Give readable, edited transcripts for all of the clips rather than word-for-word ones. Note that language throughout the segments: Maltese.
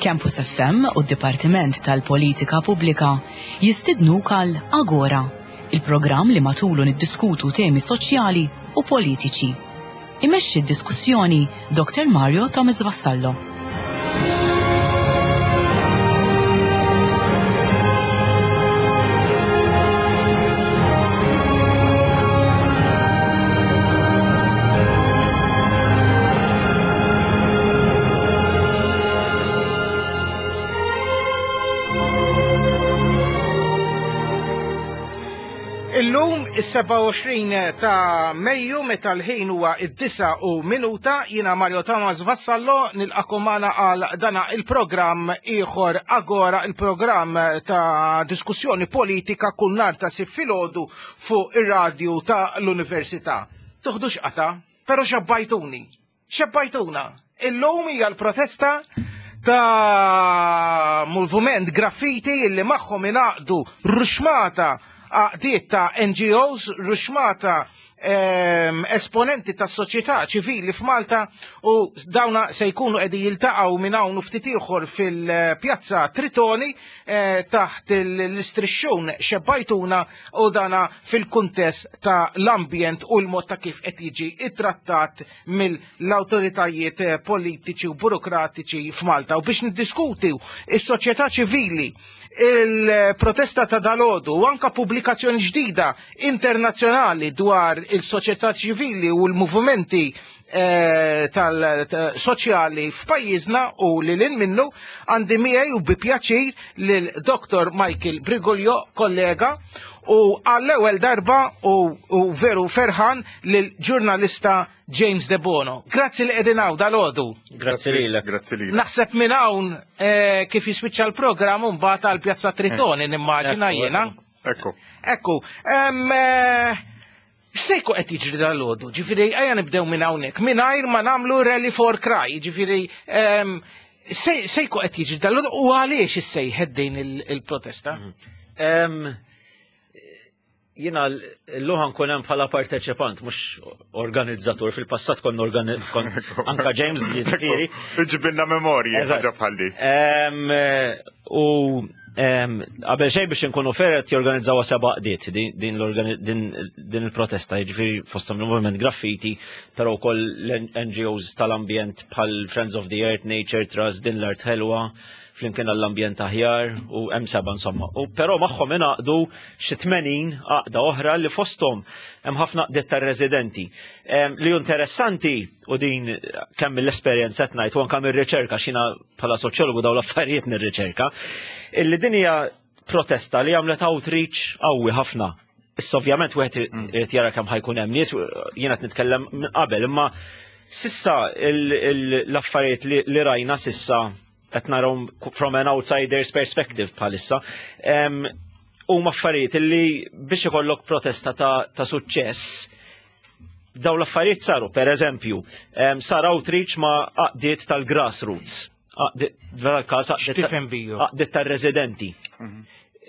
Campus FM u d-Dipartiment tal-Politika Pubblika jistidnuk għal Agora, il-programm li matulu niddiskutu temi soċjali u politiċi. Imexxi d-diskussjoni Dr. Mario Thomas Vassallo. Illum is-27 ta' Mejju meta l-ħin huwa id-disa u minuta jiena Mario Thomas Vassallo nilqakom magħna għal dana il-programm ieħor Agora il-programm ta' diskussjoni politika kull nhar ta' sib filgħodu fuq ir-radju ta' l-Università. Tuħdux qata, però xabbajtuni. Xebbajtuna! Illum hija l-protesta ta' moviment graffiti illi magħhom ingħaqdu ruxmata għaqdiet ta' NGOs, ruxmata ehm, esponenti tas soċjetà ċivili f'Malta u dawna se jkunu qegħdin jiltaqgħu minn hawn u ftit ieħor fil-pjazza Tritoni eh, taħt l-istrixxun xebbajtuna u dana fil-kuntest ta' l-ambjent u l-mod ta' kif qed jiġi ittrattat mill-awtoritajiet eh, politiċi u burokratiċi f'Malta. U biex niddiskuti is-soċjetà ċivili, il-protesta ta' dalodu u anka pubblikazzjoni ġdida internazzjonali dwar il-soċjetà ċivili u l-movimenti eh, tal-soċjali f'pajjiżna u li lin minnu għandi miegħi u bi pjaċir lil Dr. Michael Brigolio, kollega, u għall-ewwel darba u, u veru ferħan lil ġurnalista James De Bono. Grazzi li qegħdin hawn dal-għodu. Grazzi lilek. Grazzi lilek. Naħseb minn hawn eh, kif jispiċċa l-programm mbagħad għal Pjazza Tritoni nimmaġina jiena. Ekku. Ekku, em, eh, x'se jkun qed jiġri dal-għodu? Ġifieri ejja nibdew minn hawnhekk, mingħajr ma nagħmlu rally for cry, ġifieri em, se se jkun qed jiġri dal-għodu u għaliex issejħet din il- il-protesta? Em, Jina l-luħan kun hemm bħala parteċipant, mhux organizzatur. Fil-passat konna organi kon anka James jiġifieri. Ġibilna memorji, Eżatt. ħaġa bħal di. Em, U em, qabel xejn biex inkunu fair qed jorganizzaw seba' qdiet din- din l-organi- din din il-protesta, jiġifieri fosthom il-Movement Graffiti, però wkoll l-NGOs tal-ambjent bħal Friends of the Earth, Nature Trust, Din l-Art Ħelwa, flimkien għall-ambjent aħjar u hemm seba' insomma. U però magħhom ingħaqdu xi 80 għaqda oħra li fosthom hemm ħafna għaqdiet tar-residenti. Li hu interessanti u din kemm mill-esperjenza qed ngħid u anke mir-riċerka x'jiena bħala soċjologu dawn l-affarijiet nirriċerka, illi din hija protesta li għamlet outreach qawwi ħafna. Issa ovvjament wieħed irid jara kemm ħajkun hemm nies, jiena qed nitkellem minn qabel, imma sissa l-affarijiet li rajna sissa qed narahom from an outsider's perspective bħalissa. Huma affarijiet li biex ikollok protesta ta', ta suċċess daw l-affarijiet saru, per eżempju, sar outreach ma' għaqdiet tal-grassroots. Għaqdiet X'tifhem bihom? għaqdiet tar-residenti.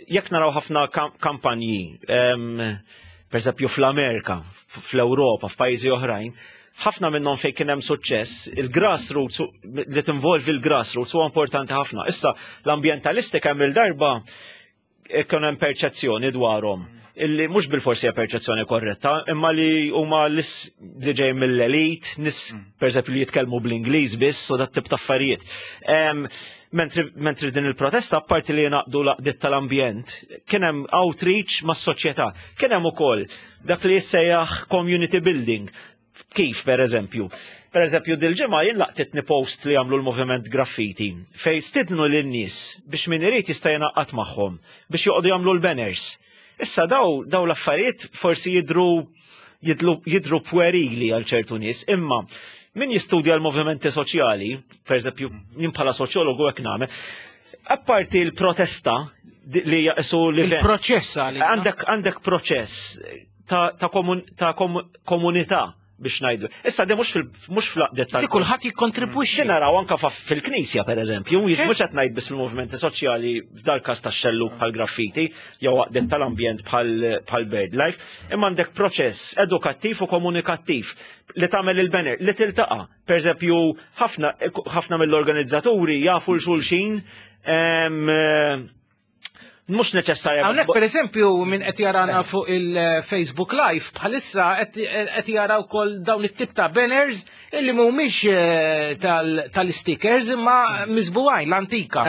Jekk naraw ħafna kampanji, per eżempju fl-Amerika, fl-Ewropa, f'pajjiżi oħrajn, ħafna minnhom fejn kien hemm suċċess, il-grassroots li tinvolvi l-grassroots huwa importanti ħafna. Issa l-ambjentalisti kemm il-darba ikun hemm perċezzjoni dwarhom illi mhux bil-forsi hija perċezzjoni korretta, imma li huma lis li ġej mill-elit, nis pereżempju li jitkellmu bl-Ingliż biss u dat tip ta' affarijiet. Mentri din il-protesta, apparti li jingħaqdu l-għaqdiet tal-ambjent, kien hemm outreach mas-soċjetà, kien hemm ukoll dak li jissejjaħ community building. Kif, per eżempju? Per eżempju, dil-ġimgħa jien laqtitni post li għamlu l-moviment graffiti fej stidnu lin-nies biex min irid jista' jingħaqad magħhom biex joqogħdu jagħmlu l-banners. Issa daw daw l-affarijiet forsi jidru jidru puerili għal ċertu nies, imma min jistudja l-movimenti soċjali, per eżempju, jien bħala soċjologu hekk nagħmel, apparti l-protesta li jaqsu li Il-proċess għalina. Għandek għandek proċess ta', ta, komun, ta' kom, komunità. biex ngħidu. Issa di mhux fl-għaqdiet tal. Li kulħadd jikkontribwixxi. Naraw anka fil-Knisja pereżempju, mhux qed ngħid biss fil-movimenti soċjali f'dal każ tax-xellug bħal graffiti jew għaqdiet tal-ambjent bħal BirdLife, imma għandek proċess edukattiv u komunikattiv li tagħmel il-banner li tiltaqa'. Pereżempju, ħafna mill-organizzaturi jafu l-xulxin mhux neċessarja. Hawnhekk pereżempju min qed jarana fuq il-Facebook Live bħalissa qed jara wkoll dawn it-tip ta' banners illi mhumiex eh, tal-stickers imma miżbuwajn l-antika.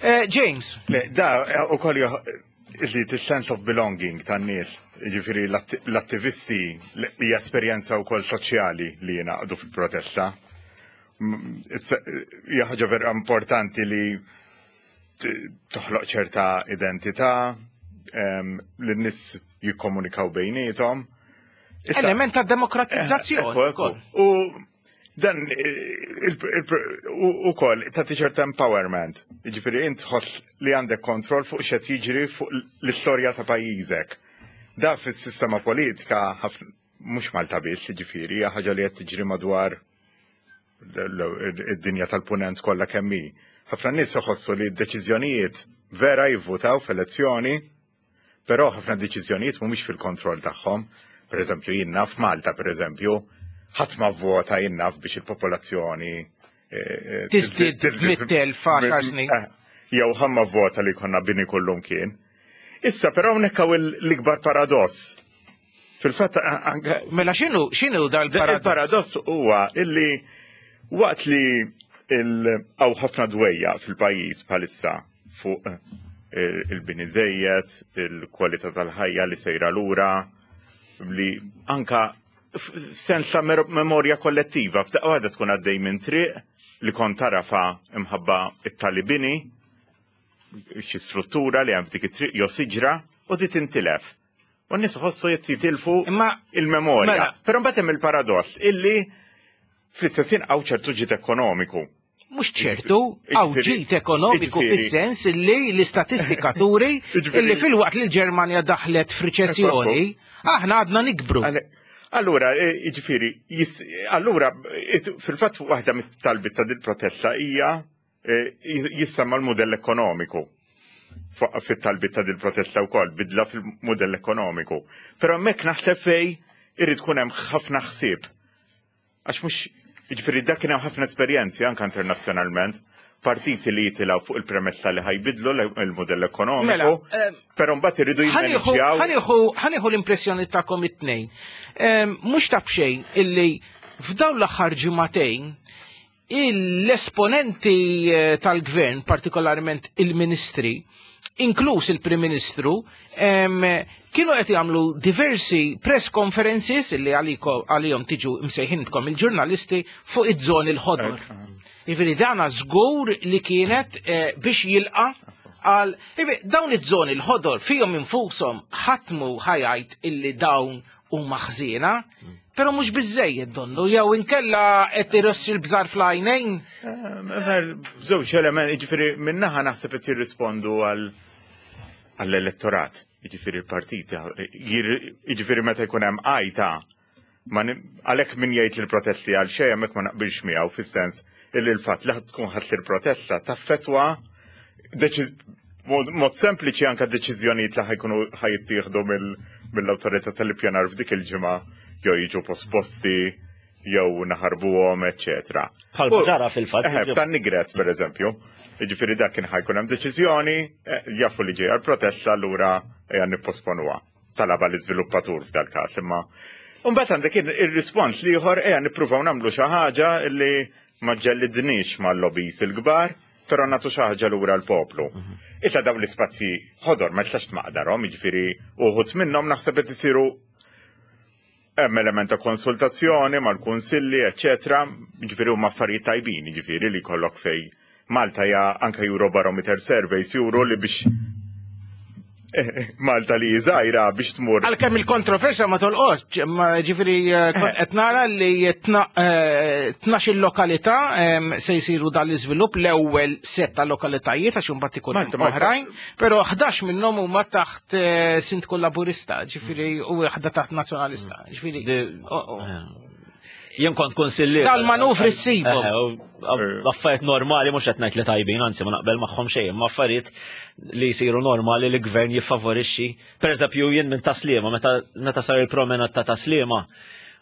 Eh, James. Le, da ukoll iżid is-sense of belonging tan-nies. Ġifieri l-attivisti hija esperjenza wkoll soċjali li jingħaqdu fil-protesta. Hija ħaġa vera importanti li toħloq ċerta identità, li n-nies jikkomunikaw bejniethom. Element ta' demokratizzazzjoni. U dan u koll ta' ċerta empowerment. Ġifieri int tħoss li għandek kontroll fuq x'qed jiġri fuq l-istorja ta' pajjiżek. Da fis-sistema politika mhux Malta biss, ġifieri, hija ħaġa li qed tiġri madwar id-dinja tal-punent kollha kemm hi. Ħafna nies iħossu li d-deċiżjonijiet vera jivvutaw f'elezzjoni, però ħafna deċiżjonijiet mhumiex fil-kontroll tagħhom. Per eżempju, jien naf Malta, per eżempju, ħadd ma vvota jien naf biex il-popolazzjoni eh, eh, tiżdied mit-telf għaxar snin. Eh, jew ħadd ma vvota li jkollna bini kullum kien. Issa però hawnhekk hawn l-ikbar paradoss. Fil-fatt anke. Mela x'inhu x'inhu dal-paradoss? Il-paradoss huwa illi waqt li hawn ħafna dwejja fil-pajjiż bħalissa fuq eh, il-bini żejjed, il-kwalità tal-ħajja li sejra lura, li anka f'sens ta' memorja kollettiva, f'daqqa waħda tkun għaddej minn triq li kont tarafa imħabba it-talibini, xi struttura li hemm f'dik it-triq jew siġra u di tintilef. U n-nies iħossu qed jitilfu il-memorja. Mela. Però mbagħad hemm il-paradoss illi fl-istess ħin hawn ċertu ġid ekonomiku. Mhux ċertu, hawn ġid ekonomiku fis-sens illi l-istatistika turi illi filwaqt li l-Ġermanja daħlet f'riċessjoni, aħna għadna nikbru. Allura, e, jiġifieri, allura fil-fatt waħda mit-talbiet ta' dil-protesta hija Eh, jissemma l-mudell ekonomiku fit-talbit ta' dil-protesta wkoll, bidla fil-mudell ekonomiku. Però hemmhekk naħseb fej irid tkun hemm ħafna ħsieb. Għax mhux jiġifieri dak kien hemm ħafna esperjenzi anke internazzjonalment partiti li jitilgħu fuq il-premessa li ħajbidlu l-modell ekonomiku, mela, eh, però mbagħad iridu jimmanġjaw. Ħanieħu l-impressjoni tagħkom it-tnejn. Eh, mhux ta' b'xejn illi f'dawn l-aħħar ġimagħtejn l-esponenti eh, tal-gvern, partikolarment il-ministri, inkluż il-Prim Ministru, kienu qed jagħmlu diversi press conferences li għalihom tiġu msejħintkom il-ġurnalisti fuq iż-żoni l-ħodor. Jiġifieri dana żgur li kienet eh, biex jilqa' għal dawn iż-żoni l-ħodor fihom infushom ħatmu ħajajt illi dawn huma ħżiena, però mhux biżejjed donnu, jew inkella qed irossi l-bżar fl-għajnejn. Eh, żewġ element, jiġifieri minnaħa naħseb qed jirrispondu għall-elettorat, jiġifieri l-partiti, jiġifieri meta jkun hemm għajta, għalhekk min jgħid li l-protesti għal xejn hemmhekk ma naqbilx miegħu fis-sens illi l-fatt li tkun ħassir protesta taffetwa mod sempliċi anka deċiżjonijiet li ħajkunu ħajjittieħdu mill-awtorità tal-ippjanar f'dik il-ġimgħa jew jiġu posposti jew naħarbuhom, eċċetera. Bħal ġara fil-fatt. Eh, tan nigret, per eżempju. Jiġifieri dak kien ħajkun hemm deċiżjoni, eh, jafu li ġejja l-protesta allura ejja nipposponuha. Talaba l-iżviluppatur f'dal-każ imma. Mbagħad għandek ir-rispons l-ieħor ejja nippruvaw nagħmlu xi ħaġa li ma ġellidniex mal-lobbies il-kbar, però nagħtu xi ħaġa lura l-poplu. Mhm. Issa dawn l-ispazji ħodor ma jistax tmaqdarhom, jiġifieri uħud minnhom naħseb qed isiru hemm element ta' konsultazzjoni mal-kunsilli, eċċetera, jiġifieri huma affarijiet tajbin, jiġifieri li jkollok fej Malta hija anke Eurobarometer surveys juru li biex Malta li żgħira biex tmur. Għalkemm il-kontroversja ma tolqotx, ma ġifieri eh, kont qed nara li eh, tnax il-lokalità se jsiru dan l-iżvilupp l-ewwel set ta' lokalitajiet għax imbagħad ikun hemm oħrajn, però 11 minnhom huma taħt eh, sindku laburista, ġifieri u waħda taħt nazzjonalista. Ġifieri. Oh, oh. Jien kont kunsillier. Dal-manuvri ssibhom. Eh, affarijiet normali mhux qed ngħid li tajbin, anzi ma naqbel magħhom xejn, ma affarijiet li jsiru normali li gvern jiffavorixxi. Pereżempju jien minn Taslima, meta sar il-promenad ta' Taslima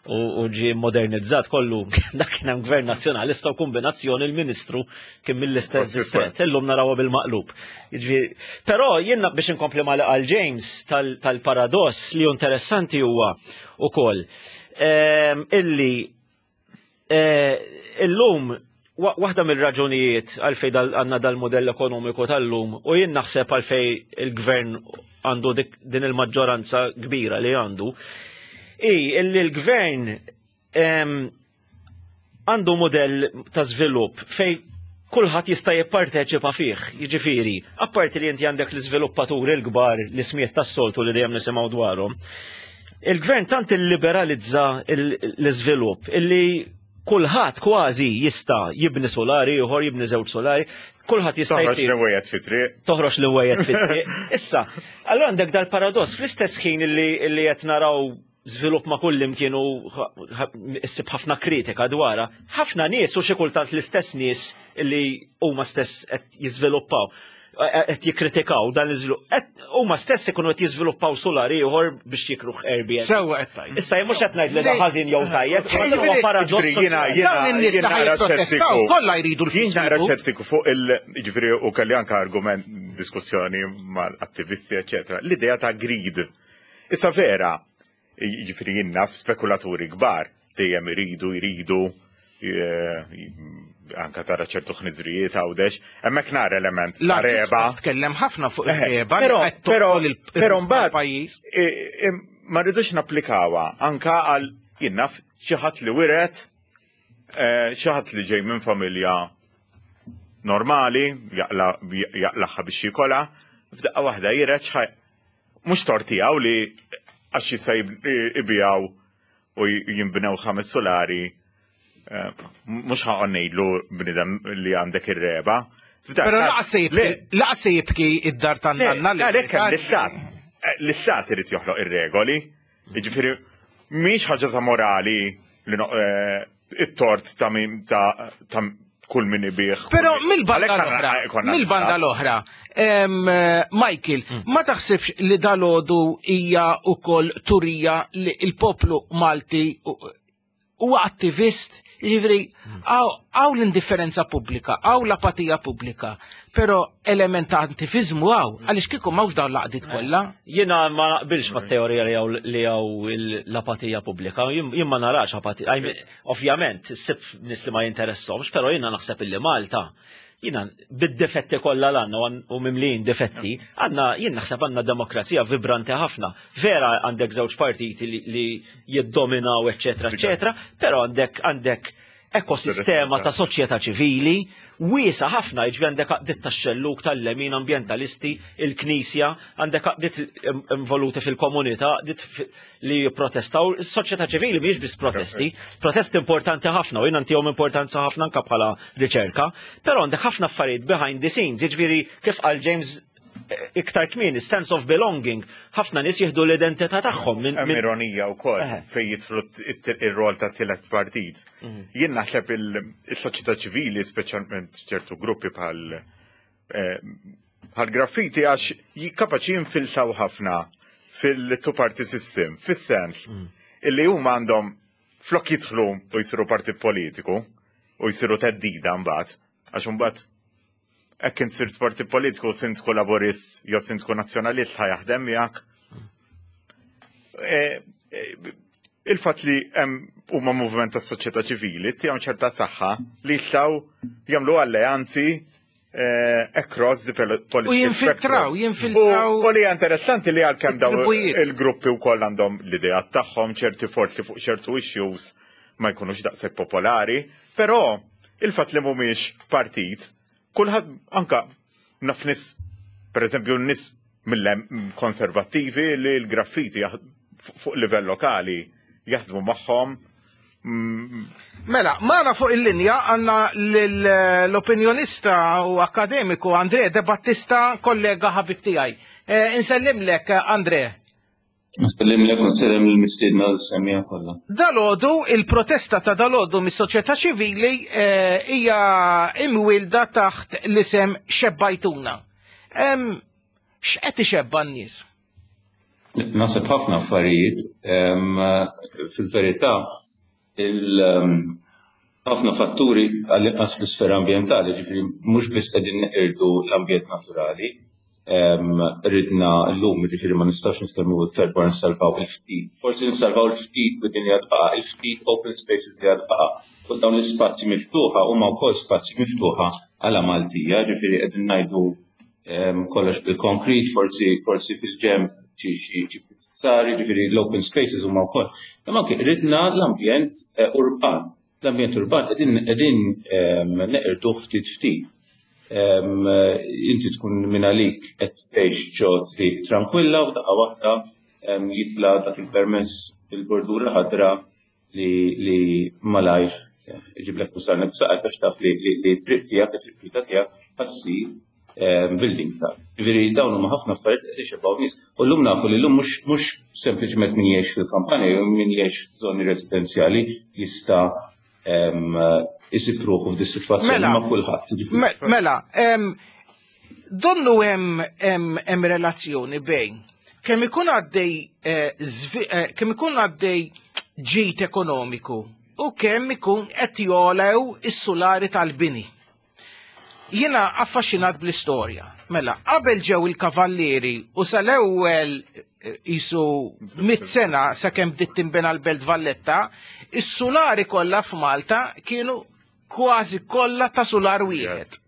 u ġie modernizzat kollu, dak kien hemm gvern nazzjonalista u kombinazzjoni l-ministru kien mill-istess distret. Illum narawha bil-maqlub. Jiġifieri, però jien biex inkompli ma' li qal James tal-paradoss li interessanti huwa ukoll illi eh, illum waħda mill-raġunijiet għalfej għandna dal-modell ekonomiku tal-lum u jien naħseb għalfej il-gvern għandu din il-maġġoranza kbira li għandu, i illi l-gvern għandu modell ta' żvilupp fej kulħadd jista' jipparteċipa fih, jiġifieri, apparti li inti għandek l-iżviluppaturi l-kbar li smiet tas-soltu li dejjem nisimgħu dwarhom. Il-gvern tant illiberalizza l-iżvilupp illi kulħadd kważi jista' jibni solari ieħor, jibni żewġ solari, kulħadd jista' jsir. Toħroġ l-wejjed fit-triq. Toħroġ l-wejjed fit-triq. Issa, allura għandek dal-paradoss fl-istess ħin illi qed naraw żvilupp ma' kull imkien u issib ħafna kritika dwarha, ħafna nies u xi kultant l-istess nies li huma stess qed jiżviluppaw qed jikkritikaw dan l-iżvilupp. Huma stess ikunu qed jiżviluppaw solar ieħor biex jikruh Airbnb. Sewwa qed tgħid. Issa jien mhux qed ngħid li da ħażin jew tajjeb, huwa paradoss. Jiena jiena naqra xettiku. Kollha jridu l Jien naqra xettiku fuq il jiġifieri u kelli anke argument diskussjoni mal-attivisti eċetera. L-idea ta' greed. Issa vera, jiġifieri jien naf spekulaturi kbar dejjem iridu jridu eh, anka tara ċertu ħniżrijiet għawdex, hemmhekk nara element ta' reba. Tkellem ħafna fuq eh, ir-reba, però però mbagħad eh, ma rridux napplikawha anka għal jien naf xi ħadd li wiret xi ħadd li ġej minn familja normali, jaqlaħħa biex jikola, f'daqqa waħda jiret Mhux tort tiegħu li għax jista' ibijaw u jinbnew ħames solari eh, mhux ħaqon ngħidlu bnidem li għandek ir-reba. Però laqas se jibki id-dar tan-nanna li. Għalhekk hemm l-istat. Eh, l-istat irid joħloq ir-regoli. Jiġifieri mhix ħaġa ta' morali li eh, it-tort ta' min ta' kull min ibih. Però mill-banda l-oħra, mill-banda l-oħra, Michael, mm. ma taħsibx li dalodu hija ukoll turija li il-poplu Malti huwa attivist, jiġifieri hawn l-indifferenza pubblika, hawn l-apatija pubblika, però element ta' attivizmu hawn, għaliex kieku m'hawnx dawn l-għaqdiet kollha. Jiena ma naqbilx mat-teorija li hawn l-apatija pubblika, jien ma narax apatija. Ovvjament, ssib nies li ma jinteressahomx, però jiena naħseb illi Malta jina bid-difetti kollha l-għanna u mimlijin difetti, għanna jien naħseb għanna demokrazija vibranti ħafna. Vera għandek żewġ partiti li jiddominaw, eccetera, eccetera, però għandek għandek ekosistema ta' soċjetà ċivili wiesa ħafna, jiġifieri għandek għaqdiet tax-xellug tal-lemin ambjentalisti, il-knisja, għandek għaqdiet involuti fil-komunità, għaqdiet li jipprotestaw. Is-soċjetà ċivili mhijiex biss protesti, protesti importanti ħafna u jiena ntihom importanza ħafna anke bħala riċerka, però għandek ħafna affarijiet behind the scenes, jiġifieri kif qal James eh, iktar kmieni, sense of belonging, ħafna nies jieħdu l-identità tagħhom minn. Hemm ironija wkoll fejn jidħlu ir-rol ta' tielet partit. Mhm. Jien naħseb il-soċjetà ċivili, speċjalment ċertu gruppi bħal eh, bħal graffiti għax kapaċi jinfilsaw ħafna fil-two party system, fis-sens mm. illi huma għandhom flok jidħlu u jsiru partit politiku u jsiru teddida mbagħad, għax mbagħad hekk int sirt partit politiku sindku laburist jew sindku nazzjonalist ħa jaħdem miegħek. E, e, il-fatt li hemm huma moviment tas-soċjetà ċivili tihom ċerta saħħa li jistgħu jagħmlu alleanzi Eh, across the political U jinfiltraw, jinfiltraw. U li interessanti li għalkemm daw il-gruppi u koll għandhom l-idea tagħhom ċerti forzi fuq ċertu issues ma jkunux daqshekk popolari, però il-fatt li mhumiex partit, kulħadd anka naf nis, per eżempju nis mill-konservattivi li l-graffiti fuq livell lokali jaħdmu magħhom Mela, magħna fuq il-linja għandna l-opinjonista u akademiku Andre De Battista, kollega ħabib tiegħi. Eh, insellimlek, Andre. Nsellimlek u nsellem lill-mistiedna u lis-semmiegħa kollha. Dalgħodu, il-protesta ta' dalgħodu mis-soċjetà ċivili eh, hija imwielda taħt l-isem Xebbajtuna. X'qed ixebba' n-nies? Naħseb ħafna affarijiet. Fil-verità, ħafna fatturi għall-inqas fl-isfera ambjentali, ġifieri mhux biss qegħdin neqirdu l-ambjent naturali, ridna llum, ġifieri ma nistgħux nitkellmu iktar dwar nsalvaw il-ftit. Forsi nsalvaw il-ftit widien li għad baqa', il-ftit open spaces li għad baqa'. U dawn l-ispazji miftuħa huma wkoll spazji miftuħa għala Maltija, ġifieri qegħdin ngħidu kollox bil-konkrit, forsi forsi fil-ġemb xi ftit sari, ġifieri l-open spaces huma wkoll. Imma anke ridna l-ambjent eh, urban. L-ambjent urban qegħdin qegħdin neqirduh ftit ftit. Inti tkun minn għalik qed tgħix ġo triq tranquilla u daqqa waħda jitla' dak il-permess il-bordura ħadra li li malajr iġiblek tusarni b'saqajk għax taf li li triq tiegħek, it-triq pubblika tiegħek ħassir ehm, building sa. Ġifieri dawn huma ħafna affarijiet qed ixebgħu nies. U llum nafu li llum mhux mhux sempliċement min jgħix fil-kampanja jew min jgħix f'żoni residenzjali jista' ehm, isib ruħu f'di sitwazzjoni mela, ma' kulħadd. Mela, ehm, donnu hemm relazzjoni bejn kemm ikun għaddej eh, eh, kemm ikun għaddej ġid ekonomiku u kemm ikun qed jolew is-sulari tal-bini. Jiena affaxxinat bl-istorja. Mela, qabel ġew il-kavallieri u sal-ewwel eh, isu mit sena sakemm bdiet tinbena l-Belt Valletta, is-sulari kollha f'Malta kienu kważi kollha ta' sular wieħed.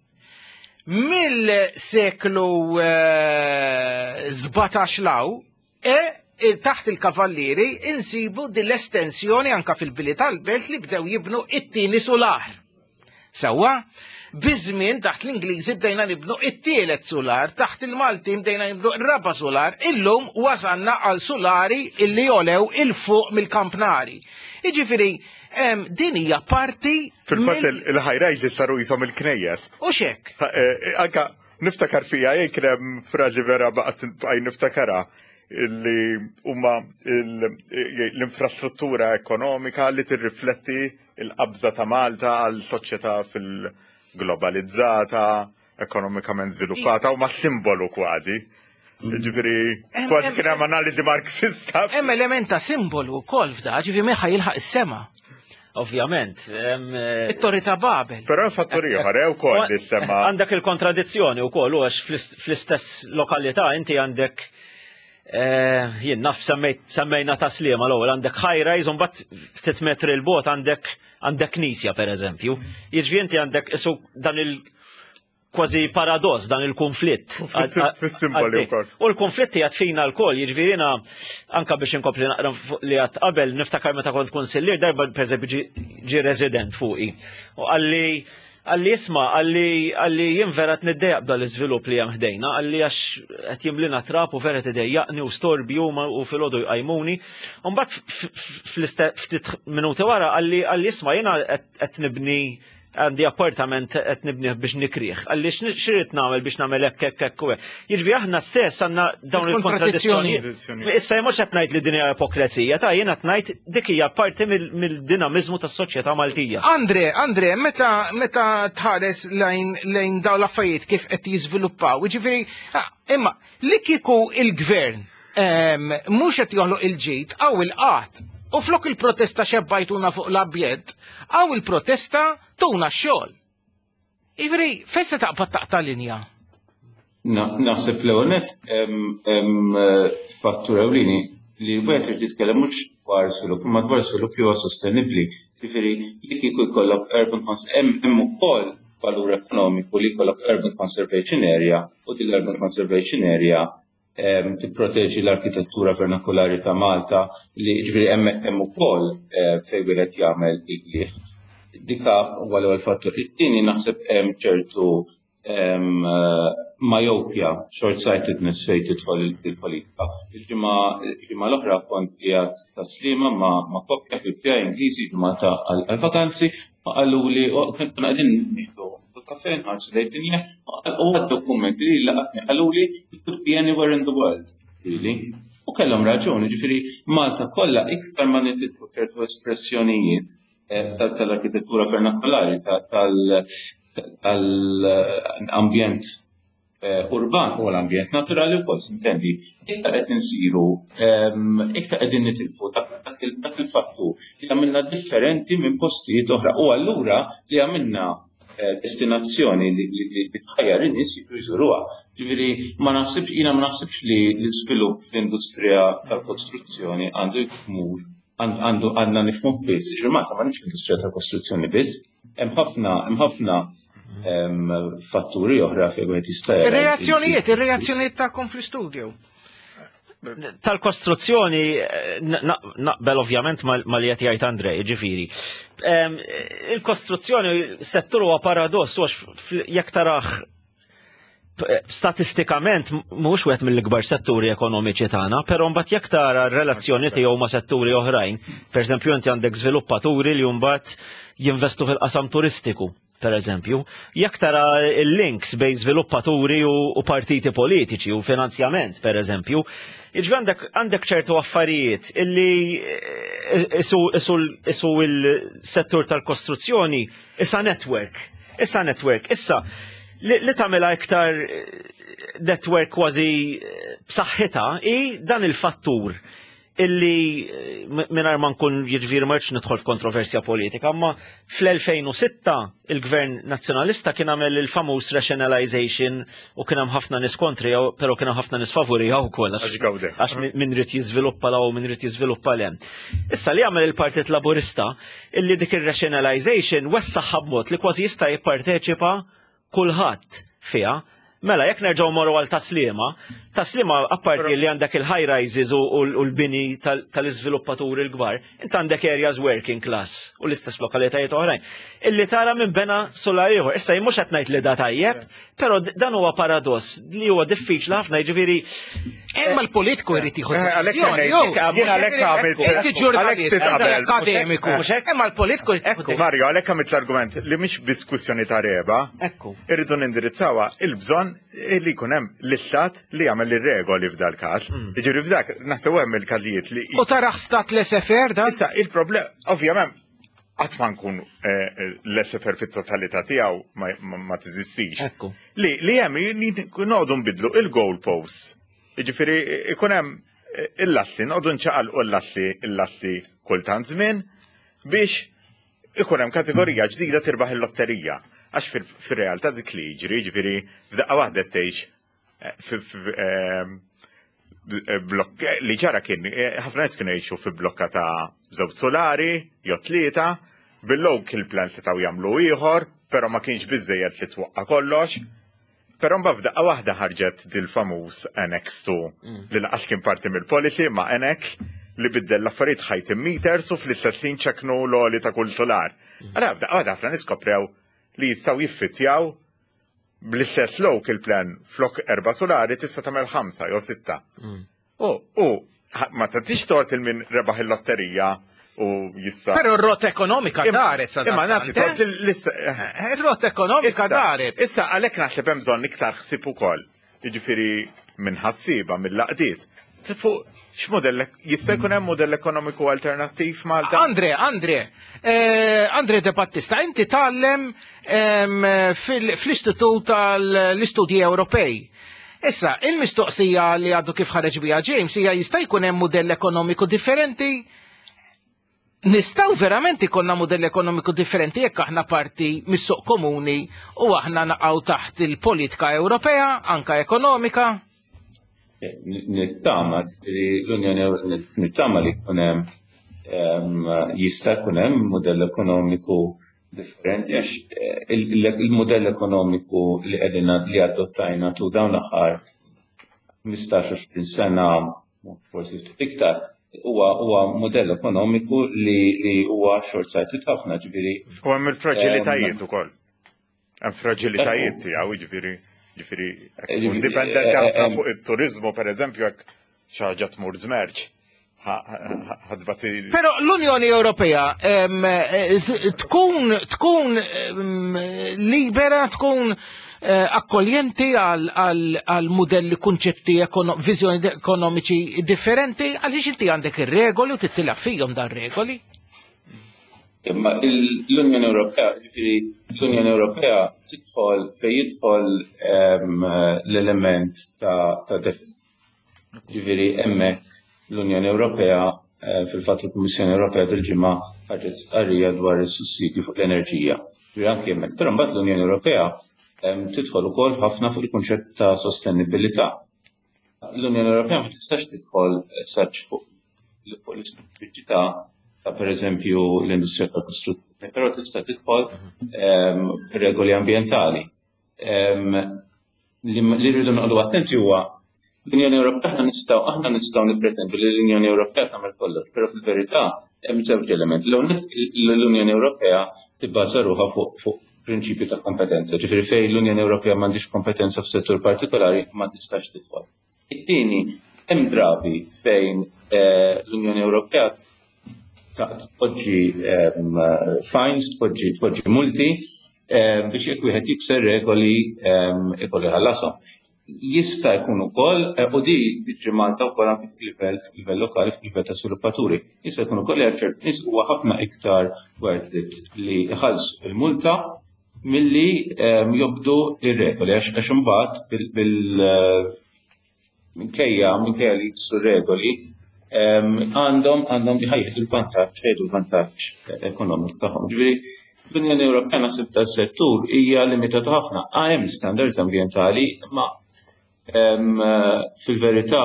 Mill-seklu 17 law, e taħt il-kavallieri insibu din l-estensjoni anka fil-bili tal-belt li bdew jibnu it-tieni sular. Sewwa, biż-żmien taħt l-Ingliżi bdejna nibnu it-tielet sular, taħt il-Maltin bdejna nibnu r-raba' sular, illum wasalna għal sulari illi jolew il-fuq mill-kampnari. Jiġifieri, din hija parti. Fil-fatt il-high rises saru jisom il-knejjes. U xek. Eh, anka niftakar fija jgħid kien hemm frażi vera baqgħet bqaj niftakara li huma l-infrastruttura ekonomika li tirrifletti l-qabża ta' Malta għal soċjetà fil-globalizzata, ekonomikament żviluppata u ma' simbolu kważi. Ġifieri, kważi kien hemm analiżi Marxista. Hemm element ta' simbolu wkoll f'da, ġifieri meħa jilħaq is-sema. Ovvjament. Eh, It-torri ta' Babel. Però fattur ieħor eh, wkoll li sema. Għandek il-kontradizzjoni wkoll u għax fl-istess lokalità inti għandek eh, jien naf semmejna ta' sliema l-ewwel għandek high rise u mbagħad ftit metri l-bot għandek għandek knisja pereżempju. Jiġifieri inti għandek isu dan il- kważi paradoss dan il-konflitt. Fis-simboli wkoll. U l-konflitt jgħat fina l-koll, jiġifieri jiena anka biex inkompli naqra li għat qabel niftakar meta kont konsillier darba pereżempju ġi resident fuqi. U għalli għalli isma, għalli għalli jien vera qed niddejjaq b'dan l-iżvilupp li hemm ħdejna, għalli għax qed jimlina trab u vera tidejjaqni u storbju u filgħodu jqajmuni. U mbagħad ftit minuti wara għalli għalli isma' jiena qed nibni għandi appartament qed nibnih biex nikrih. Għalli xirrid nagħmel biex nagħmel hekk hekk hekk u hekk. Jiġifieri aħna stess għandna dawn il-kontradizzjonijiet. Issa mhux qed ngħid li din hija ipokrezija, ta' jien qed ngħid dik hija parti mill-dinamiżmu tas-soċjetà Maltija. Andre, Andre, meta meta tħares lejn lejn dawn l-affarijiet kif qed jiżviluppaw, jiġifieri ah, imma li kieku il-gvern ehm, mhux qed joħloq il-ġid għaw il-qat. U flok il-protesta xebbajtuna fuq l-abjed, għaw il-protesta tuna x-xogħol. Ivri, fejn se taqbad taqta' linja? Naħseb l-ewwel nett hemm fattur ewlieni li wieħed irid jitkellem mhux dwar żvilupp imma dwar żvilupp li huwa sostenibbli. Ġifieri li kieku jkollok urban hemm ukoll valur ekonomiku li jkollok urban conservation area u din l-urban conservation area tipproteġi l-arkitettura vernakulari ta' Malta li ġifieri hemmhekk hemm ukoll eh, fejn wieħed jagħmel il-qligħ. Dika huwa l-ewwel fattur. It-tieni naħseb hemm ċertu eh, myopia, short-sightedness fejn tidħol il-politika. Il-ġimgħa l-oħra kont qiegħed ta' Sliema ma' koppja ħbieb tiegħi Ingliżi ġimgħa ta' għal-vakanzi, qaluli konna qegħdin nieħdu kafe nħarsu lejn dinja u għad dokumenti li laqatni qaluli it could be anywhere in the world, really. U kellhom raġun, jiġifieri Malta kollha iktar ma nitilfu ċertu espressjonijiet eh, tal-arkitettura vernakolari, tal-ambjent eh, urban u l-ambjent naturali wkoll sintendi, iktar qed insiru, ehm, iktar qegħdin nitilfu dak il-fattur li għamilna differenti minn postijiet oħra u allura li għamilna eh, destinazzjoni li tħajjar in-nies jiġu jżuruha. Ġifieri ma naħsibx jiena ma naħsibx li l-iżvilupp fl-industrija tal-kostruzzjoni għandu jmur għandu għandna nifhmu biss. Ġifieri Malta m'għandix l-industrija tal-kostruzzjoni biss, hemm ħafna hemm ħafna fatturi oħra fejn wieħed jista' Ir-reazzjonijiet, ir-reazzjonijiet tagħkom fl-istudio. Tal-kostruzzjoni eh, naqbel ovvjament ma li qed jgħid Andrej, ġifieri. Il-kostruzzjoni settur huwa paradoss għax jekk taraħ statistikament mhux wieħed mill-ikbar setturi ekonomiċi tagħna, però mbagħad jekk tara r-relazzjoni tiegħu ma' setturi oħrajn, pereżempju inti għandek żviluppaturi li mbagħad jinvestu fil-qasam turistiku per eżempju, jekk tara il-links bejn żviluppaturi u partiti politiċi u finanzjament, per eżempju, jiġri għandek għandek ċertu affarijiet illi eh, isu il-settur tal-kostruzzjoni issa network, issa network, issa li tagħmilha iktar eh, network kważi eh, b'saħħitha i dan il-fattur illi eh, mingħajr ma nkun jiġifieri ma rridx nidħol f'kontroversja politika, imma fl-2006 il-Gvern Nazzjonalista kien għamel il-famuż rationalization u kien hemm ħafna nies kontri, però kien hemm ħafna nies favurija wkoll għax min rid jiżviluppa la u min rid jiżviluppa le. Issa li għamel il-Partit Laburista illi dik ir-rationalization wessaħħa b'mod li kważi jista' jipparteċipa kulħadd fiha. Mela, jekk nerġgħu morru għal taslima, taslima apparti li għandek il-high rises u l-bini tal-iżviluppaturi l-kbar, int għandek areas working class u l-istess lokalitajiet oħrajn. Illi tara minn bena solar ieħor. Issa jien mhux qed ngħid li da tajjeb, però dan huwa paradoss li huwa diffiċli ħafna, jiġifieri. Imma l-politiku jrid jieħu eh, deċiżjoni. Jien għalhekk għamilt. Inti ġurnalist, akademiku. Imma l-politiku jrid jieħu Mario, għalhekk għamilt l-argument li mhix diskussjoni ta' reba. Ekku. Irridu nindirizzawha il-bżonn li jkun hemm l-istat li jagħmel ir-regoli f'dal każ. Mm. Jiġifieri f'dak naħseb hemm il-każijiet li. U taraħ stat l-SFR da? Issa il-problem, ovvjament, qatt ma nkun eh, eh, l-SFR fit-totalità tiegħu ma tiżistix. Ekku. Li li hemm noqogħdu nbidlu il-goal posts. Jiġifieri ikun hemm eh, il-lassi, noqogħdu nċaqalqu l-lassi il-lassi kultant żmien biex ikun hemm kategorija ġdida tirbaħ il-lotterija. Għax fir-realtà dik li jiġri, jiġifieri f'daqqa waħda tgħix eh, eh, eh, blokk li ġara kien ħafna nies kienu jgħixu fi blokka ta' żewġ solari jew tlieta, bil-local plan setgħu jagħmlu ieħor, però ma kienx biżejjed li twaqqa' kollox. Però mbagħad f'daqqa waħda ħarġet dil-famuż Annex 2 mm. li laqas kien parti mill-policy ma' Annex li biddel l-affarijiet ħajt meters u fl-istess ħin ċeknu l-oli ta' kull solar. Mm. Ara f'daqqa waħda ħafna niskoprew li jistgħu jiffittjaw bl-istess local plan flok erba' solari tista' tagħmel ħamsa jew sitta. Mm. U, u, ma tagħtix tort il min rebaħ il-lotterija u jista. Però r-rota ekonomika daret sa. Imma nagħti tort l-issa. Eh, eh, ir-rota ekonomika daret. Issa għalhekk naħseb hemm bżonn iktar ħsieb ukoll. Jiġifieri minn ħassieba mill-laqdiet. Fuq x'modell jista' jkun hemm modell ekonomiku alternattiv Malta? Andre, Andre, eh, Andre De Battista, inti tgħallem fl-Istitut tal-Istudji Ewropej. Issa, il-mistoqsija li għadu kif ħareġ biha James hija jista' jkun hemm mudell ekonomiku differenti? Nistgħu verament ikollna mudell ekonomiku differenti jekk aħna parti mis-suq komuni u aħna naqgħu taħt il-politika Ewropea, anka ekonomika? Nittama li l-Unjoni nittama li jkun hemm ehm, jista' jkun hemm mudell ekonomiku differenti għax eh, il-modell ekonomiku li qegħdin li adottajna tu dawn l-aħħar 15-20 sena forsi ftit iktar huwa huwa modell ekonomiku li li huwa short-sighted ħafna ġifieri. U hemm il-fraġilitajiet ehm, ukoll. Hemm fraġilitajiet tiegħu ġifieri ġifieri dipendenti eh, ħafna eh, fuq it-turizmu pereżempju jekk xi ħaġa tmur żmerġ ħadbati. Però l-Unjoni Ewropea eh, tkun tkun libera, tkun akkoljenti għal mudelli, kunċetti, viżjoni ekonomiċi differenti, għaliex inti għandek ir-regoli u tittilab fihom dan regoli. Imma l-Unjoni Ewropea, ġifieri l-Unjoni Ewropea tidħol fejn jidħol l-element ta' deficit. Ġifieri hemmhekk l-Unjoni Ewropea, fil-fatt il-Kummissjoni Ewropea dil-ġimgħa ħarġet stqarrija dwar is-sussidju fuq l-enerġija. Ġifieri anke hemmhekk. Però mbagħad l-Unjoni Ewropea tidħol ukoll ħafna fuq il-kunċett ta' sostenibilità. L-Unjoni Ewropea ma tistax tidħol saċ fuq l-ispeċifiċità ta' pereżempju l-industrija tal-kostruzzjoni, però tista' tidħol f'regoli ambjentali. Li rridu noqogħdu attenti huwa l-Unjoni Ewropea, aħna nistgħu nippretendu li l-Unjoni Ewropea tagħmel kollox, però fil-verità hemm żewġ elementi. L-ewwel, l-Unjoni Ewropea tibbaża ruħha fuq prinċipju ta' kompetenza, ġifieri fejn l-Unjoni Ewropea m'għandix kompetenza f'settur partikolari ma tistax tidħol. It-tieni, hemm drabi fejn l-Unjoni Ewropea tpoġġi fines, tpoġġi multi biex jekk wieħed jikser regoli ikollu jħallashom. Jista' jkun ukoll, u di tiġri Malta wkoll anke fil-livell lokali, fil-livell ta' sviluppaturi, jista' jkun ukoll li għal ċertu nies huwa ħafna iktar worth it li jħallsu il-multa milli jobdu ir-regoli, għax imbagħad bil minkejja li jiksu regoli għandhom jħajjed il-vantaġġ, jgħidu l-vantaġġ ekonomiku tagħhom. Ġifieri l-Unjoni Ewropea naħseb tas-settur hija limitata ħafna. Hemm standards ambjentali, imma fil-verità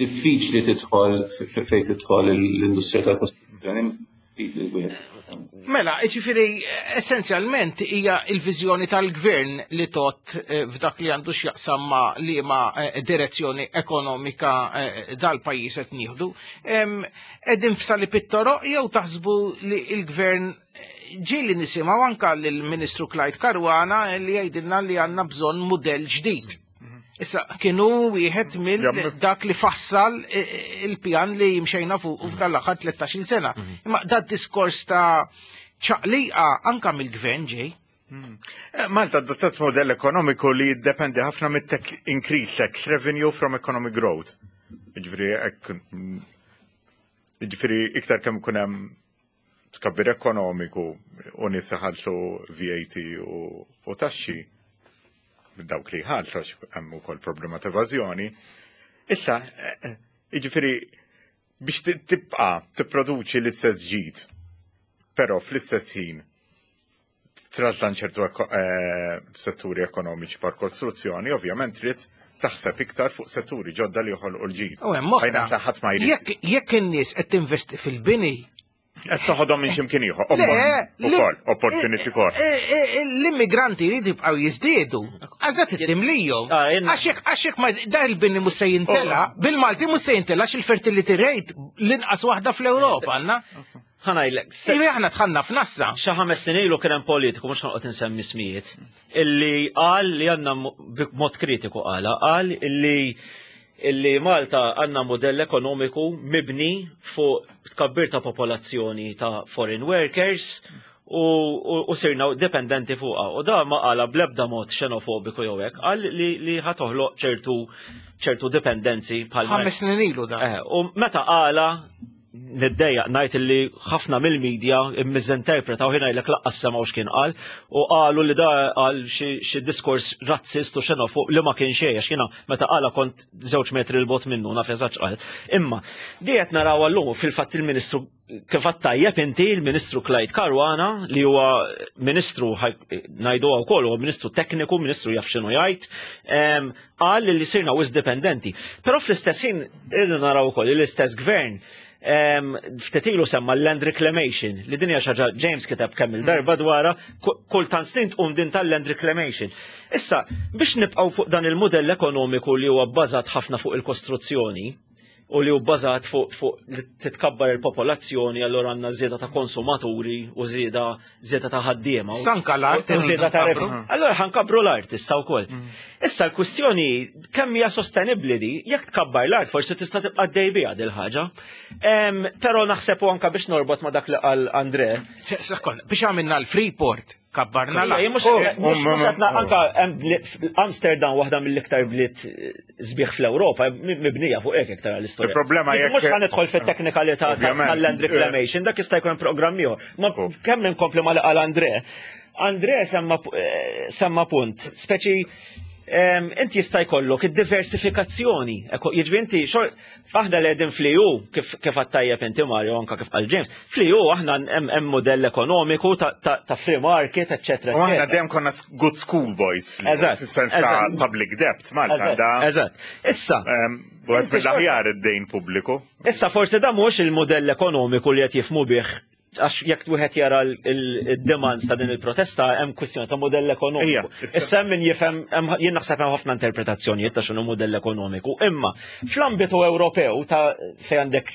diffiċli tidħol fejn tidħol l-industrija tal-kostruzzjoni. Mela, ġifieri essenzjalment hija l-viżjoni tal-gvern li tot f'dak li għandu x'jaqsam ma' liema direzzjoni ekonomika dal-pajjiż qed nieħdu. Qegħdin f'sali pittoroq jew taħsbu li l-gvern ġieli nisimgħu anka lill-Ministru Clyde Caruana li jgħidilna li għandna bżonn mudell ġdid. Issa, kienu wieħed mill dak li fassal il-pjan li jimxejna fuq f'dan l-aħħar 13-il sena. Imma dat diskors ta' ċaqliqa anka mill-gvern ġej. Malta adottat modell ekonomiku li jiddependi ħafna mit-increase tax revenue from economic growth. Ġifieri iktar kemm ikun hemm tkabbir ekonomiku u nies iħallsu VAT u taxxi, dawk li jħallsu, għax hemm ukoll problema ta' evażjoni. Issa, jiġifieri biex tibqa' tipproduċi l-istess ġid, però fl-istess ħin trażżan ċertu setturi ekonomiċi par kostruzzjoni, ovvjament trid taħseb iktar fuq setturi ġodda li joħolqu l-ġid. U hemm oħra. Fejn aħna ħadd ma jrid. Jekk in-nies qed tinvesti fil-bini, Qed toħodhom minn x'imkien ieħor. Le, Ukoll, opportunity cost. L-immigranti jridu jibqgħu jiżdiedu. Għal dak timlijhom. Għax jekk ma da il-bini mhux se jintela, bil-Malti mhux se jintela għax il-fertility rate l-inqas waħda fl-Ewropa għandna. Ħa ngħidlek. Iva, aħna dħalna f'nassa. Xi 5 snin ilu kien hemm politiku, mhux ħanqod insemmi ismijiet, illi qal li għandna b'mod kritiku qala, qal illi Malta għandna modell ekonomiku mibni fuq tkabbir ta' popolazzjoni ta' foreign workers u sirna dependenti fuqha. U da ma qala bl-ebda mod xenofobiku jew hekk, qal li ħa toħloq ċertu dipendenzi bħal 5 snin ilu da. U meta qala niddejjaq ngħid li ħafna mill-medja immiżinterpretaw, ħina jgħidlek laqqas semgħu x'kien qal, u qalu li da qal xi diskors razzist u xenofob li ma kien xejn, għax jiena meta qala kont 2 metri 'l bogħod minnu, naf eżatt x'qal. Imma di qed naraw llum fil-fatt il-Ministru kif għadt tajjeb inti, il-Ministru Clyde Caruana, li huwa ministru, ngħiduha wkoll, huwa ministru tekniku, ministru jaf x'inhu jgħid, qal li sirna wisq dipendenti. Però fl-istess ħin irridu naraw ukoll li l-istess gvern ftit ilu semma l-land reclamation, li din hija xi ħaġa James kiteb kemm il-darba dwarha, kultant snin tqum din tal-land reclamation. Issa, biex nibqgħu fuq dan il-modell ekonomiku li huwa bbażat ħafna fuq il-kostruzzjoni u li huwa bbażat fuq li titkabbar il-popolazzjoni, allura għandna żieda ta' konsumaturi u żieda ta' ħaddiema. Sanka l-art U żieda ta' nkabru. revenue. Allura ħa nkabru l-art issa wkoll. Issa l-kwistjoni kemm hija sostenibbli di, jekk tkabbar l-art forsi tista' tibqa' dej biha dil ħaġa. Però naħseb u anka biex norbot ma' dak li qal Andre. Sekonda, biex għamilna l-Freeport. Kabbarna la. Mhux qed anka Amsterdam waħda mill-iktar bliet sbieħ fl-Ewropa mibnija fuq hekk iktar l-istorja. Il-problema jekk mhux ħanidħol fit-teknikalità tal-land reclamation, dak jista' jkun programm ieħor. Ma kemm inkompli ma li qal Andre. Andre semma punt, speċi inti jista' jkollok id-diversifikazzjoni. Jiġri inti aħna li qegħdin fl-EU kif kif għattajjeb inti Mario anka kif qal James, fl-EU aħna hemm modell ekonomiku ta' free market, eċetera. U aħna dejjem konna good school boys fis-sens ta' public debt Malta da. Eżatt. Issa. Wieħed mill-aħjar id-dejn pubbliku. Issa forsi da mhux il-modell ekonomiku li qed jifhmu bih għax jekk wieħed jara l-demands ta' din il-protesta hemm kwistjoni ta' modell ekonomiku. Issa hemm min jifhem jien naħseb hemm ħafna interpretazzjonijiet ta' x'inhu modell ekonomiku. Imma fl-ambitu Ewropew ta' fejn għandek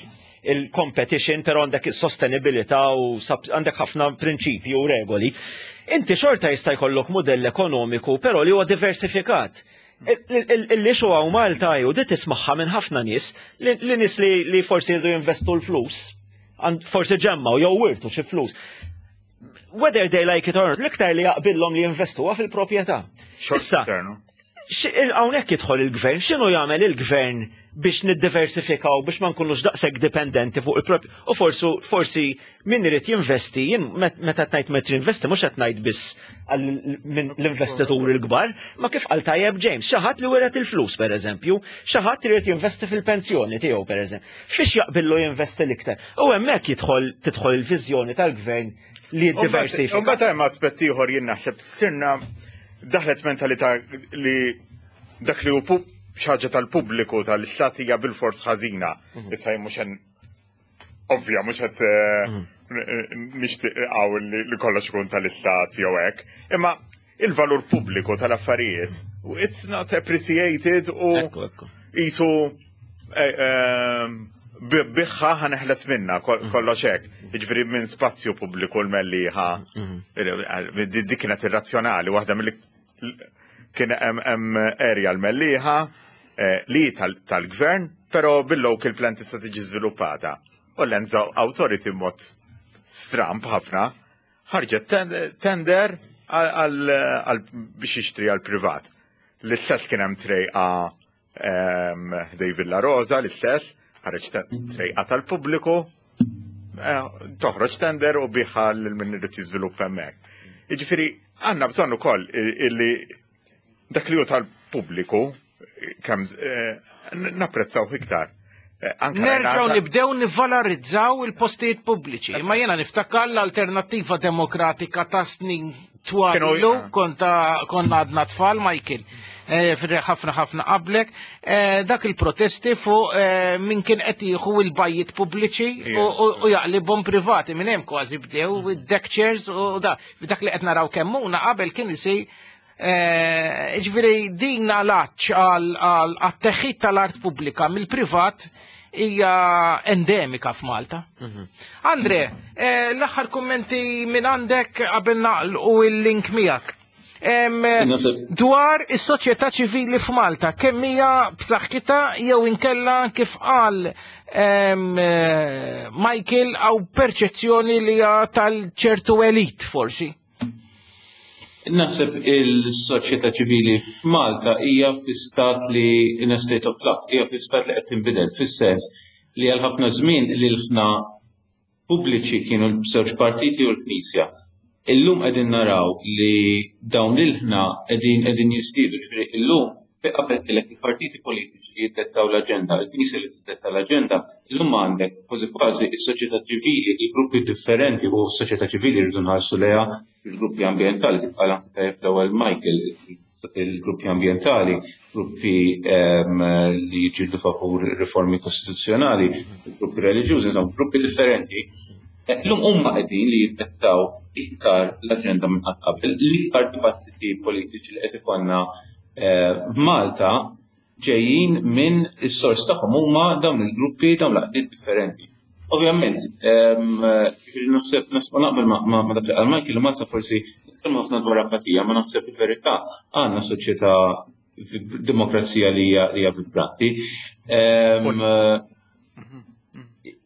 il-competition, però għandek is-sostenibilità u għandek ħafna prinċipji u regoli. Inti xorta jista' jkollok modell ekonomiku, però li huwa diversifikat. Il-issue hawn Malta ju di tismaħħa minn ħafna nies li nies li forsi jridu jinvestu l-flus forsi ġemmaw jew wirtu xi flus. Whether they like it or not, l-iktar li jaqbillhom li jinvestu fil-proprjetà. Issa, hawnhekk jidħol il-gvern, x'inhu jagħmel il-gvern biex niddiversifikaw biex ma nkunux daqshekk dipendenti fuq il-propju. U forsu forsi min irid jinvesti, jien meta qed ngħid meta jinvesti mhux qed ngħid biss l-investituri l-kbar, ma kif qal tajjeb James, xi ħadd li wiret il-flus pereżempju, xi ħadd irid jinvesti fil-pensjoni tiegħu pereżempju. Fiex jaqbillu jinvesti l-iktar. U hemmhekk jidħol tidħol il-viżjoni tal-gvern li jiddiversifika. U mbagħad hemm aspett ieħor jien naħseb sirna daħlet mentalità li dak li hu xi ħaġa tal-pubbliku tal-istat hija bil-fors ħażina. Issa jien mhux ovvja mhux qed nixtieq li kollox ikun tal-istat jew hekk. Imma il-valur pubbliku tal-affarijiet it's not appreciated u jisu biħħa ħa neħles minna kollox hekk. Jiġifieri minn spazju pubbliku l-Mellieħa. Dik kienet irrazzjonali, waħda mill kien hemm area l-Mellieħa li tal-gvern, però bil-local plan tista' tiġi żviluppata. U l-Lands Authority mod stramp ħafna ħarġet tender għal biex jixtri għal privat. L-istess kien hemm trejqa ħdejn Villa Rosa, l-istess, ħareġ trejqa tal-pubbliku, toħroġ tender u biegħha lil min irid jiżviluppa hemmhekk. Jiġifieri għandna bżonn ukoll illi dak li hu tal-pubbliku kemm napprezzaw iktar. Nerġgħu nibdew nivvalorizzaw il-postijiet pubbliċi. Imma jiena niftakar l-Alternattiva Demokratika ta' snin twal ilu, konna għadna tfal, Michael, ħafna ħafna qablek, dak il-protesti fuq min kien qed jieħu il-bajjiet pubbliċi u jaqlibhom privati minn hemm kważi bdew id-deck chairs u da. Dak li qed naraw Kemmuna qabel kien isir. Ġifieri din għal-għatx għal-teħid tal-art pubblika mill-privat hija endemika f'Malta. Andre, l-aħħar kummenti minn għandek qabel nagħlqu il-link miegħek. Dwar is-soċjetà ċivili f'Malta, kemm hija b'saħħitha jew inkella kif qal Michael għaw perċezzjoni li hija tal-ċertu elit forsi? Naħseb il-soċjetà ċivili f'Malta hija fi stat li in a state of flux, hija fi stat li qed tinbidel, fis-sens li għal ħafna żmien li l-ħna pubbliċi kienu l-żewġ partiti u l-Knisja. Illum qegħdin naraw li dawn l-ħna qegħdin qegħdin jiżdiedu, ġifieri illum fi qabel kellek il-partiti politiċi li jiddettaw l-aġenda, il-Knisja li tiddetta l-aġenda, illum għandek kważi kważi is-soċjetà ċivili, il-gruppi differenti u s-soċjetà ċivili rridu nħarsu lejha il-gruppi ambientali, kif qal anke tajjeb l-ewwel Michael, il-gruppi ambientali, gruppi li jiġġieldu favur riformi kostituzzjonali, gruppi reliġjużi, insomma, gruppi differenti. Illum huma qegħdin li jiddettaw iktar l-aġenda minn qatt qabel, l-iktar dibattiti politiċi li qed ikollna f'Malta ġejjin minn is-sors tagħhom huma dawn il-gruppi, dawn l-għaqdiet differenti. Ovvjament, ġifieri naħseb naħseb naqbel ma' dak li qal Michael li Malta forsi nitkellmu ħafna dwar apatija, ma naħseb il-verità għandna soċjetà demokrazija li hija li hija vibranti.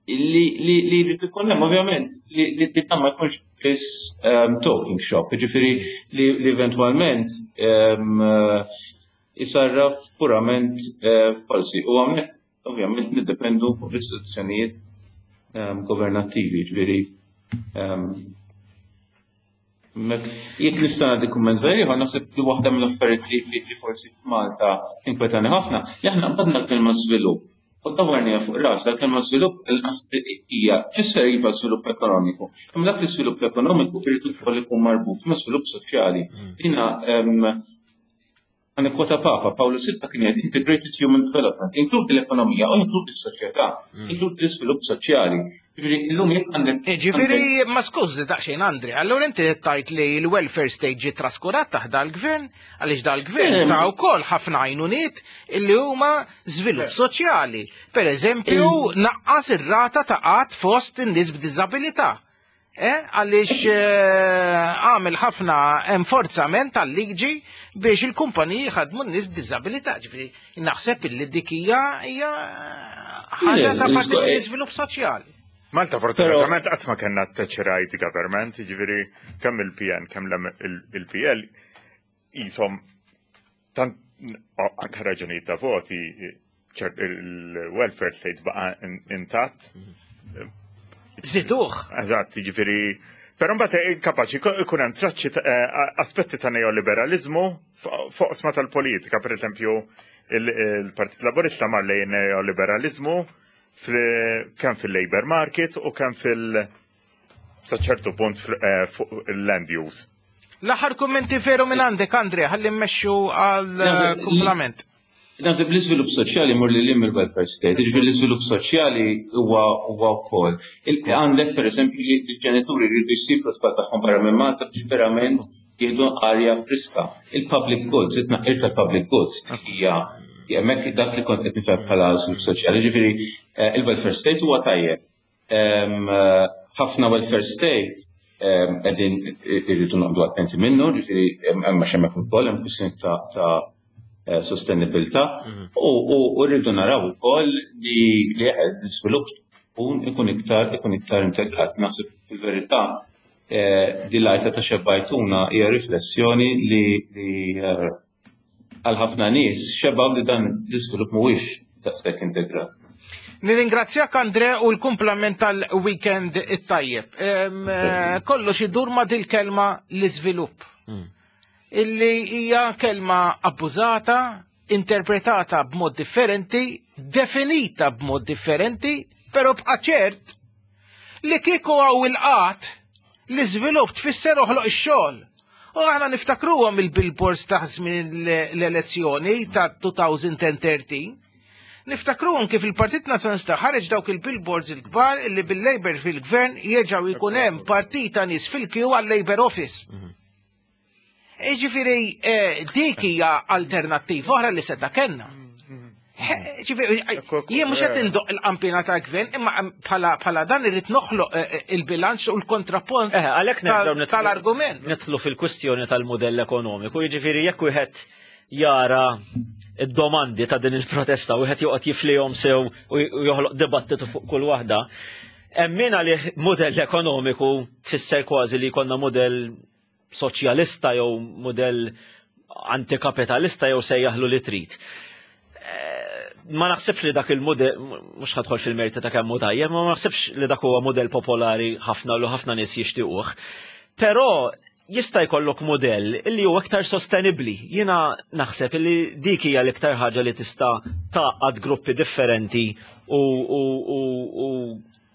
li li li jrid ikun hemm ovvjament li li dan ma jkunx biss talking shop, jiġifieri li li eventwalment isarraf purament f'policy. U hawnhekk ovvjament niddependu fuq l-istituzzjonijiet governattivi, jiġifieri Jekk nista' nagħti kumment żgħir ieħor, naħseb li waħda mill-affarijiet li, li forsi f'Malta tinkwetani ħafna, li aħna qbadna l-kelma żvilupp u dawwarniha fuq rasha, l-kelma żvilupp inqas hija tfisser iva żvilupp ekonomiku. Imma dak l-iżvilupp ekonomiku irid ukoll ikun marbut ma' żvilupp soċjali. Dina Ħa nikkwota Papa Pawlu Sitta kien jgħid integrated human development, jinkludi l-ekonomija u jinkludi s-soċjetà, mm. jinkludi l-iżvilupp soċjali. Ġifieri illum jekk għandek. Eh, ġifieri ma skużi daqsxejn Andri, allura inti tajt li l-welfare state ġie traskurat taħt dal-gvern, għaliex dal-gvern eh, ta' wkoll ħafna għajnuniet illi huma żvilupp eh. soċjali. Per eżempju, naqqas ir-rata ta' qatt fost in-nies b'diżabilità. Eh, għaliex eh, għamel ħafna enforzament tal-liġi biex il-kumpaniji ħadmu n-nies b'diżabilità. Ġifieri naħseb illi dik hija hija ħaġa ta' parti mill-iżvilupp soċjali. Malta fortunatament qatt ma kellna Thatcherite government, jiġifieri kemm il-PN kemm il-PL jisom tant anke raġunijiet ta' voti il-welfare state baqa intatt. Ziduh. Eżatt, jiġifieri Però mbagħad eh, kapaċi ikun hemm traċċi eh, aspetti ta' neoliberalizmu fuq sma tal-politika, pereżempju il-Partit Laburista mar lejn neoliberalizmu kemm fil-labor market u kemm fil- sa ċertu punt eh, fuq il-land use. L-aħħar kummenti veru minn għandek, Andre, ħalli mmexxu għal eh, kumplament. Naħseb l-iżvilupp soċjali mur li lim il-welfare state, jiġifieri l-iżvilupp soċjali huwa huwa wkoll. Għandek pereżempju li l-ġenituri jridu jsifru tfal tagħhom barra minn Malta biex verament jieħdu arja friska. Il-public goods, it-tnaqqir tal-public goods hija hemmhekk dak li kont qed nifhem bħala żvilupp soċjali. Ġifieri eh, il-welfare state huwa tajjeb. Ħafna welfare state qegħdin irridu noqgħdu attenti minnu, ġifieri hemm għax hemmhekk ukoll hemm kwistjoni ta' eh, sostenibilità mhm. u rridu naraw ukoll li l-iżvilupp ikun ikun iktar ikun iktar integrat. Naħseb fil-verità eh, din l-għajta ta' xebbajtuna hija riflessjoni li eh, għal ħafna nies xebgħu li dan l-iżvilupp mhuwiex daqshekk integrat. Nirringrazzjak Andre u l-kumplament tal-weekend it-tajjeb. Eh, kollox idur ma dil-kelma l-iżvilupp. Hmm. Illi hija kelma abbużata, interpretata b'mod differenti, definita b'mod differenti, però bqa' ċert li kieku għaw il-qat l-iżvilupp tfisser oħloq ix-xogħol. U aħna niftakruhom il-billboards ta' żmien l-elezzjoni ta' 2013. Niftakruhom kif il-Partit Nazzjonalista ħareġ dawk il-billboards il-kbar li bil-Labour fil-gvern jerġgħu jkun hemm partit ta' nies fil-kju għal-Labour Office. Mhm. Ġifieri eh, dik hija alternattiva oħra li seta' kellna. Ġifieri, jien mhux qed indoq il-qampina ta' gvern, imma bħala dan irid noħloq eh, eh, il-bilanċ u l-kontrapunt eh, tal-argument. Nidħlu fil-kwistjoni tal-modell ekonomiku, jiġifieri jekk wieħed jara id-domandi ta' din il-protesta u wieħed joqgħod jiflihom sew u joħloq dibattitu fuq kull waħda. Hemm min għalih modell ekonomiku tfisser kważi li jkollna modell soċjalista jew mudell antikapitalista jew sejjaħlu li trid. Eh, ma naħsibx li dak il-mudell, mhux ħadħol fil-merti ta' kemm hu tajjeb, ma naħsibx li dak huwa mudell popolari ħafna u ħafna nies jixtiequh. Però jista' jkollok mudell li huwa iktar sostenibbli. Jiena naħseb li dik hija l-iktar ħaġa li tista' tgħaqqad gruppi differenti u, u, u, u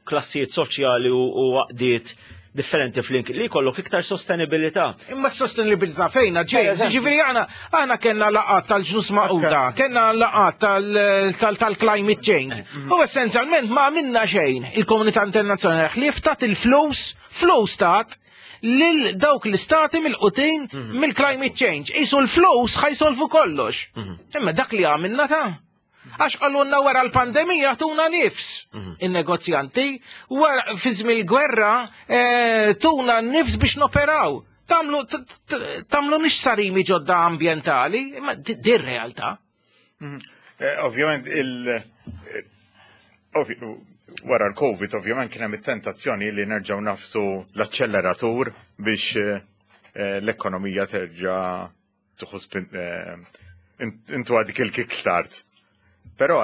klassijiet soċjali u għaqdiet differenti flink li jkollok iktar sostenibilità. Imma s-sostenibilità fejna ġej, ġifieri aħna aħna kellna laqgħat tal-ġnus maquda, kellna laqgħat tal-climate change. Mm. U essenzjalment ma għamilna xejn il-komunità internazzjonali ħlief tat il-flus, flus tat lil dawk l-istati mill-qutin mhm. mill-climate change. Isu l-flus ħajsolvu kollox. Mhm. Imma dak li għamilna ta' Għax qalulna wara l-pandemija tuna nifs mhm. in-negozjanti, wara fi żmien il-gwerra eh, tuna nifs biex noperaw. Tamlu tamlu nix sarimi ġodda ambientali, imma dir realtà. Mhm. Eh, ovvjament il eh, Wara l-Covid ovvjament kien hemm it-tentazzjoni li nerġgħu nagħfsu l-aċċelleratur biex l-ekonomija terġa' tieħu intu dik il-kickstart. Però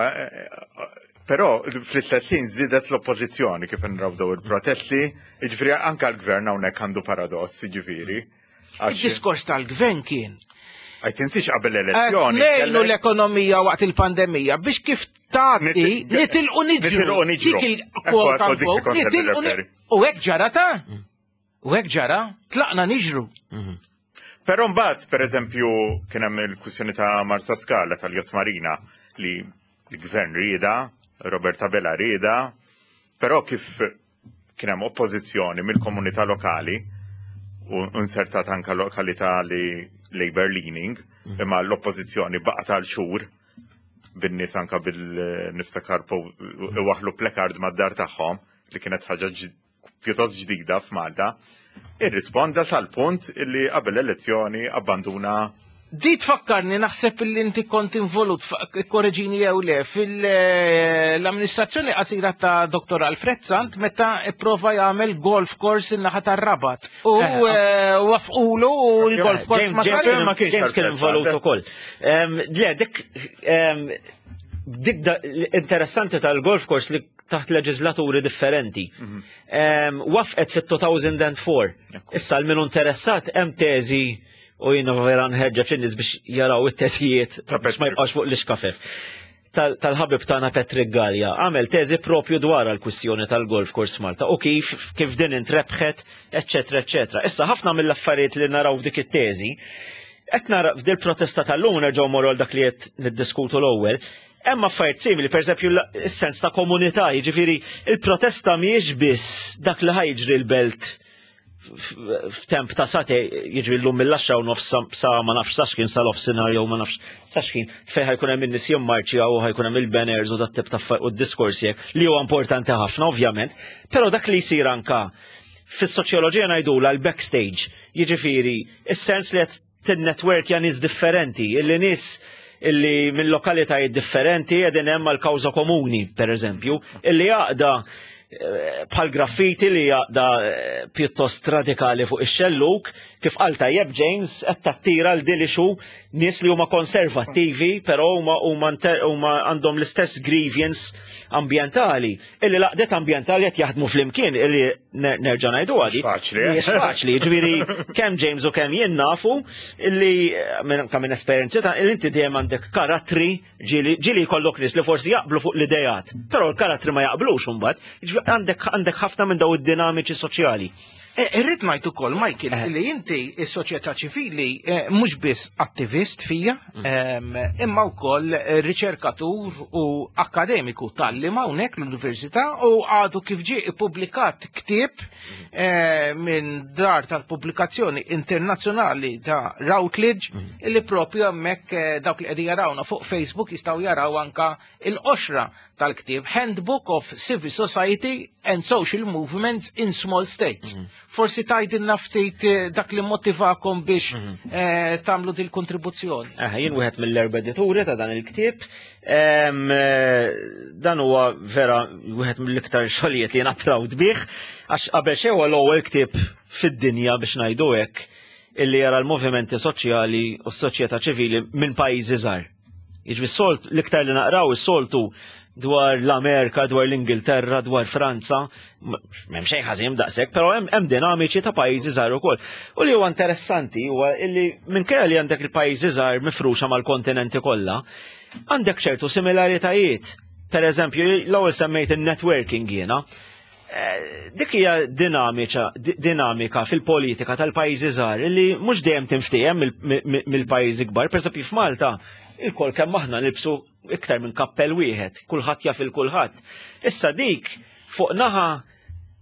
fl-istess ħin żiedet l-oppożizzjoni kif nraw daw il-protesti, jiġifieri anke l-gvern hawnhekk għandu paradoss, jiġifieri. Il-diskors tal-gvern kien. Għaj tinsiex qabel l-elezzjoni. Ngħinu l-ekonomija waqt il-pandemija biex kif tgħaddi nitilqu niġru. Nitilqu niġru. Dik il-quote unquote, nitilqu. U hekk ġara ta' U hekk ġara, tlaqna niġru. Però mbagħad, pereżempju, kien hemm il-kwistjoni ta' Marsaskala tal-Yacht Marina li l-gvern rieda, Robert Abela rieda, però kif kien hemm oppożizzjoni mill-komunità lokali u insertat anka lokalità li Labour leaning, imma l-oppożizzjoni baqgħet għal xhur bin-nies anka bil-niftakar waħlu placard mad-dar tagħhom li kienet ħaġa pjuttost ġdida f'Malta, irrisponda sal-punt li qabel l-elezzjoni abbanduna. Di tfakkarni, naħseb li inti kont involut, korreġini jew le, fil-amministrazzjoni qasira ta' Dr. Alfred Sant meta ipprova jagħmel golf course in-naħa tar-Rabat. U wafqulu u l-golf course ma James sar. Ma kienx James kien Alfred involut Sant. ukoll. Le, dik interessanti tal-golf course li taħt leġislaturi differenti. Wafqet fit-2004. Issa l-minu interessat hemm teżi u jiena vera nħeġġeġ in-nies biex jaraw it-teżijiet Ta' biex ma Patrick. jibqax fuq l-iskafef. Tal-ħabib tagħna Patrick Gallia għamel teżi propju dwar għal-kwistjoni tal-golf course Malta u kif din intrebħet, eċċetera, eċċetera. Issa ħafna mill-affarijiet li naraw f'dik it-teżi, qed nara f'dil protesta tal-lum nerġgħu morru għal dak li qed niddiskutu l-ewwel, hemm affarijiet simili, pereżempju is-sens ta' komunità, jiġifieri il-protesta mhijiex biss dak li ħa jiġri l-belt f'temp ta' sate, jiġri l-lum mill-10:30 sa ma nafx sa x'kien, sa l-offsinar jew ma nafx sa x'kien, fejn ħa jkun hemm in-nies jimmarċjaw u ħa jkun hemm il-banners u dat tip ta' u d-diskorsi hekk, li huwa importanti ħafna ovvjament, però dak li jsir anka fis-soċjoloġija ngħidula l-backstage, jiġifieri is-sens li qed tinnetworkja nies differenti, illi nies illi minn lokalitajiet differenti qegħdin hemm għal kawża komuni, per eżempju, illi għaqda bħal graffiti li għaqda pjuttost radikali fuq ix-xelluk, kif qal tajjeb James, qed tattira l dilixu nies li huma konservattivi, però huma għandhom l-istess grievance ambjentali, illi l-għaqdiet ambjentali qed jaħdmu flimkien, illi nerġa' ngħidu għadi. Faċli, eh? Mhijiex faċli, ġifieri kemm James u kemm jien nafu illi kemm minn esperjenzi ta' illi inti dejjem għandek karattri ġieli jkollok nies li forsi jaqblu fuq l-idejat, però l-karattri ma jaqblux imbagħad. Ġifieri għandek ħafna minn daw id-dinamiċi soċjali. Irrid ngħid ukoll, Michael, li inti is-soċjetà ċivili mhux biss attivist fija, imma wkoll riċerkatur u akademiku tal-li hawnhekk l-università u għadu kif ġie ippubblikat ktieb minn dar tal-pubblikazzjoni internazzjonali ta' Routledge, illi propju hemmhekk dawk li qegħdin jarawna fuq Facebook jistgħu jaraw anka il-qoxra tal-ktieb Handbook of Civil Society and Social Movements in Small States. Forsi tgħidilna ftit dak li motivakom biex tagħmlu dil kontribuzzjoni. Jien wieħed mill-erba' edituri ta' dan il-ktieb. Dan huwa vera wieħed mill-iktar xogħlijiet li jiena proud bih, għax qabel xejn huwa l-ewwel ktieb fid-dinja biex ngħidu hekk illi jara l-movimenti soċjali u s-soċjetà ċivili minn pajjiżi żgħar. Jiġifieri s-solt l-iktar li naqraw is-soltu dwar l-Amerika, dwar l-Ingilterra, dwar Franza, m'hemm xejn ħażin daqshekk, però hemm dinamiċi ta' pajjiżi żgħar ukoll. U li huwa interessanti huwa illi minkejja li għandek il-pajjiżi żgħar mifruxa mal-kontinenti kollha, għandek ċertu similaritajiet. Per eżempju, l-ewwel semmejt il-networking jiena. Dik hija dinamika fil-politika tal-pajjiżi żgħar li mhux dejjem tinftiehem mill-pajjiżi kbar. Per eżempju, f'Malta, il-kol kemm aħna nilbsu iktar minn kappell wieħed, kulħadd jaf il kulħadd. Issa dik fuq naħa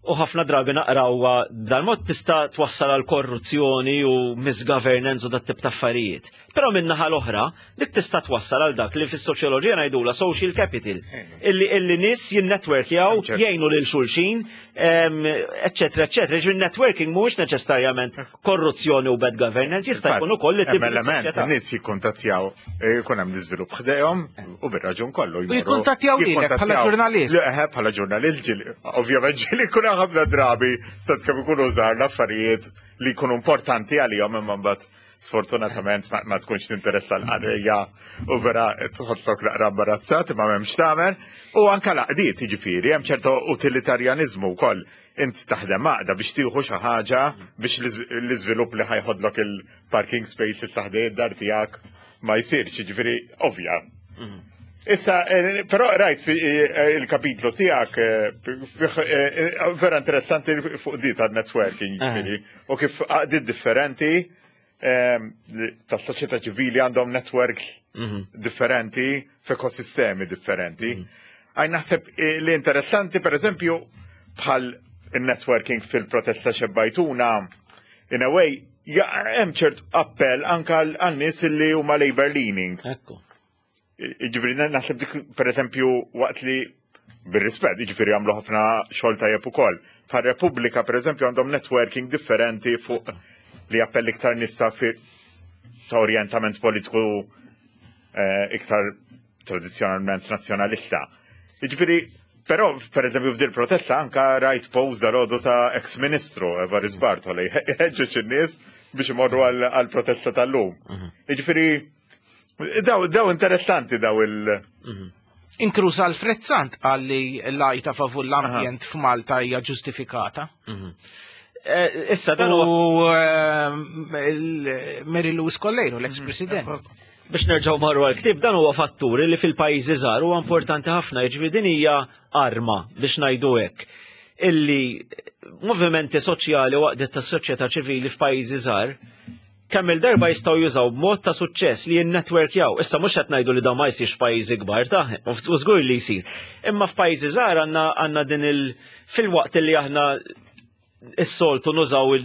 u ħafna drabi naqrawha b'dal-mod tista' twassal għal korruzzjoni u misgovernance u dat tip ta' affarijiet. Però min-naħa l-oħra, dik tista' twassal għal dak li fis-soċjoloġija ngħidula social capital, illi illi nies jinnetwerkjaw, jgħinu lil xulxin, eċċetera, eċċetera. Ġifieri networking mhuwiex neċessarjament korruzzjoni u bad governance, jista' jkun ukoll li tibni element, nies jikkuntattjaw, eh, jkun hemm l-iżvilupp ħdejhom u bir-raġun kollu. U jikkuntattjaw lilek bħala ġurnalist. Eh, bħala ġurnalist ġieli, ovvjament ġieli jkun ħafna drabi tant kemm ikunu żgħar l-affarijiet li jkunu importanti għalihom imma mbagħad sfortunatament ma tkunx tinteressa l-qarrejja u vera tħossok naqra imbarazzat imma m'hemmx tagħmel. U anke l-għaqdiet jiġifieri hemm ċertu utilitarjaniżmu wkoll. Int taħdem għaqda biex tieħu xi ħaġa biex l-iżvilupp li ħajħodlok il-parking spaces ta' ħdej id-dar tiegħek ma jsirx, jiġifieri ovvja. Mhm. Issa, eh, però rajt fi eh, il-kapitlu tiegħek eh, vera interessanti fuq di tal-networking, jiġifieri, u kif għaqdiet differenti ehm, tas soċjetà ċivili għandhom networks mhm. differenti f'ekosistemi differenti. Mhm. Għaj naħseb eh, li interessanti, per eżempju, bħal il-networking fil-protesta xebbajtuna, in a way, hemm ċert appell anka għal nies li huma labor leaning. Ekku. Ġifieri naħseb dik pereżempju waqt li bir-rispett, ġifieri għamlu ħafna xogħol tajjeb ukoll. Bħal Repubblika pereżempju għandhom networking differenti fuq li appell iktar nies ta' ta' orjentament politiku eh, iktar tradizzjonalment nazzjonalista. Ġifieri, però pereżempju f'dil protesta anka rajt post dal ta' ex-ministru Evaris Bartoli ħeġġeġ in-nies biex imorru għal-protesta tal-lum. Mhm. Ġifieri, Daw, daw interessanti daw il- mhm. Inkluż Alfred Sant qal li l-għajta favur l-ambjent f'Malta hija ġustifikata. Mhm. Eh, issa dan u eh, Mary Louise Collero, l-ex-president. Mhm. Biex nerġgħu marru għal-ktib, dan huwa fatturi li fil-pajjiżi żgħar huwa importanti ħafna, jiġifieri din hija arma biex ngħidu hekk illi movimenti soċjali u għaqdiet tas-soċjetà ċivili f'pajjiżi żgħar kemm il-darba jistgħu jużaw b'mod ta' suċċess li jinnetwerkjaw. Issa mhux qed ngħidu li dawn ma jsirx f'pajjiżi kbar ta' u żgur li jsir. Imma f'pajjiżi żgħar għandna għandna din il fil-waqt li aħna is-soltu nużaw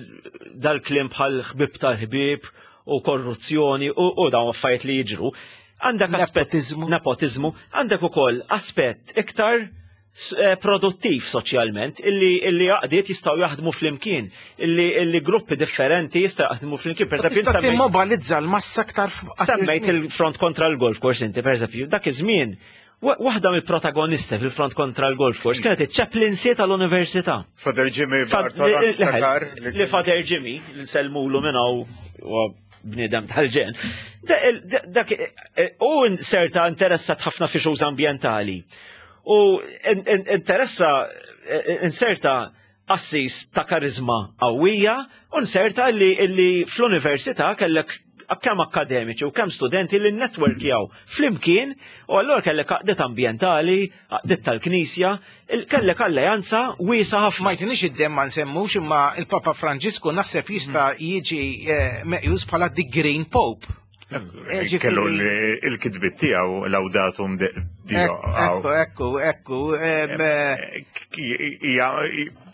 dal-kliem bħal ħbib tal-ħbieb u korruzzjoni u, u dawn affarijiet li jiġru. Għandek aspett nepotizmu, għandek ukoll aspett iktar Eh, produttiv soċjalment, illi illi għaqdiet jistgħu jaħdmu flimkien, illi illi gruppi differenti jistgħu jaħdmu flimkien. Per eżempju, immobilizza l-massa aktar semmejt il-front kontra l-golf course inti, per eżempju, dak iż-żmien waħda mill-protagonisti fil-front kontra l-golf course kienet iċ-chaplaincy tal-università. Father Jimmy Li Father Jimmy, li selmulu minn hawn bniedem tal-ġen. Dak eh, eh, u serta interessat ħafna fi xogħol ambjentali. U interessa eh, inserta assis ta' karizma qawwija u nserta li, li fl-università kellek kemm akademiċi u kemm studenti li networkjaw flimkien u allura kellek għaqdiet ambjentali, għaqdiet tal-Knisja, kellek alleanza wiesa ħafna. Ma jtinix id-demm ma nsemmux imma il-Papa Franġisku naħseb jista' jiġi eh, meqjus bħala the Green Pope. Eh, kellu il-kitbit tiegħu laudatum Dio. Ekku, ekku, ekku. Eh,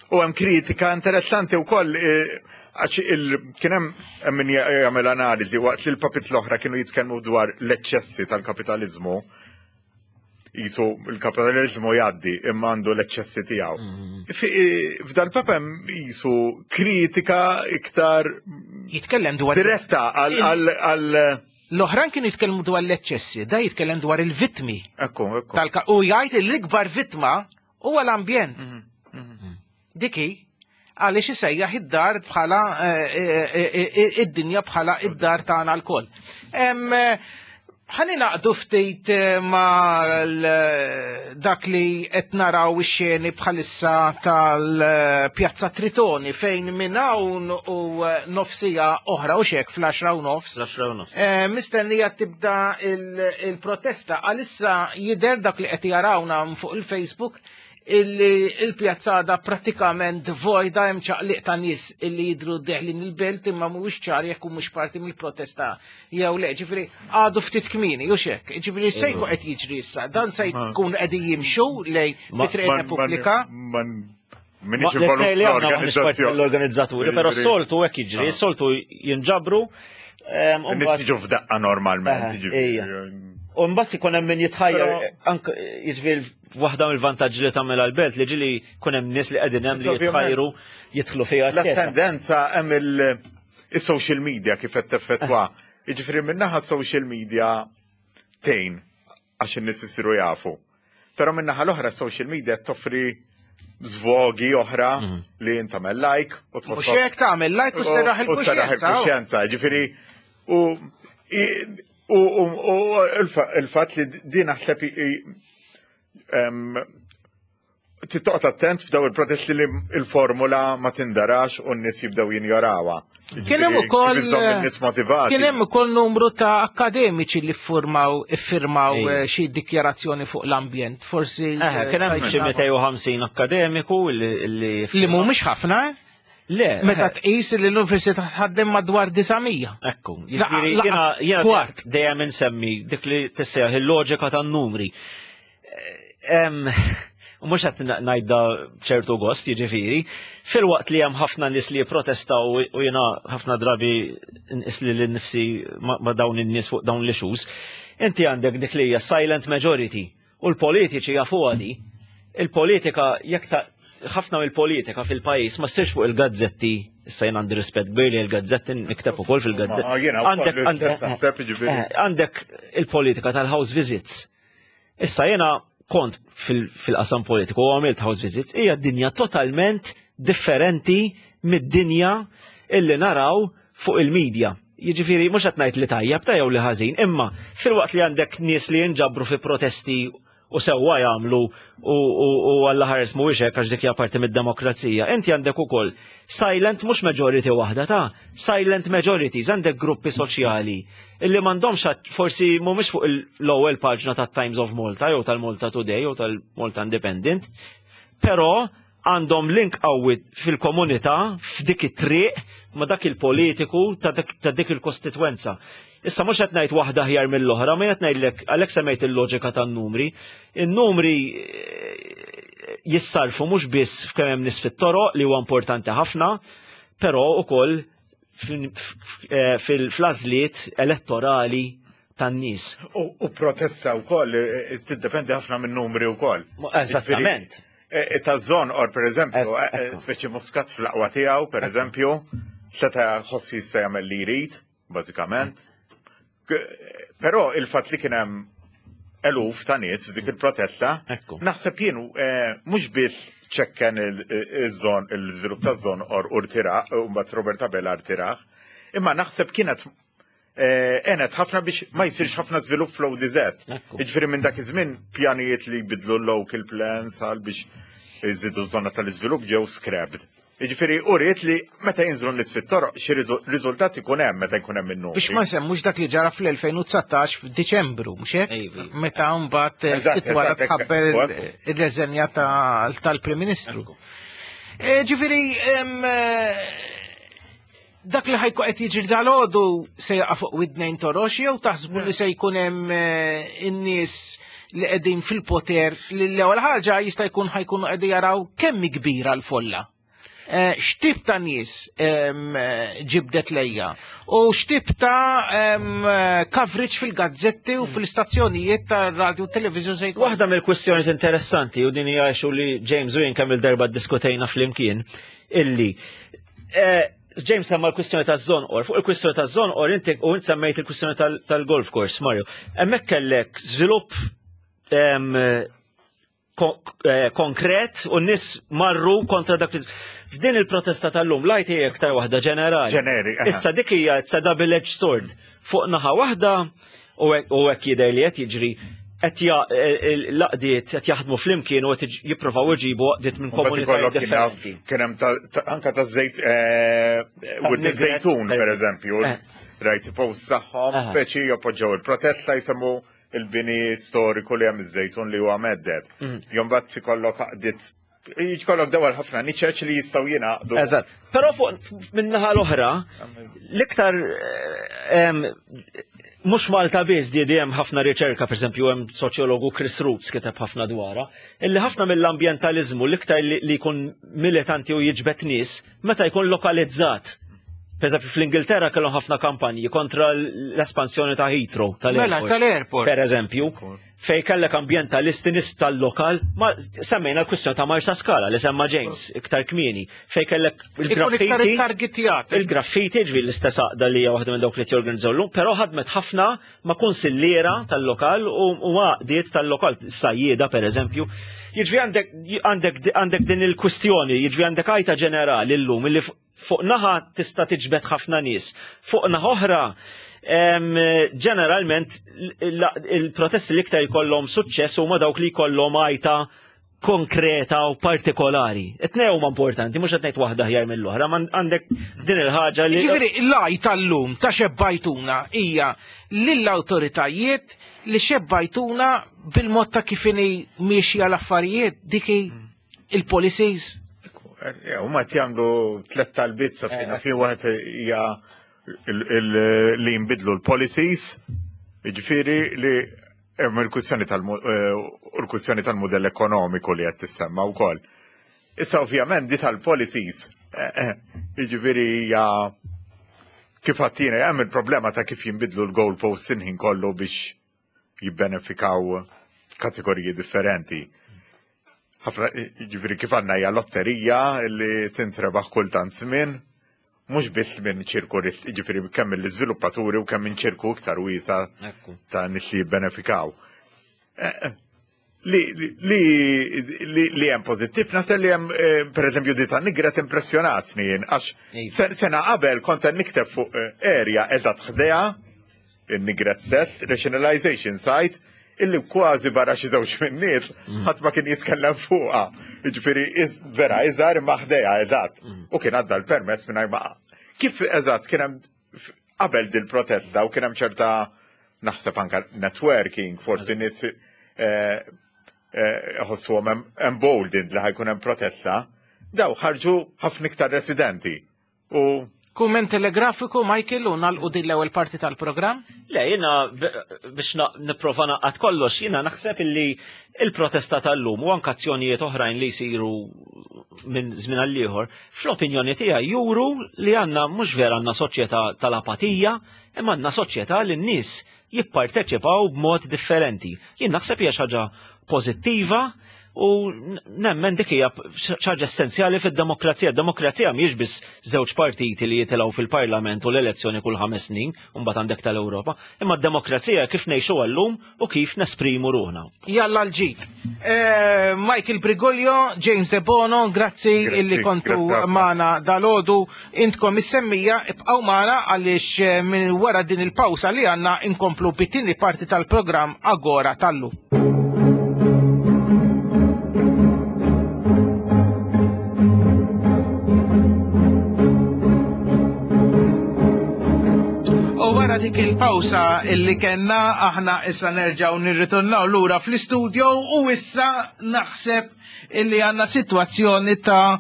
u hemm kritika interessanti wkoll għax kien hemm min jagħmel analiżi waqt li l-papit l-oħra kienu jitkellmu dwar l-eċċessi tal-kapitaliżmu jisu l-kapitalizmu jgħaddi imma għandu l-eċċessi tiegħu. Mm. F'dal papa hemm jisu kritika iktar jitkellem dwar diretta għal L-oħrajn kienu jitkellmu dwar l-eċċessi, da jitkellem dwar il-vittmi. Ekku, ekku. U jgħid l-ikbar vittma huwa l-ambjent. Mm, mm. Diki, għaliex isejjaħ id-dar bħala eh, eh, eh, id-dinja bħala id-dar tagħna lkoll. Ħani naqdu ftit ma dak li qed naraw ix-xeni bħalissa tal-Pjazza Tritoni fejn minn hawn u nofsija oħra u xek fl-10 u nofs. Mistennija tibda il-protesta għalissa jidher dak li qed jarawna fuq il-Facebook illi il-pjazza għadha pratikament vojda hemm ċaqliq ta' nies illi jidru deħlin il-belt imma mhuwiex ċar jekk mhux parti mill-protesta jew le. Ġifieri għadu ftit kmieni u xek. Ġifieri se jkun qed jiġri issa. Dan se jkun qegħdin jimxu lej fi Triq Repubblika. Minix involut fl-organizzazzjoni. L-organizzaturi, però soltu hekk jiġri, ah. soltu jinġabru. Nies jiġu f'daqqa normalment. U mbagħad ikun hemm min jitħajjar anke jiġifieri waħda mill-vantaġġi li tagħmel għall-belt li ġili jkun hemm nies li qegħdin hemm li jitħajru jidħlu fiha. La tendenza hemm il-social media kif qed teffettwa. Jiġifieri min-naħa social media tgħin għax in-nies isiru jafu. Però min-naħa l-oħra social media toffri zvogi oħra li jien tagħmel like u tħossok. Mhux hekk tagħmel like u serraħ il-kuxjenza. Il-kuxjenza, ġifieri u u il-fatt li din naħseb tittoqgħod attent f'daw il-protesti li il-formula ma tindarax u n-nies jibdew jinjorawha. Kien hemm ukoll nies motivati. Kien hemm ukoll numru ta' akademiċi li ffurmaw iffirmaw eh, xi dikjarazzjoni fuq l-ambjent. Forsi eh, kien hemm xi 250 akademiku li li mhumiex ħafna. Eh? Le. Meta tqis li l-università tħaddem madwar 900. Ekku, jiġifieri jiena dejjem insemmi dik li tissejjaħ il-loġika tan-numri. U mhux qed ngħidha b'ċertu gost, jiġifieri, filwaqt li hemm ħafna nies li jipprotestaw u jiena ħafna drabi nqis li nnifsi ma' dawn in-nies fuq dawn l-issues, inti għandek dik li hija silent majority u l-politiċi jafuha di. Il-politika jekk ħafna mill-politika fil-pajjiż ma ssirx fuq il-gazzetti, issa jien għandi rispett kbir li l-gazzetti nikteb ukoll fil-gazzetti. Għandek il-politika tal-house visits. Issa jena kont fil-qasam politiku u għamilt house visits, hija dinja totalment differenti mid-dinja illi naraw fuq il-medja. Jiġifieri mhux qed ngħid li tajjeb ta' jew li ħażin, imma filwaqt li għandek nies li jinġabru fi protesti u sewwa jagħmlu u Alla ħares mhuwiex hekk għax dik hija parti mid-demokrazija. Inti għandek ukoll silent mhux majority waħda ta' silent majorities, għandek gruppi soċjali illi m'għandhomx forsi mhumiex fuq l-ewwel paġna tat-Times of Malta jew tal-Malta Today jew tal-Malta Independent, però għandhom link qawwi fil-komunità f'dik it-triq ma' dak il-politiku ta' dik il-kostitwenza. Issa mhux qed ngħid waħda aħjar mill-oħra, ma qed ngħidlek għalhekk semmejt il-loġika tan-numri. In-numri eh, jissarfu mhux biss f'kemm hemm nies fit-toroq li huwa importanti ħafna, però ukoll eh, fil-għażliet elettorali tan-nies. U protesta wkoll eh, tiddependi ħafna minn numri wkoll. Eżattament. Ta' Żonqor, per eżempju, speċi Muscat fl-aqwa tiegħu, per eżempju, seta' ħossi jista' jagħmel li jrid, bażikament. Però il-fatt li kien hemm eluf ta' nies f'dik il-protesta, naħseb jien mhux biss ċekken iż-żon il-żvilupp taż-Żonqor u rtiraħ, u mbagħad Robert Abela rtiraħ, imma naħseb kienet għenet ħafna biex ma jsirx ħafna żvilupp fl-ODZ. Jiġifieri minn dak iż-żmien pjanijiet li jbidlu l-local plans għal biex iżidu żona tal-iżvilupp ġew scrapped. Jiġifieri uriet li meta jinżlu nies fit-toroq xi riżultat ikun hemm meta jkun hemm in Biex ma nsemmux dak li ġara fl-2019 f'Diċembru, mhux hekk? Meta mbagħad ftit wara tħabber ir-reżenja tal-Prim Ministru. Eh, ġifieri dak li ħajku qed jiġri dal-għodu se jaqa' fuq widnejn torox jew taħsbu li se jkun hemm eh, in-nies li qegħdin fil-poter li l-ewwel ħaġa jista' jkun ħajkunu qegħdin jaraw kemm kbira l-folla. Eh, x'tip ta' nies ġibdet lejja u x'tip ta' coverage fil-gazzetti u fil-istazzjonijiet ta' radio u television se jkun. Waħda mill-kwistjonijiet interessanti u din hija xu li James u jien kemm il-darba ddiskutejna flimkien illi eh, James semma l-kwistjoni ta' Żonqor. Fuq il-kwistjoni ta' Żonqor inti u int semmejt il-kwistjoni tal-golf course, Mario. Hemmhekk kellek żvilupp eh, konkret u n-nies marru kontra dak li. F'din il-protesta tal-lum lajt hija iktar waħda ġenerali. Ġeneri. Issa dik hija it's a double-edged sword. Fuq naħa waħda u hekk jidher li qed jiġri qed l-għaqdiet qed jaħdmu flimkien u qed jippruvaw iġibu għaqdiet minn komunitajiet differenti. Kien hemm anka ta' żejt eh, żejtun pereżempju. Eh. Rajt post tagħhom speċi jappoġġaw il-protesta jsemmu il-bini storiku li hemm iż-żejtun li huwa mhedded. Mm. Imbagħad ikollok għaqdiet. Jkollok dawar ħafna niċeċ li jistgħu jingħaqdu. Eżatt. Però fuq min-naħa l-oħra, l-iktar mhux Malta biss di hemm ħafna riċerka, pereżempju hemm soċjologu Chris Roots kiteb ħafna dwarha, illi ħafna mill-ambjentaliżmu l-iktar li jkun militanti u jiġbed nies meta jkun lokalizzat. Per eżempju, fl-Ingilterra kellhom ħafna kampanji kontra l-espansjoni ta' Heathrow tal-airport. Mela, tal-airport. Per eżempju, fej kellek ambjentalisti nies tal-lokal, ma semmejna l-kwistjoni ta' Marsa Skala li semma James iktar kmieni, fej kellek il-graffiti. Il-graffiti ġvi l-istess għaqda li hija waħda minn dawk li jorganizzaw llum, però ħadmet ħafna ma' kunsilliera tal-lokal u għaqdiet tal-lokal, sajjieda per eżempju. Jiġri għandek din il-kwistjoni, jiġri għandek għajta ġenerali llum illi fuq naħa tista' tiġbed ħafna nies, fuq naħa oħra ġeneralment il-protesti l-iktar jkollhom suċċess huma dawk li jkollhom għajta konkreta u partikolari. It-tnej huma importanti, mhux qed ngħid waħda aħjar mill-oħra, ma għandek din il-ħaġa li. Ġifieri l-għaj tal-lum ta' xebbajtuna hija lill-awtoritajiet li xebbajtuna bil-mod ta' kif inhi miexja l-affarijiet dik il-policies. Huma qed jagħmlu tliet talbiet sa fi waħed hija li jinbidlu l-policies, jiġifieri li Hemm il-kwistjoni tal-kwistjoni tal-mudell ekonomiku li qed tissemma wkoll. Issa ovvjament di tal-policies, jiġifieri hija kif għattina hemm il-problema ta' kif jinbidlu l-goalposts inħin kollu biex jibbenefikaw kategoriji differenti. Ħafna, jiġifieri kif għandna hija lotterija li tintrebaħ kultant żmien, mhux biss minn ċirku jiġifieri kemm mill-iżviluppaturi u kemm minn ċirku iktar wiesa ta' nies li jibbenefikaw. Eh, eh, li li li hemm pożittiv naħseb li hemm eh, pereżempju di ta' Nigret impressjonatni jien għax sena qabel kont qed nikteb fuq area eżatt ħdejha in-Nigret stess, rationalization site, illi kważi barra xi żewġ min-nies mm. ħadd ma kien jitkellem fuqha. Jiġifieri vera iżgħar imma ħdejha eżatt. Mm. U kien għadda l-permess mingħajr ma Kif eżatt kien hemm qabel dil-protesta u kien hemm ċerta naħseb anka networking, forsi nies eh, eh, ħossuhom emboldened li ħajkun hemm protesta, daw ħarġu ħafna iktar residenti. U Kumment telegrafiku, Michael, u nalqu din l-ewwel parti tal-programm? Le, jiena biex nipprova naqgħad kollox, jiena naħseb illi il-protesta tal-lum u anke azzjonijiet oħrajn li jsiru minn żmien għal ieħor, fl-opinjoni tiegħi juru li għandna mhux vera għandna soċjetà tal-apatija, imma għandna soċjetà li n-nies jipparteċipaw b'mod differenti. Jien naħseb hija xi ħaġa pożittiva u nemmen dik hija ħaġa essenzjali fid-demokrazija. Demokrazija mhijiex biss żewġ partiti li jitilgħu fil-Parlament u l-elezzjoni kull ħames snin u mbagħad għandek tal-Ewropa, imma d-demokrazija kif ngħixu llum u kif nesprimu ruħna. Jalla l-ġid. Eh, Michael Brigolio, James Debono, grazzi illi kontu magħna dalodu. Intkom is-semmija ibqgħu magħna għaliex eh, minn wara din il-pawsa li għandna inkomplu bit-tieni parti tal-programm Agora tal-lum. U wara dik il-pawsa illi kellna aħna issa nerġgħu nirritornaw lura fl-istudio u issa naħseb illi għandna sitwazzjoni ta'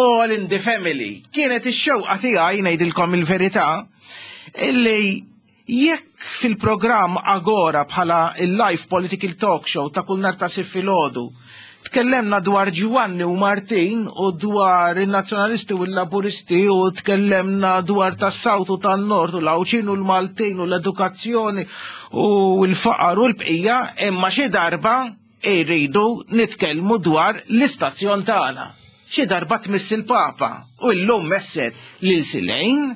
all in the family. Kienet ix-xewqa tiegħi ngħidilkom il-verità illi Jekk fil-programm Agora bħala il-live political talk show ta' kull nhar ta' Sibt filgħodu tkellemna dwar Ġwanni u Martin u dwar in-Nazzjonalisti u l-Laburisti u tkellemna dwar tas-South u tan-Nord u l-Għawdxin u l-Maltin u l-edukazzjoni u l-faqar u l-bqija, imma xi darba irridu nitkellmu dwar l-istazzjon tagħna. Xi darba tmiss il-Papa u llum messet lil Silejn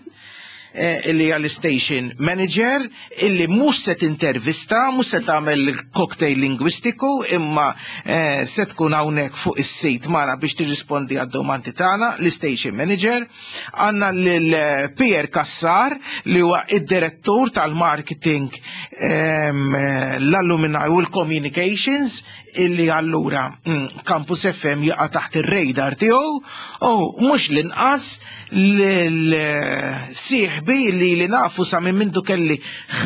eh, illi hija l-station manager illi mhux se tintervista, mhux se tagħmel cocktail lingwistiku, imma eh, se tkun hawnhekk fuq is-sit magħna biex tirrispondi għad-domandi tagħna, l-station manager. Għandna lil eh, Pierre Cassar li huwa id-direttur tal-marketing ehm, l-alumni u l-communications illi allura mm, Campus FM jaqa' taħt ir-radar tiegħu u mhux l-inqas l-sieħbi li li nafu sa minn mindu kelli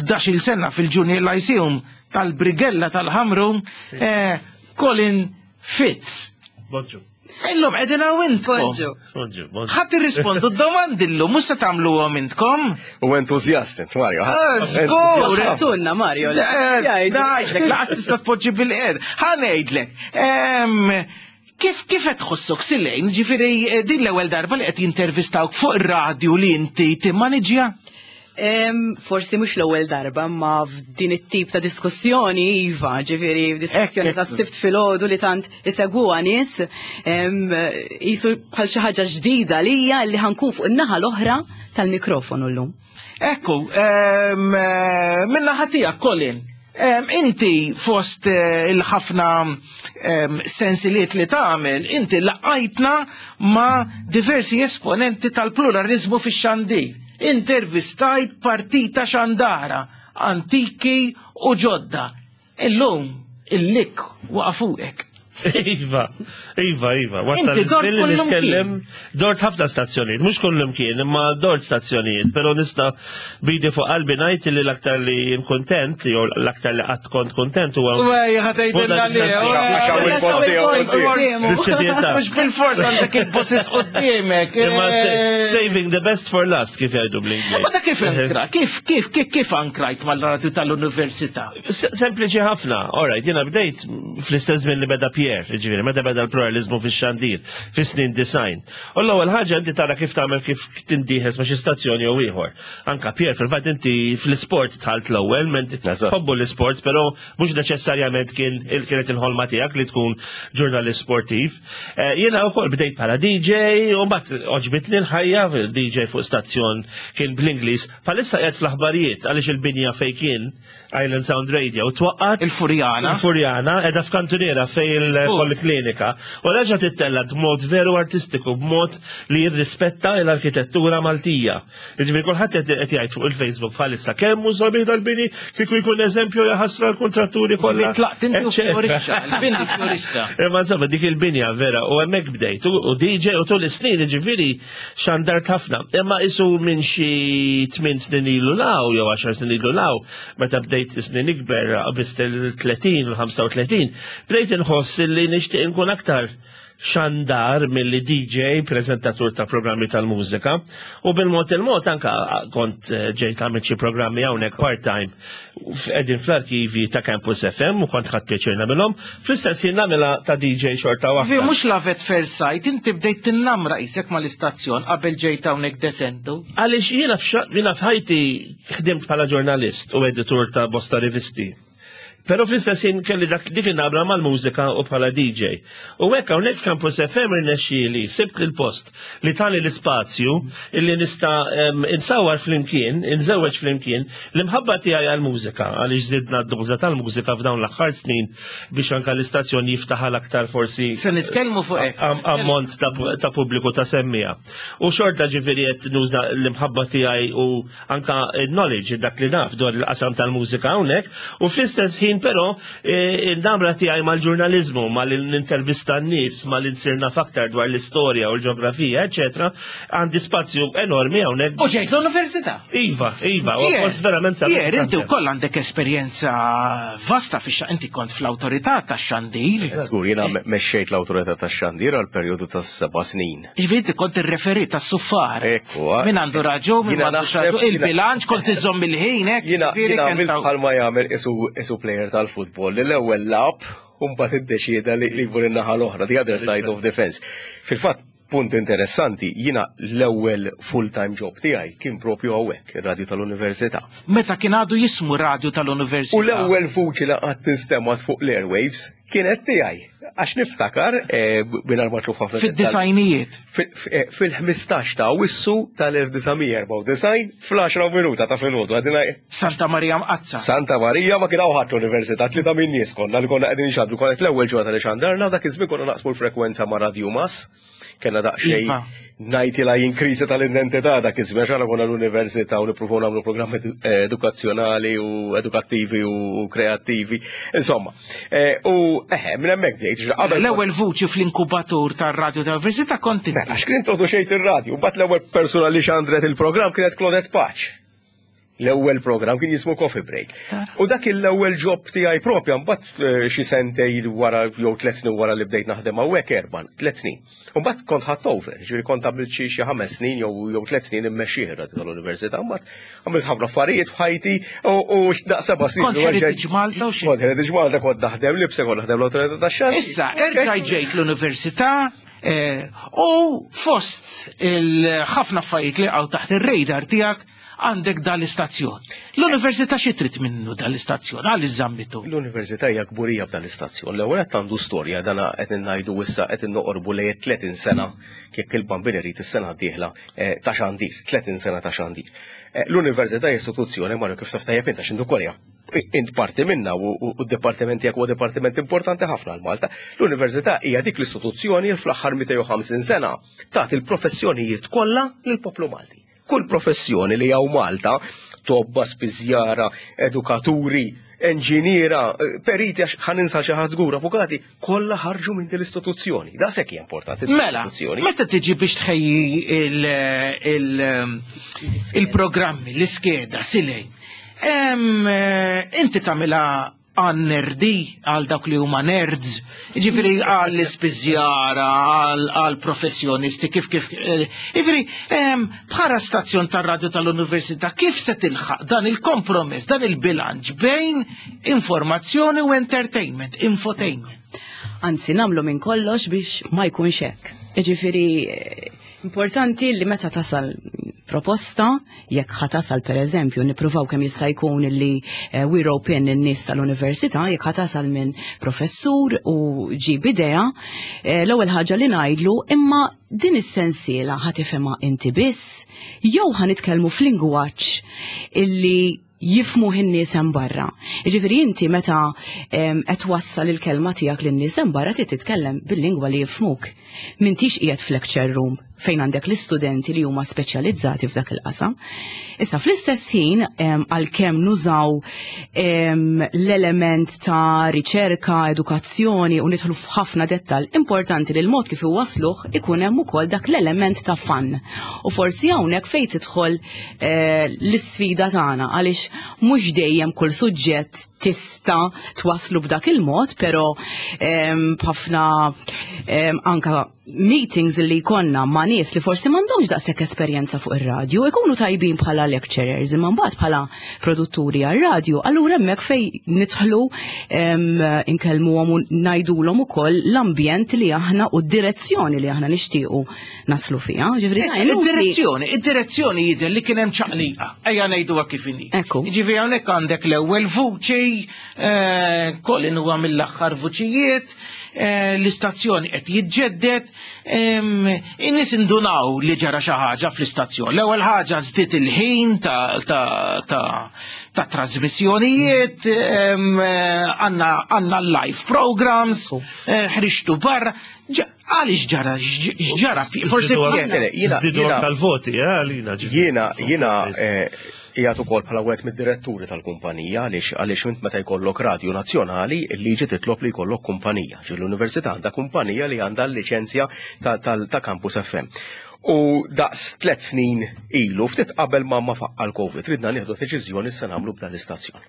11-il sena fil-Junior Lyceum tal-Brigella tal-Ħamrun eh, Colin Fitz. Bonġu. Illum qegħdin hawn intkom. Bonġu. Bonġu, bonġu. Ħadd irrispondu d-domandi llum, mhux se tagħmluhom intkom. U entużjast int, Mario. Ah, żgur. Tunna, Mario. Eh, ngħidlek, laqas tista' tpoġġi bil-qed. Ħa ngħidlek. Kif kif qed tħossok Silejn, ġifieri eh, din l-ewwel darba li qed jintervistawk fuq ir-radju li inti timmaniġja? Forsi mhux l-ewwel darba, ma f'din it-tip ta' diskussjoni iva, ġifieri diskussjoni ta' sibt filgħodu li tant isegwuha nies, jisu bħal xi ħaġa ġdida lija li ħankun fuq in-naħa l-oħra tal-mikrofonu llum. Ekku, eh, min-naħa tiegħek Colin, inti fost eh, il-ħafna sensiliet li tagħmel, inti laqajtna ma' diversi esponenti tal-pluralizmu fix-xandir. Intervistajt partita xandara, antiki u ġodda. Illum, il-lik waqa' fuqek. Iva, iva, iva. Wasal iż-żmien li nitkellem dort ħafna stazzjonijiet, mhux kullum kien, imma dort stazzjonijiet, però nista' bidi fuq qalbi ngħid li l-aktar li jien kuntent, jew l-aktar li qatt kont kuntent huwa. Wej, ħatejtilna li. Mhux bil-fors għandek il-bosses quddiemek. Imma eh. saving the best for last kif jgħidu bl-Ingliż. Ma ta' kif ankra, kif kif kif kif ankrajt mal-radju tal-università? Sempliċi ħafna, alright, jiena bdejt fl-istess żmien li beda Pierre, jiġifieri meta beda l-pluralizmu fix-xandir, fis-snin design. U l-ewwel ħaġa inti tara kif tagħmel kif tindieħes ma' xi stazzjoni jew ieħor. Anka Pierre fil-fatt inti fl-isport tħalt l-ewwel, ment tħobbu l-isport, però mhux neċessarjament kien kienet il-ħolma tiegħek li tkun ġurnalist sportiv. Eh, jiena wkoll bdejt bħala DJ u mbagħad oġbitni l-ħajja DJ fuq stazzjon kien bl-Ingliż. Bħalissa qiegħed fl-aħbarijiet għaliex il-binja fejn kien Island Sound Radio twaqqat. Il-Furjana. Il-Furjana edha f'kantuniera fej il-poliklinika. U reġa tittella b'mod veru artistiku, b'mod li jirrispetta l-arkitettura Maltija. Jiġifieri kulħadd qed jgħid fuq il-Facebook bħalissa kemm hu sabiħ dal-bini kieku jkun eżempju jaħasra l-kontratturi kollha. Tlaqt inti fjorixxa, il-bini fjorixxa. Imma insomma dik il-binja vera u hemmhekk bdejt u DJ u tul is-snin jiġifieri xandart ħafna. Imma isu minn xi 8 snin ilu law jew 10 snin ilu law, meta bdejt snin ikber qabist il-30 u 35, bdejt inħoss li nixtieq inkun aktar xandar milli DJ, prezentatur ta' programmi tal-mużika. U bil-mod il-mod anka kont eh, ġejt għamilt xi programmi hawnhekk part-time qegħdin fl-arkivi ta' Campus FM u kont ħadd pjaċir nagħmilhom. Fl-istess ħin nagħmilha ta' DJ xorta waħda. Vi mhux love at first sight, inti bdejt tinnamra qisek mal-istazzjon qabel ġejt hawnhekk desentu. Għaliex jiena jiena f'ħajti ħdimt bħala ġurnalist u editur ta' bosta rivisti. Pero fl-istess ħin kelli dak dik in-nabra mal-mużika u bħala DJ. U hekk hawnhekk f'Campus FM irnexxieli sibt il-post li tani l-ispazju illi nista' insawar flimkien, inżewweġ flimkien l-imħabba tiegħi għall-mużika għaliex żidna d-doża tal-mużika f'dawn l-aħħar snin biex anke l-istazzjon jiftaħ għal aktar forsi Se nitkellmu fuq hekk. ammont ta' pubbliku ta' semmija. U xorta ġifieri qed nuża l-imħabba tiegħi u anka knowledge dak li naf dwar il-qasam tal-mużika hawnhekk u fl-istess ħin però e, il-namra tiegħi mal-ġurnaliżmu, mal-intervista n-nies, mal-insir naf aktar dwar l-istorja u l-ġeografija, eċetera, għandi spazju enormi hawnhekk. U ġejt l-università. Iva, iva, u post verament sabiħ. Pier, inti wkoll għandek esperjenza vasta fix inti kont fl-awtorità tax-xandir. Żgur, jiena mexxejt l-awtorità tax-xandir għal perjodu ta' seba' snin. Ġifieri inti kont irreferi tas-suffar. Ekku. Min għandu raġun, min għandu raġun, il-bilanċ kont iżomm il-ħin, hekk. Jiena għamilt bħalma jagħmel isu player tal-futbol li l-ewwel lab u mbagħad iddeċieda li jmur in-naħa l-oħra, the other side of the fence. Fil-fatt, punt interessanti, jiena l-ewwel full-time job tiegħi kien propju hawnhekk, ir-radju tal-università. Meta kien għadu jismu radju tal-università. U l-ewwel vuċi li qatt instemgħet fuq l-airwaves Kienet tiegħi, għax niftakar, eh, mingħajr ma tluf ħafna. Fid-disajnijiet. Eh, fil-15 ta' Awwissu tal-1994 fl-10 minuta ta' filgħodu għadina. Santa Marija Mqazza. Santa Marija ma kien hawn ħadd l-università, tlieta minn nies konna li konna qegħdin xandru, konna l-ewwel ġurnata li xandarna dak iż-żmien konna naqsmu l-frekwenza ma' Radio Mas. Kenna daqsxejn iva. ngħidilha jien kriżi tal-identità dak iż-żmien għax konna l-università u nippruvaw nagħmlu programmi eh, edukazzjonali u edukattivi u kreattivi. Insomma, eh, u eħe, minn hemmhekk bdejt. Qabel l-ewwel vuċi fl-inkubatur tar-radju tal-università kont Mela, għax kien introduċejt ir-radju, mbagħad l-ewwel persuna li xandret il-programm kienet Claudette Paċ. L-ewwel programm kien jismu Coffee Break. U dak l-ewwel job tiegħi propja mbagħad eh, xi sentej wara jew tliet snin wara li bdejt naħdem hawnhekk erba' tliet snin. U mbagħad kont ħadd over, ġifieri kont għamilt xi xi ħames snin jew jew tliet snin immexxih ir-radio tal-università, mbagħad għamilt ħafna affarijiet f'ħajti u daq seba' snin. Kont Heritage Malta u xi. Kont Heritage Malta kont naħdem libsa kont naħdem l-awtorità tax-xandir. Issa, erġa' ġejt l-università eh, u fost il-ħafna affarijiet li għaw taħt ir-radar tiegħek għandek dal-istazzjon. L-università xi trid minnu dal-istazzjon, għal iżammitu. L-università hija kburija b'dan l-istazzjon. L-ewwel qed għandu storja dan qed ngħidu issa qed noqorbu lejn 30 sena kif il-bambin irid is-sena d-dieħla eh, ta' xandir, 30 sena ta' xandir. Eh, l-università hija istituzzjoni Mario kif taf tajjeb int għax intu kolja int parti minna u d-dipartiment tiegħek huwa dipartiment importanti ħafna għal Malta. L-università hija dik l-istituzzjoni fl-aħħar 250 sena tagħti l-professjonijiet kollha lill-poplu Malti. Kull professjoni li hawn Malta, tobba, spiżjara, edukaturi, enġiniera, eh, periti għax ħaninsa xi ħadd żgur, avukati, kollha ħarġu minn din l-istituzzjoni. Da sekk hija importanti Mela, meta tiġi biex tħejji il-programmi, l-iskeda, silej, eh, inti tagħmilha għan nerdi, għal dawk li huma nerds, ġifiri għal l-ispiżjara, għal professjonisti, kif kif. Eh, ġifiri, bħala stazzjon tar-radju tal-università, kif se tilħaq dan il-kompromess, dan il-bilanċ bejn informazzjoni u entertainment, infotainment? Anzi, namlu minn kollox biex ma jkunx hekk. Ġifiri, eh, Importanti li meta tasal proposta, jekk ħa tasal per eżempju, nippruvaw kemm jista' jkun li eh, we rope in in-nies tal-università, jekk ħa tasal minn professur u ġib idea, eh, l-ewwel ħaġa li ngħidlu imma din is-sensiela ħa tifhimha inti biss, jew ħa nitkellmu f'lingwaġġ illi jifhmuh in-nies hemm barra. Jiġifieri inti meta qed twassal il-kelma tiegħek lin-nies hemm barra trid titkellem bil-lingwa li jifhmuk. M'intix qiegħed f'lecture room fejn għandek l-istudenti li huma speċjalizzati f'dak il-qasam. Issa fl-istess ħin għalkemm nużaw l-element ta' riċerka, edukazzjoni u nidħlu f'ħafna dettal, importanti li l-mod kif iwassluh ikun hemm ukoll dak l-element ta' fun. U forsi hawnhekk fejn tidħol Eh, l-isfida tagħna għaliex mhux dejjem kull suġġett tista' twaslu b'dak il-mod, però ehm, b'ħafna ehm, anka meetings li jkollna ma' nies li forsi m'għandhomx daqshekk esperjenza fuq ir-radju, ikunu tajbin bħala lecturers, imma mbagħad bħala produtturi għar-radju, allura hemmhekk fejn nidħlu ehm, inkellmuhom u ngħidulhom ukoll l-ambjent li aħna u d-direzzjoni li aħna nixtiequ naslu fiha. Ġifieri id-direzzjoni, id-direzzjoni jidher li kien hemm ċaqliqa. Ejja ngħiduha kif inhi. Ekku. Ġifieri hawnhekk għandek l-ewwel vuċi, eh, Colin huwa mill-aħħar vuċijiet, eh, l-istazzjoni qed jiġġedded, in-nies indunaw li ġara xi ħaġa fl-istazzjon. L-ewwel ħaġa żdied il-ħin ta' trasmissjonijiet, eh, għandna live programs, ħriġtu barra. Għaliex ġara, x'ġara, forsi. Żdiedu tal-voti, eh, għalina. Jiena, jiena eh, qiegħed ukoll bħala wieħed mid-diretturi tal-kumpanija għaliex għaliex int meta jkollok radju nazzjonali il-liġi titlob li jkollok kumpanija. Ġi l-università għandha kumpanija li għandha l-liċenzja ta' Campus FM. U daqs tlet snin ilu, ftit qabel ma ma faqqa l-Covid, ridna nieħdu deċiżjoni se nagħmlu b'dan l-istazzjon.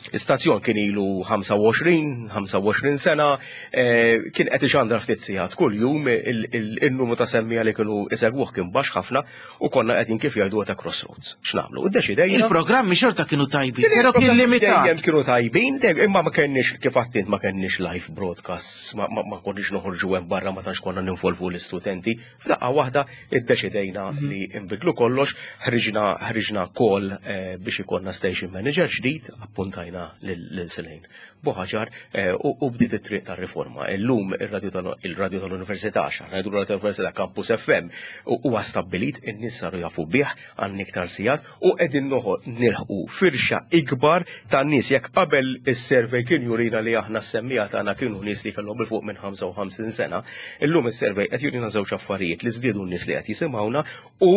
L-istazzjon kien ilu 25, 25 sena, eh, kien qed ixandra ftit sigħat kuljum, il-numru ta' semmija li kienu isegwuh kien baxx ħafna u konna qegħdin kif jgħidu ta' crossroads. X'nagħmlu? Iddeċidejna. Il-programmi xorta kienu tajbin, però kien limitat. Dejjem kienu tajbin, imma ma kenniex kif għattint ma kenniex live broadcasts, ma konniex noħorġu hemm barra ma tantx konna ninvolvu l-istudenti. F'daqqa waħda iddeċidejna mhm. li nbidlu kollox, ħriġna ħriġna call eh, biex ikollna station manager ġdid, appuntajna lil Silejn Buħaġar eh, u bdiet it-triq tar-riforma. Illum ir-radju tal-Università, x'aħna ngħidu r-radju tal-Università Campus FM, huwa stabbilit, in-nies saru jafu bih għan iktar sigħat u qegħdin nilħqu firxa ikbar ta' nies jekk qabel is-survey kien jurina li aħna s-semmija tagħna kienu nies li kellhom il fuq minn 55 sena, illum is-survey qed jurina żewġ affarijiet li żdiedu n-nies li qed jisimgħuna u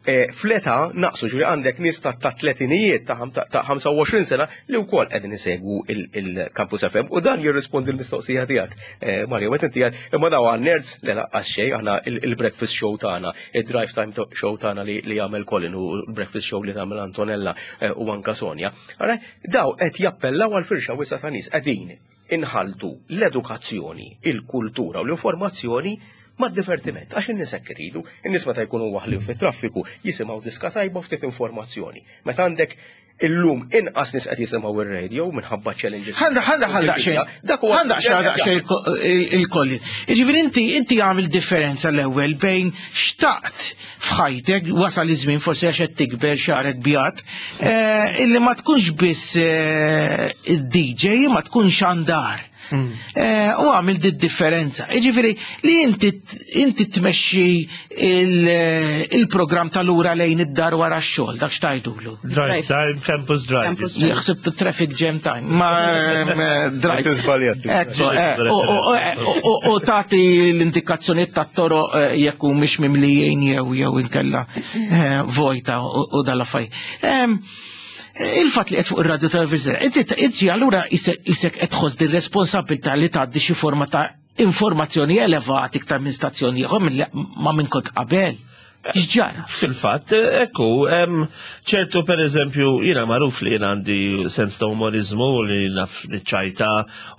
Fl-età naqsu ġifieri għandek nies ta' tletinijiet ta' 25 sena li wkoll qegħdin isegwu il-Campus FM u dan jirrispondi l-mistoqsija tiegħek. Eh, Mario, meta inti għad imma daw għal nerds li laqqas xejn aħna il-breakfast show tagħna, id-drive time show tagħna li jagħmel Colin u l-breakfast show li tagħmel Antonella eh, u anka Sonja. Ara, daw qed jappellaw għal firxa wiesa ta' nies qegħdin inħaltu l-edukazzjoni, il-kultura u l-informazzjoni mad-divertiment, għax in-nies hekk iridu. In-nies meta jkunu waħlin fit-traffiku jisimgħu diska tajba u ftit informazzjoni. Meta għandek illum inqas nies qed jisimgħu ir-radio minħabba challenges. Ħanda ħanda ħanda xejn. Dak huwa ħanda xejn il-kolli. Jiġifieri inti inti għamil differenza l-ewwel bejn xtaqt f'ħajtek wasal iż-żmien forsi għax qed tikber xagħrek bjad, eh, illi ma tkunx biss eh, id-DJ ma tkunx għandar. Eh, u għamil di differenza. Iġifiri, li inti inti tmexxi il-programm tal-ura lejn id-dar wara x-xogħol, dak xtajdulu. Drive time, campus drive. Jaħseb traffic jam time. Ma eh, drive. Ekku, eh, u tagħti l-indikazzjonijiet tat-toro jekk mhix mimlijin jew jew inkella vojta u dal-affarijiet. Il-fatt li qed fuq ir-radio televiżjoni, inti inti allura isek qed tħoss din responsabilità li tgħaddi xi forma ta' informazzjoni elevati iktar minn stazzjoni ieħor ma minn kont qabel. X'ġara? Fil-fatt, ekku, ċertu per eżempju, jiena magħruf li jiena għandi sens ta' umorizmu li naf niċċajta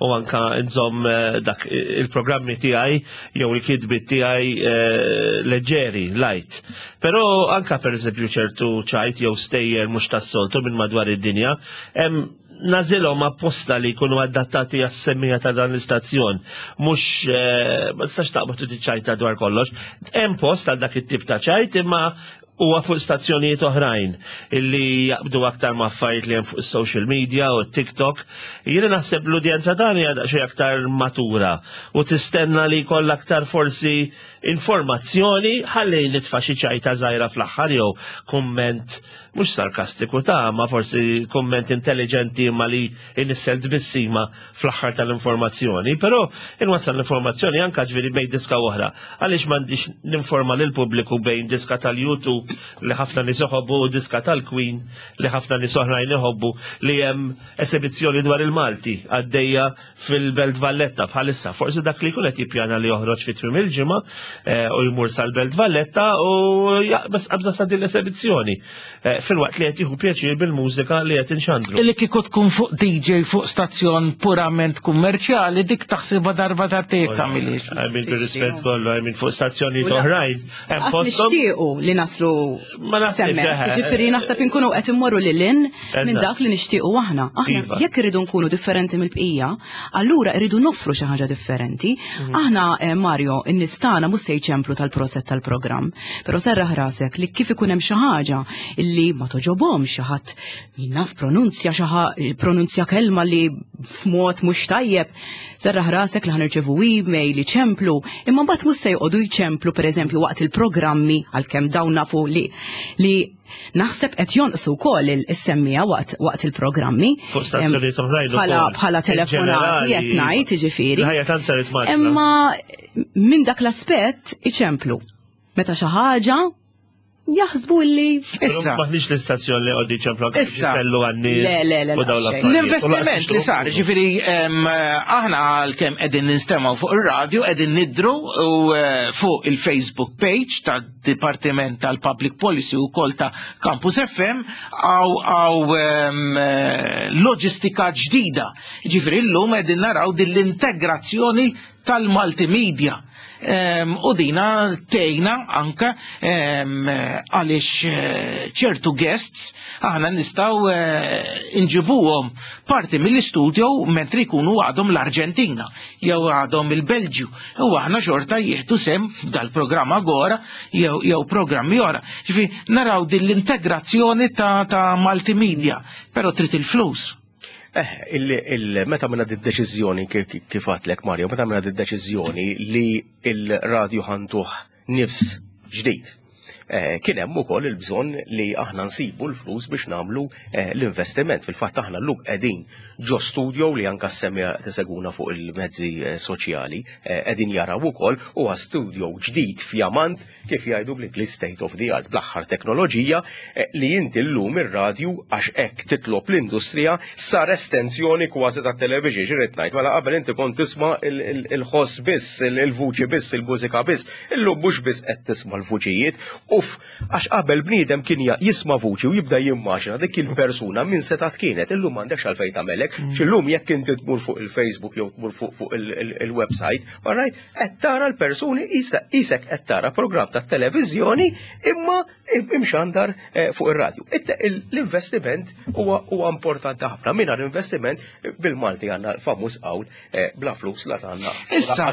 u anka nżomm eh, dak il-programmi tiegħi jew il-kitbit tiegħi eh, leġġeri, light. Però anka pereżempju ċertu ċajt jew stejjer mhux tas-soltu minn madwar id-dinja, hemm nażilhom apposta li jkunu adattati għas-semmija ta' dan l-istazzjon. Mhux eh, ma tistax taqbad u tiċċajta dwar kollox. Hemm post għal dak it-tip ta' ċajt imma huwa fuq stazzjonijiet oħrajn illi jaqbdu aktar ma' affarijiet li hemm fuq is-social media u TikTok. Jiena naħseb l-udjenza tagħna hija daqsxejn aktar matura u tistenna li jkollha aktar forsi informazzjoni ħalli nitfa' xi ċajta żgħira fl-aħħar jew kumment mhux sarkastiku ta' ma forsi kumment intelligenti ma li inissel tbissima fl-aħħar tal-informazzjoni, però inwassal l-informazzjoni anka ġifieri bejn diska oħra. Għaliex m'għandix ninforma lil pubbliku bejn diska tal-YouTube li ħafna nies iħobbu u diska tal-Queen li ħafna nies oħrajn iħobbu li hemm esibizzjoni dwar il-Malti għaddejja fil-Belt Valletta bħalissa. Forsi dak li jkun qed jippjana li joħroġ fi tmiem il-ġimgħa eh, u jmur sal-Belt Valletta u jaqbes qabża sa din l-esebizzjoni. Eh, filwaqt li qed jieħu pjaċir bil-mużika li qed inxandru. Illi kieku tkun fuq DJ fuq stazzjon purament kummerċjali dik taħsibha darba darbtejn tagħmilix. I mean, bir-rispett kollu, I mean, fuq stazzjonijiet oħrajn. Hemm posthom. Nixtiequ li naslu Ma naħseb. Ġifieri naħseb inkunu qed immorru lil hinn minn dak li nixtiequ aħna. Aħna iva. jekk irridu nkunu differenti mill-bqija, allura irridu noffru xi ħaġa differenti. Mhm. Aħna eh, Mario, in-nies tagħna mhux se jċemplu tal-proset tal-programm, però serraħ rasek li kif ikun hemm xi ħaġa illi ma toġobhomx xi ħadd naf pronunzja xi pronunzja kelma li f'mod mhux tajjeb, serraħ rasek li ħanirċevu email iċemplu, imma mbagħad mhux se joqogħdu jċemplu pereżempju waqt il-programmi għalkemm dawn nafu li li Naħseb qed jonqsu wkoll is-semmija waqt waqt il-programmi. Fuq stazzjonijiet oħrajn Bħala bħala telefonati qed ngħid jiġifieri. Il-ħajja tant saret maġla. Imma minn dak l-aspett iċemplu. Meta xi ħaġa jaħsbu li. Issa. Maħniex l-istazzjon li għoddi ċemplu Issa. kellu għanni. Le, le, le. L-investiment li sar, ġifiri, aħna għal-kem edin ninstemaw fuq il-radio, edin nidru u eh, fuq il-Facebook page ta' Dipartiment tal-Public Policy u kol ta' Campus FM għaw għaw eh, loġistika ġdida. Ġifiri l-lum edin naraw din l-integrazzjoni tal-multimedia. U dina tejna anka għaliex eh, ċertu guests aħna nistaw eh, inġibuhom parti mill-istudio mentri jkunu għadhom l-Arġentina jew għadhom il-Belġju. U aħna xorta jieħdu sem f'dal-programm Agora jew jew programmi oħra. Ġifi naraw din l-integrazzjoni ta', ta multimedia, però trid il-flus. Eh, il, meta minna d-deċiżjoni kif għatlek Mario, meta minna d-deċiżjoni li il-radju ħantuh nifs ġdid. Kien hemm ukoll il-bżonn li aħna nsibu l-flus biex nagħmlu l-investiment. Fil-fatt aħna llum qegħdin ġo studio li anka s-semmiegħa qed isegwuna fuq il-mezzi soċjali qegħdin jaraw ukoll huwa studio ġdid fjamant kif jgħidu bl-Ingliż state of the art bl-aħħar teknoloġija li inti llum ir-radju għax hekk titlob l-industrija sar estensjoni kważi tat-television x'irid ngħid mela qabel inti kont tisma' il-ħoss biss, il-vuċi biss, il-mużika biss, Illum mhux biss qed tisma' l-vuċijiet, uff, għax qabel bniedem kien jisma' vuċi u jibda jimmaġina dik il-persuna min setgħet kienet, illum m'għandekx għalfejn tagħmel hekk, mm. x'illum jekk inti tmur fuq il-Facebook jew tmur fuq il-website, alright, qed tara l-persuni isek qed tara programm tat-televiżjoni imma imxandar eh, fuq ir-radju. L-investiment huwa importanti ħafna. Mingħajr investiment bil-Malti għandna l-famuż qawl Eh, bla flus la tagħna. Issa,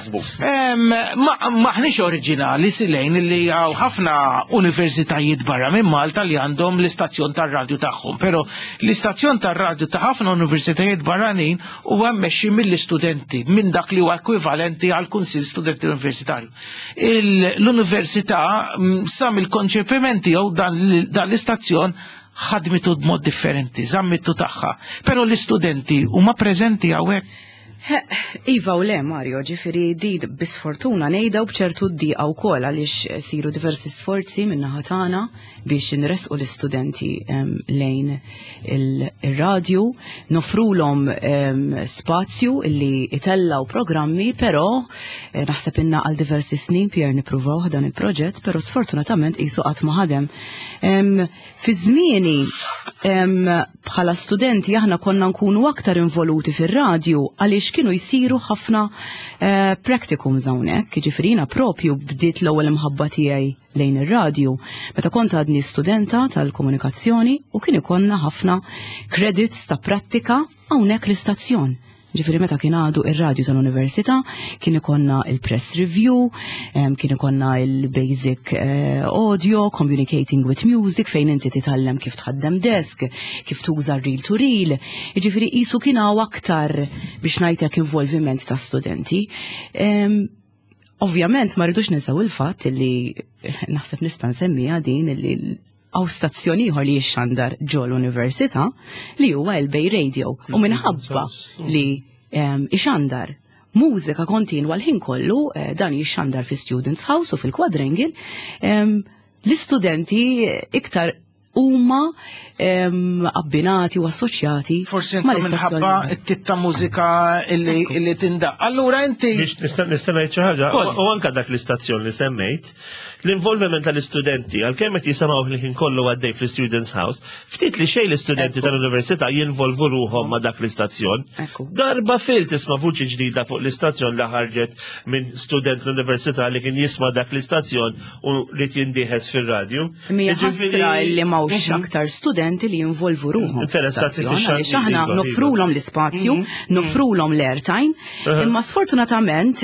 maħniex oriġinali silejn li hawn ħafna universitajiet barra minn Malta li għandhom l-istazzjon tar-radju tagħhom, però l-istazzjon tar-radju ta' ħafna universitajiet barranin huwa mmexxi mill-istudenti minn dak li huwa ekwivalenti għal Kunsill Studenti Universitarju. L-università mm, sa mill-konċepiment tiegħu dan l-istazzjon ħadmitu b'mod differenti, żammitu tagħha. Però l-istudenti huma preżenti hawnhekk. Iva u le, Mario, ġifiri din bisfortuna nejda u bċertu d-diqa u kol għalix siru diversi sforzi minna ħatana biex nresqu l-istudenti lejn il-radju, nofrulhom spazju illi itellaw programmi, pero eh, naħseb inna għal diversi snin Pier nipruvaw dan il-proġett, pero sfortunatament qisu qatt ma ħadem. Fi żmieni bħala studenti aħna konna nkunu aktar involuti fir-radju għaliex kienu jsiru ħafna eh, practicums hawnhekk, jiġifieri jiena propju bdiet l-ewwel imħabba tiegħi lejn ir-radju meta kont għadni studenta tal-komunikazzjoni u kien ikollna ħafna credits ta' prattika hawnhekk l-istazzjon. Ġifieri meta kien għadu ir-radju tal-università, kien ikonna il-press review, kien ikonna il-basic eh, audio, communicating with music, fejn inti titgħallem kif tħaddem desk, kif tuża reel to reel. Ġifieri qisu kien hawn aktar biex ngħidlek involviment ta' studenti. Ovvjament ma rridux ninsew il-fatt li naħseb nista' nsemmiha din li għaw stazzjon ieħor li jixxandar ġo l-università li huwa il-Bay Radio u mm, minħabba li ehm, ixandar mużika kontinwa l-ħin kollu eh, dan jixxandar fi Students House u fil-Quadrangle ehm, l-istudenti iktar huma ehm, abbinati u assoċjati. Forsi minħabba t-tip ta' mużika illi tindaq. Allura inti. Nista' ngħid xi ħaġa. U anka dak l-istazzjon li semmejt, L-involviment tal-istudenti, għalkemm qed jisimgħu l-ħin kollu għaddej fl-Students House, ftit li xejn l-istudenti tal-università jinvolvu ruħhom ma' dak l-istazzjon. Darba fil tisma' vuċi ġdida fuq l-istazzjon li ħarġet minn student l-università li kien jisma' dak l-istazzjon u li jindieħes fir-radju. Mija ħasra li m'hawnx mhm. aktar studenti li jinvolvu ruħhom. Għaliex aħna iva, nofrulhom iva. l-ispazju, mhm. nofrulhom l-airtime, Imma sfortunatament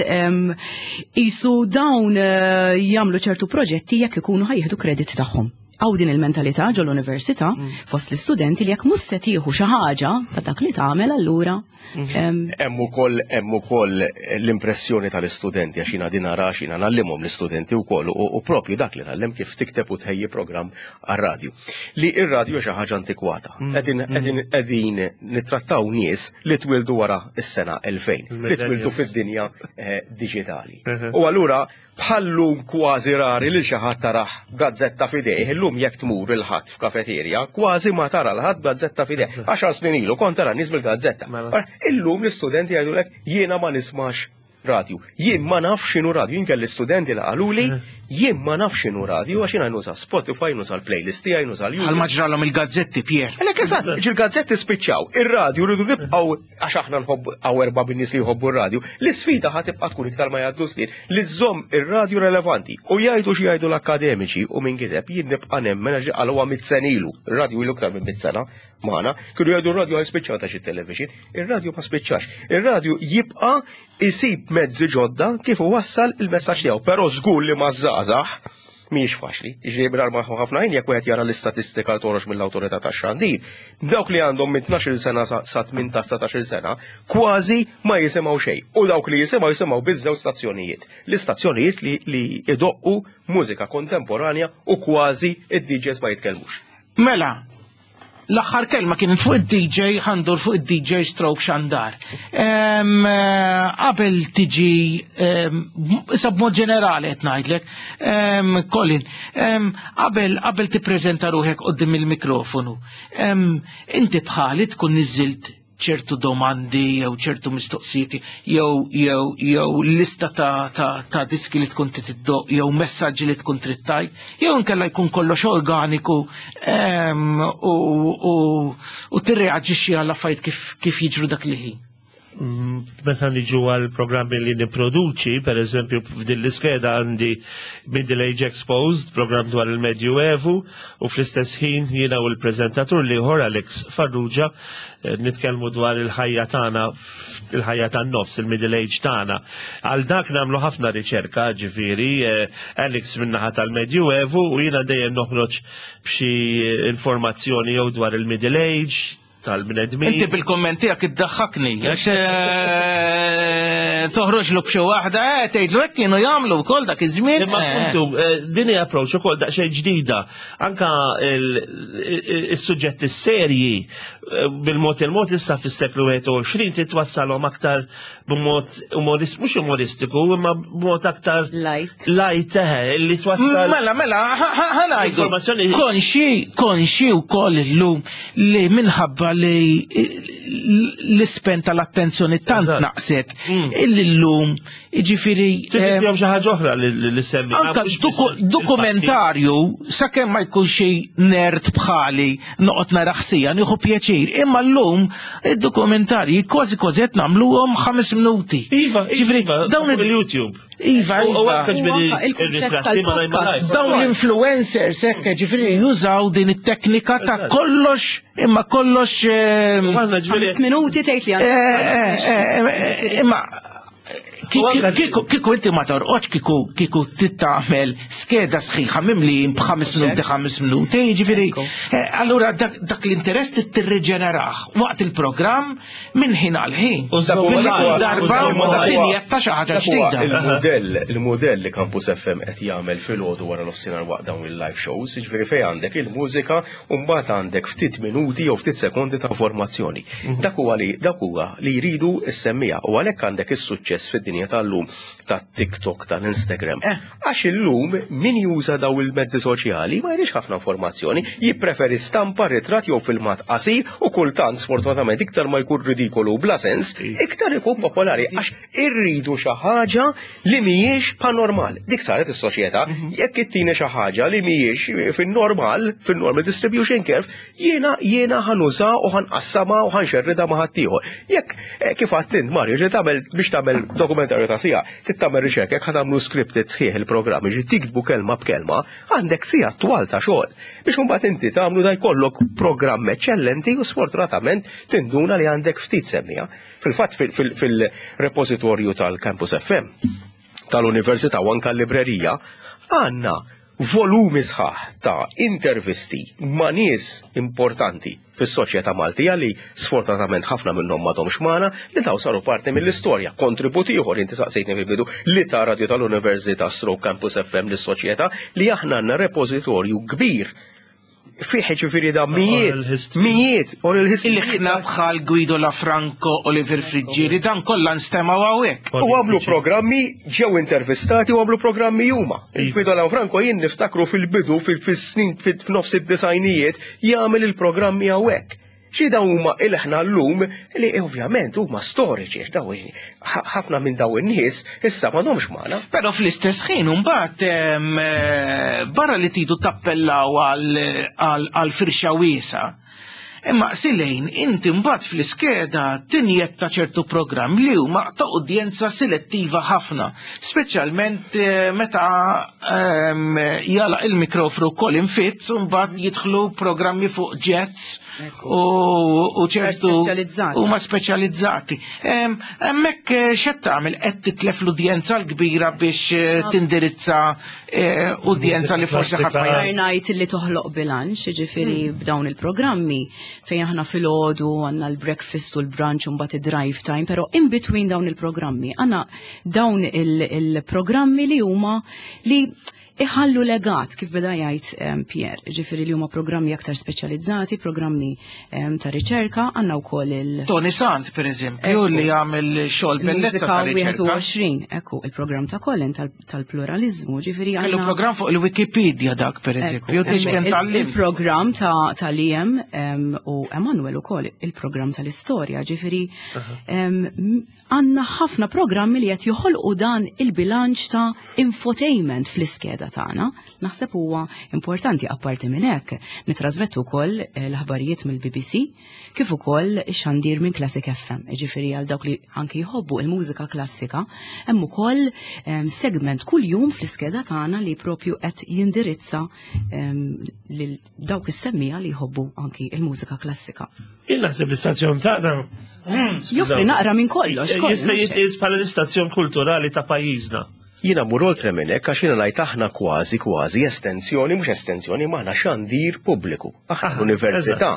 isu dawn eh, jagħmlu ċertu proġetti jekk ikunu ħajjieħdu kredit tagħhom. Għaw din il-mentalità ġol università mm. fost l-istudenti li jekk mhux se tieħu xi ħaġa ta' dak li tagħmel allura. Mm. Hemm ukoll hemm ukoll l-impressjoni tal-istudenti għax jiena din nara jiena ngħallimhom l-istudenti wkoll u propju dak li ngħallem kif tikteb u tħejji programm għar-radju. Li ir-radju xi ħaġa antikwata. Mm. Qegħdin mm. qegħdin nittrattaw nies li twildu wara s-sena 2000, li twildu fid-dinja eh, diġitali. Mhm. U allura bħallum kważi rari li xi ħadd taraħ gazzetta f'idejh, illum jekk tmur il-ħadd f'kafeterja, kważi ma tara l-ħadd gazzetta f'idejh. Għaxar snin ilu kont tara nies bil-gazzetta. Mela. Illum l-istudenti jgħidulek jiena ma nismax radju. Jien ma nafx x'inhu radju, jien kelli studenti li qaluli jien ma nafx x'inhu radju għax jiena nuża Spotify, nuża l-playlist tiegħi, nuża l Bħal ma ġralhom il-gazzetti Pier. Għalhekk eżatt, il-gazzetti spiċċaw, ir-radju rridu nibqgħu għax aħna nħobbu hawn erba' bin-nies li jħobbu r-radju. L-isfida ħa tibqa' tkun iktar ma jgħaddu snin li żżomm ir-radju relevanti u jgħidu xi jgħidu l-akkademiċi u min kiteb jien nibqa' nemmen għax qalhuha mitt sena ilu. Ir-radju ilu iktar minn mitt sena magħna, kienu jgħidu r-radju ħajspiċċa ta' xi television. Ir-radju ma spiċċax. Ir-radju jibqa' isib mezzi ġodda kif wassal il-messaġġ tiegħu, però żgur li ma żgħażagħ. Mhijiex faċli. Jiġifieri mingħajr ma ħafna ħin jekk wieħed jara l-istatistika li toħroġ mill-awtorità tax-xandir, dawk li għandhom minn 12-il sena sa 18-19-il sena kważi ma jisimgħu xejn. U dawk li jisimgħu jisimgħu biss żewġ stazzjonijiet. L-istazzjonijiet li, li idoqqu mużika kontemporanja u kważi id-DJs ma jitkellmux. Mela, L-aħħar kelma kienet fuq id-DJ, ħandur fuq id-DJ stroke xandar. Eh, qabel tiġi, issa b'mod ġenerali qed ngħidlek, Colin, qabel qabel tippreżenta ruħek qudiem il-mikrofonu, inti bħali tkun niżilt ċertu domandi jew ċertu mistoqsijiet jew jew jew lista ta', ta, ta diski li tkun trid iddoq jew messaġġi li tkun trid tajt, jew inkella jkun kollox organiku ehm, u, u, u tirreaġixxi għal affarijiet kif, kif jiġru dak li ħin. Meta niġu għal programmi li niproduċi, per eżempju f'din l-iskeda għandi Middle Age Exposed, program dwar il-Medju Evu, u fl-istess ħin jiena u l-preżentatur l-ieħor Alex Farrugia eh, nitkellmu dwar il-ħajja tagħna il-ħajja tan-nofs, il-middle age tagħna. Għal dak nagħmlu ħafna riċerka, ġifieri, eh, Alex min-naħa tal-Medju Evu u jiena dejjem noħroġ b'xi informazzjoni jew dwar il-middle age, tal-bnedmin. Inti bil-komment tiegħek iddaħħakni, għax eh, toħroġ lu b'xi waħda, eh, tgħidlu hekk kienu jagħmlu wkoll dak iż-żmien. Imma eh. kuntu, din hija approach ukoll daqsxejn ġdida. Anka is-suġġetti serji bil-mod il-mod issa fis-seklu 21 titwassalhom aktar b'mod umorist, mhux umoristiku, imma b'mod aktar light. Light, eh, li twassal. Mela, mela, ħanajdu. Informazzjoni. Konxi, konxi wkoll illum li minħabba li l-ispen tal-attenzjoni tant naqset mm. illi llum jiġifieri. Eh, xi ħaġa oħra li semmi. Anka dokumentarju sakemm ma jkun xi nerd bħali noqgħod nara ħsija nieħu pjaċir, imma llum id-dokumentarji kważi kważi qed nagħmluhom ħames minuti. Iva, ġifieri iva, dawn il-YouTube. Iva, iva. Dawn l-influencers hekk ġifieri jużaw din it-teknika ta' kollox imma kollox. Ehm, ħames minuti tgħid li eh, eh, eh, Imma Kiku inti ma torqodx kiku kiku tittamel skeda sħiħa mimli b'ħames minuti ħames minuti, jiġifieri. Eh, allura dak l-interess tirriġeneraħ waqt il-programm minn ħin għal ħin. Darba tinjetta xi ħaġa ġdida. Il-mudell il-mudell li Campus FM qed jagħmel filgħodu wara nofsinhar waqt dawn il-live shows, jiġifieri fejn għandek il-mużika u mbagħad għandek ftit minuti jew ftit sekondi ta' informazzjoni. Mhm. Dak huwa li dak huwa li jridu s-semmija u għalhekk għandek is-suċċess fid-dinja tal-lum tat-TikTok tal-Instagram. Eh. Għax illum min juża daw il-mezzi soċjali ma jridx ħafna informazzjoni, jippreferi stampa, ritratt jew filmat qasir u kultant sfortunatament iktar ma jkun ridikolu u bla sens, iktar ikun popolari għax irridu xi ħaġa li mhijiex panormal. Dik saret is-soċjetà, mhm. jekk ittini xi ħaġa li mhijiex fin-normal, fin-normal distribution curve, jiena jiena ħanuża u ħanqassama u ħanxerrida ma' ħaddieħor. Jekk eh, kif għadt int Mario, ġi tagħmel biex tagħmel dokumentarju ta' sija, trid tagħmel riċerka jekk ħatamlu scripted sħiħ il-programm, ġi tiktbu kelma b'kelma, għandek sija twal ta' xogħol. Biex imbagħad inti tagħmlu da jkollok programm eċċellenti u sfortunatament tinduna li għandek ftit semmija. Fil-fatt fil-repożitorju tal-Campus FM tal-Università u anka l-librerija għandna volumi sħaħ ta' intervisti ma' nies importanti fis-soċjetà Maltija li sfortunatament ħafna minnhom m'għadhomx magħna li daw saru parti mill-istorja. Kontribut ieħor inti saqsejtni fil-bidu li ta' Radio tal-Università Stroke Campus FM lis-soċjetà li aħna għandna repożitorju kbir fih ġifiri da mijiet, mijiet, oral history. Il-ħna bħal Guido Lafranco, Oliver Friggieri, dan kollha nstemaw hawnhekk. U għamlu programmi, ġew intervistati u għamlu programmi huma. Guido Lafranco jien niftakru fil-bidu, fil-snin, f'nofs id-disajnijiet, jagħmel il-programmi hawnhekk. Xi dawn huma il-ħna llum li ovvjament huma storiċi għax daw ħafna minn daw in-nies issa m'għadhomx magħna. Però fl-istess ħin imbagħad eh, barra li tidu tappellaw għal firxa wiesa. Imma Silejn, inti mbagħad fl-iskeda tinjetta ċertu programm li huma ta' udjenza selettiva ħafna, speċjalment eh, meta ehm, jala il-mikrofru Colin Fitz u mbagħad jidħlu programmi fuq jets u ċertu huma speċjalizzati. Ehm, hemmhekk eh, x'qed tagħmel qed titlef l-udjenza l-kbira biex eh, tindirizza Eh, udjenza li forsi ħadd ma ngħid li toħloq bilanċ, ġifieri hmm. b'dawn il-programmi fejn aħna filgħodu għandna l-breakfast u l-brunch u mbagħad id-drive time, però in between dawn il-programmi għandna dawn il-programmi li huma li iħallu legat kif beda jgħid Pierre, ġifieri li huma programmi aktar speċjalizzati, programmi ta' riċerka, għandna wkoll il- Tony Sant, per eżempju, li għamel xogħol bellezza ta' riċerka. 21, ekku, il-programm ta' Colin tal-pluralizmu, ġifieri Kellu programm fuq il-Wikipedia dak, per eżempju, biex kien tal Il-programm ta' Liam u Emanuel ukoll il-programm tal-istorja, ġifieri għandna ħafna programmi li qed joħolqu dan il-bilanċ ta' infotainment fl-iskeda tagħna. Naħseb huwa importanti apparti minn hekk nitrasmettu wkoll eh, l-aħbarijiet mill-BBC kif ukoll ix-xandir minn Classic FM. Jiġifieri għal dawk li anki jħobbu il-mużika klassika, hemm ukoll ehm, segment kuljum fl-iskeda tagħna li propju qed jindirizza ehm, lil dawk is-semmija li jħobbu anki il-mużika klassika. Jien naħseb l-istazzjon tagħna Joffri naqra minn kollox. Jista' jitqies bħala l-istazzjon kulturali ta' pajjiżna. Jiena mmur oltre minn hekk għax jiena ngħid aħna kważi kważi estensjoni, mhux estensjoni, ma aħna xandir pubbliku. Aħna l-università.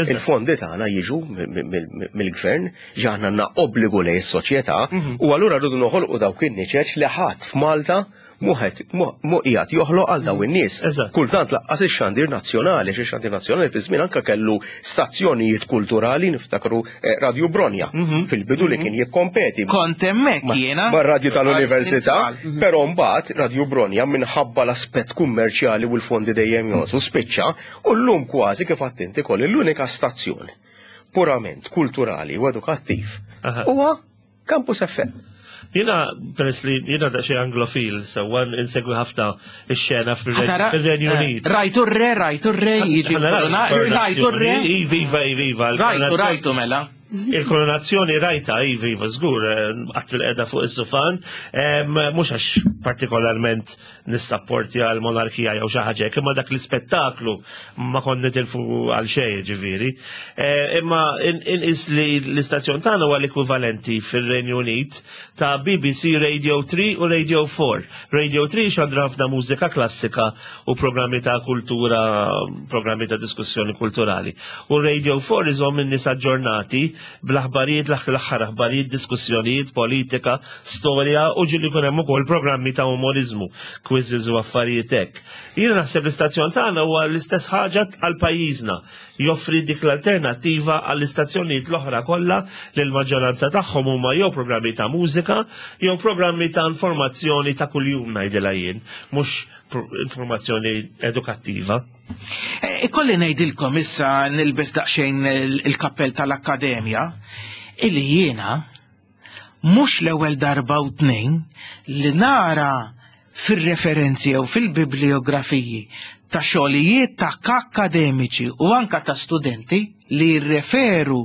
Il-fondi tagħna jiġu mill-gvern, ġi aħna għandna obbligu lejn is-soċjetà mhm. u allura rridu noħolqu dawk in-niċeċ li ħadd f'Malta muħet mu qiegħed joħloq għal daw in-nies. Kultant laqqas ix-xandir nazzjonali, xi xandir nazzjonali fi żmien anke kellu stazzjonijiet kulturali niftakru eh, Radio Bronja mhm. fil-bidu li mhm. kien jikkompeti. Kont hemmhekk jiena. Mar-radju tal-università, mhm. però mbagħad Radio Bronja minħabba l-aspett kummerċjali u l-fondi dejjem jonsu spiċċa u llum kważi kif attinti kolli l-unika stazzjoni purament kulturali u edukattiv huwa Campus FM. Jena, peress li jena da xie anglofil, sewa insegwi ħafna x-xena fil-Renju eh, Unit. Rajtu re, rajtu re, jiġi rajtu re. Iva, iva, iva. Rajtu, rajtu mela. Il-koronazzjoni rajta, iva, iva, zgur, eh, għat fil-qeda fuq is-sufan, mux għax partikolarment nissapportja l-monarkija jew xi ħaġa hekk, imma dak l-ispettaklu ma kont nitilfu għal xejn ġifieri. Eh, imma inqis li l-istazzjon tagħna huwa l-ekwivalenti fir-Renju Unit ta' BBC Radio 3 u Radio 4. Radio 3 xandra ħafna mużika klassika u programmi ta' kultura, programmi ta' diskussjoni kulturali. U Radio 4 iżomm in-nies aġġornati bl-aħbarijiet, l-aħħar aħbarijiet, diskussjonijiet, politika, storja u ġieli jkun hemm ukoll programmi ta' umoriżmu, quizzes u affarijiet hekk. Jiena naħseb l-istazzjon tagħna huwa l-istess ħaġa għal pajjiżna, joffri dik l-alternattiva għall-istazzjonijiet l-oħra kollha li l-maġġoranza tagħhom huma jew programmi ta' mużika jew programmi ta' informazzjoni ta' kuljum ngħidilha jien, mhux informazzjoni edukattiva. Eh, ikolli ngħidilkom issa nilbes daqsxejn il-kappell tal-akkademja illi jiena mhux l-ewwel darba u tnejn li nara fir-referenzi jew fil-bibliografiji ta' xogħlijiet ta' akkademiċi u anka ta' studenti li jirreferu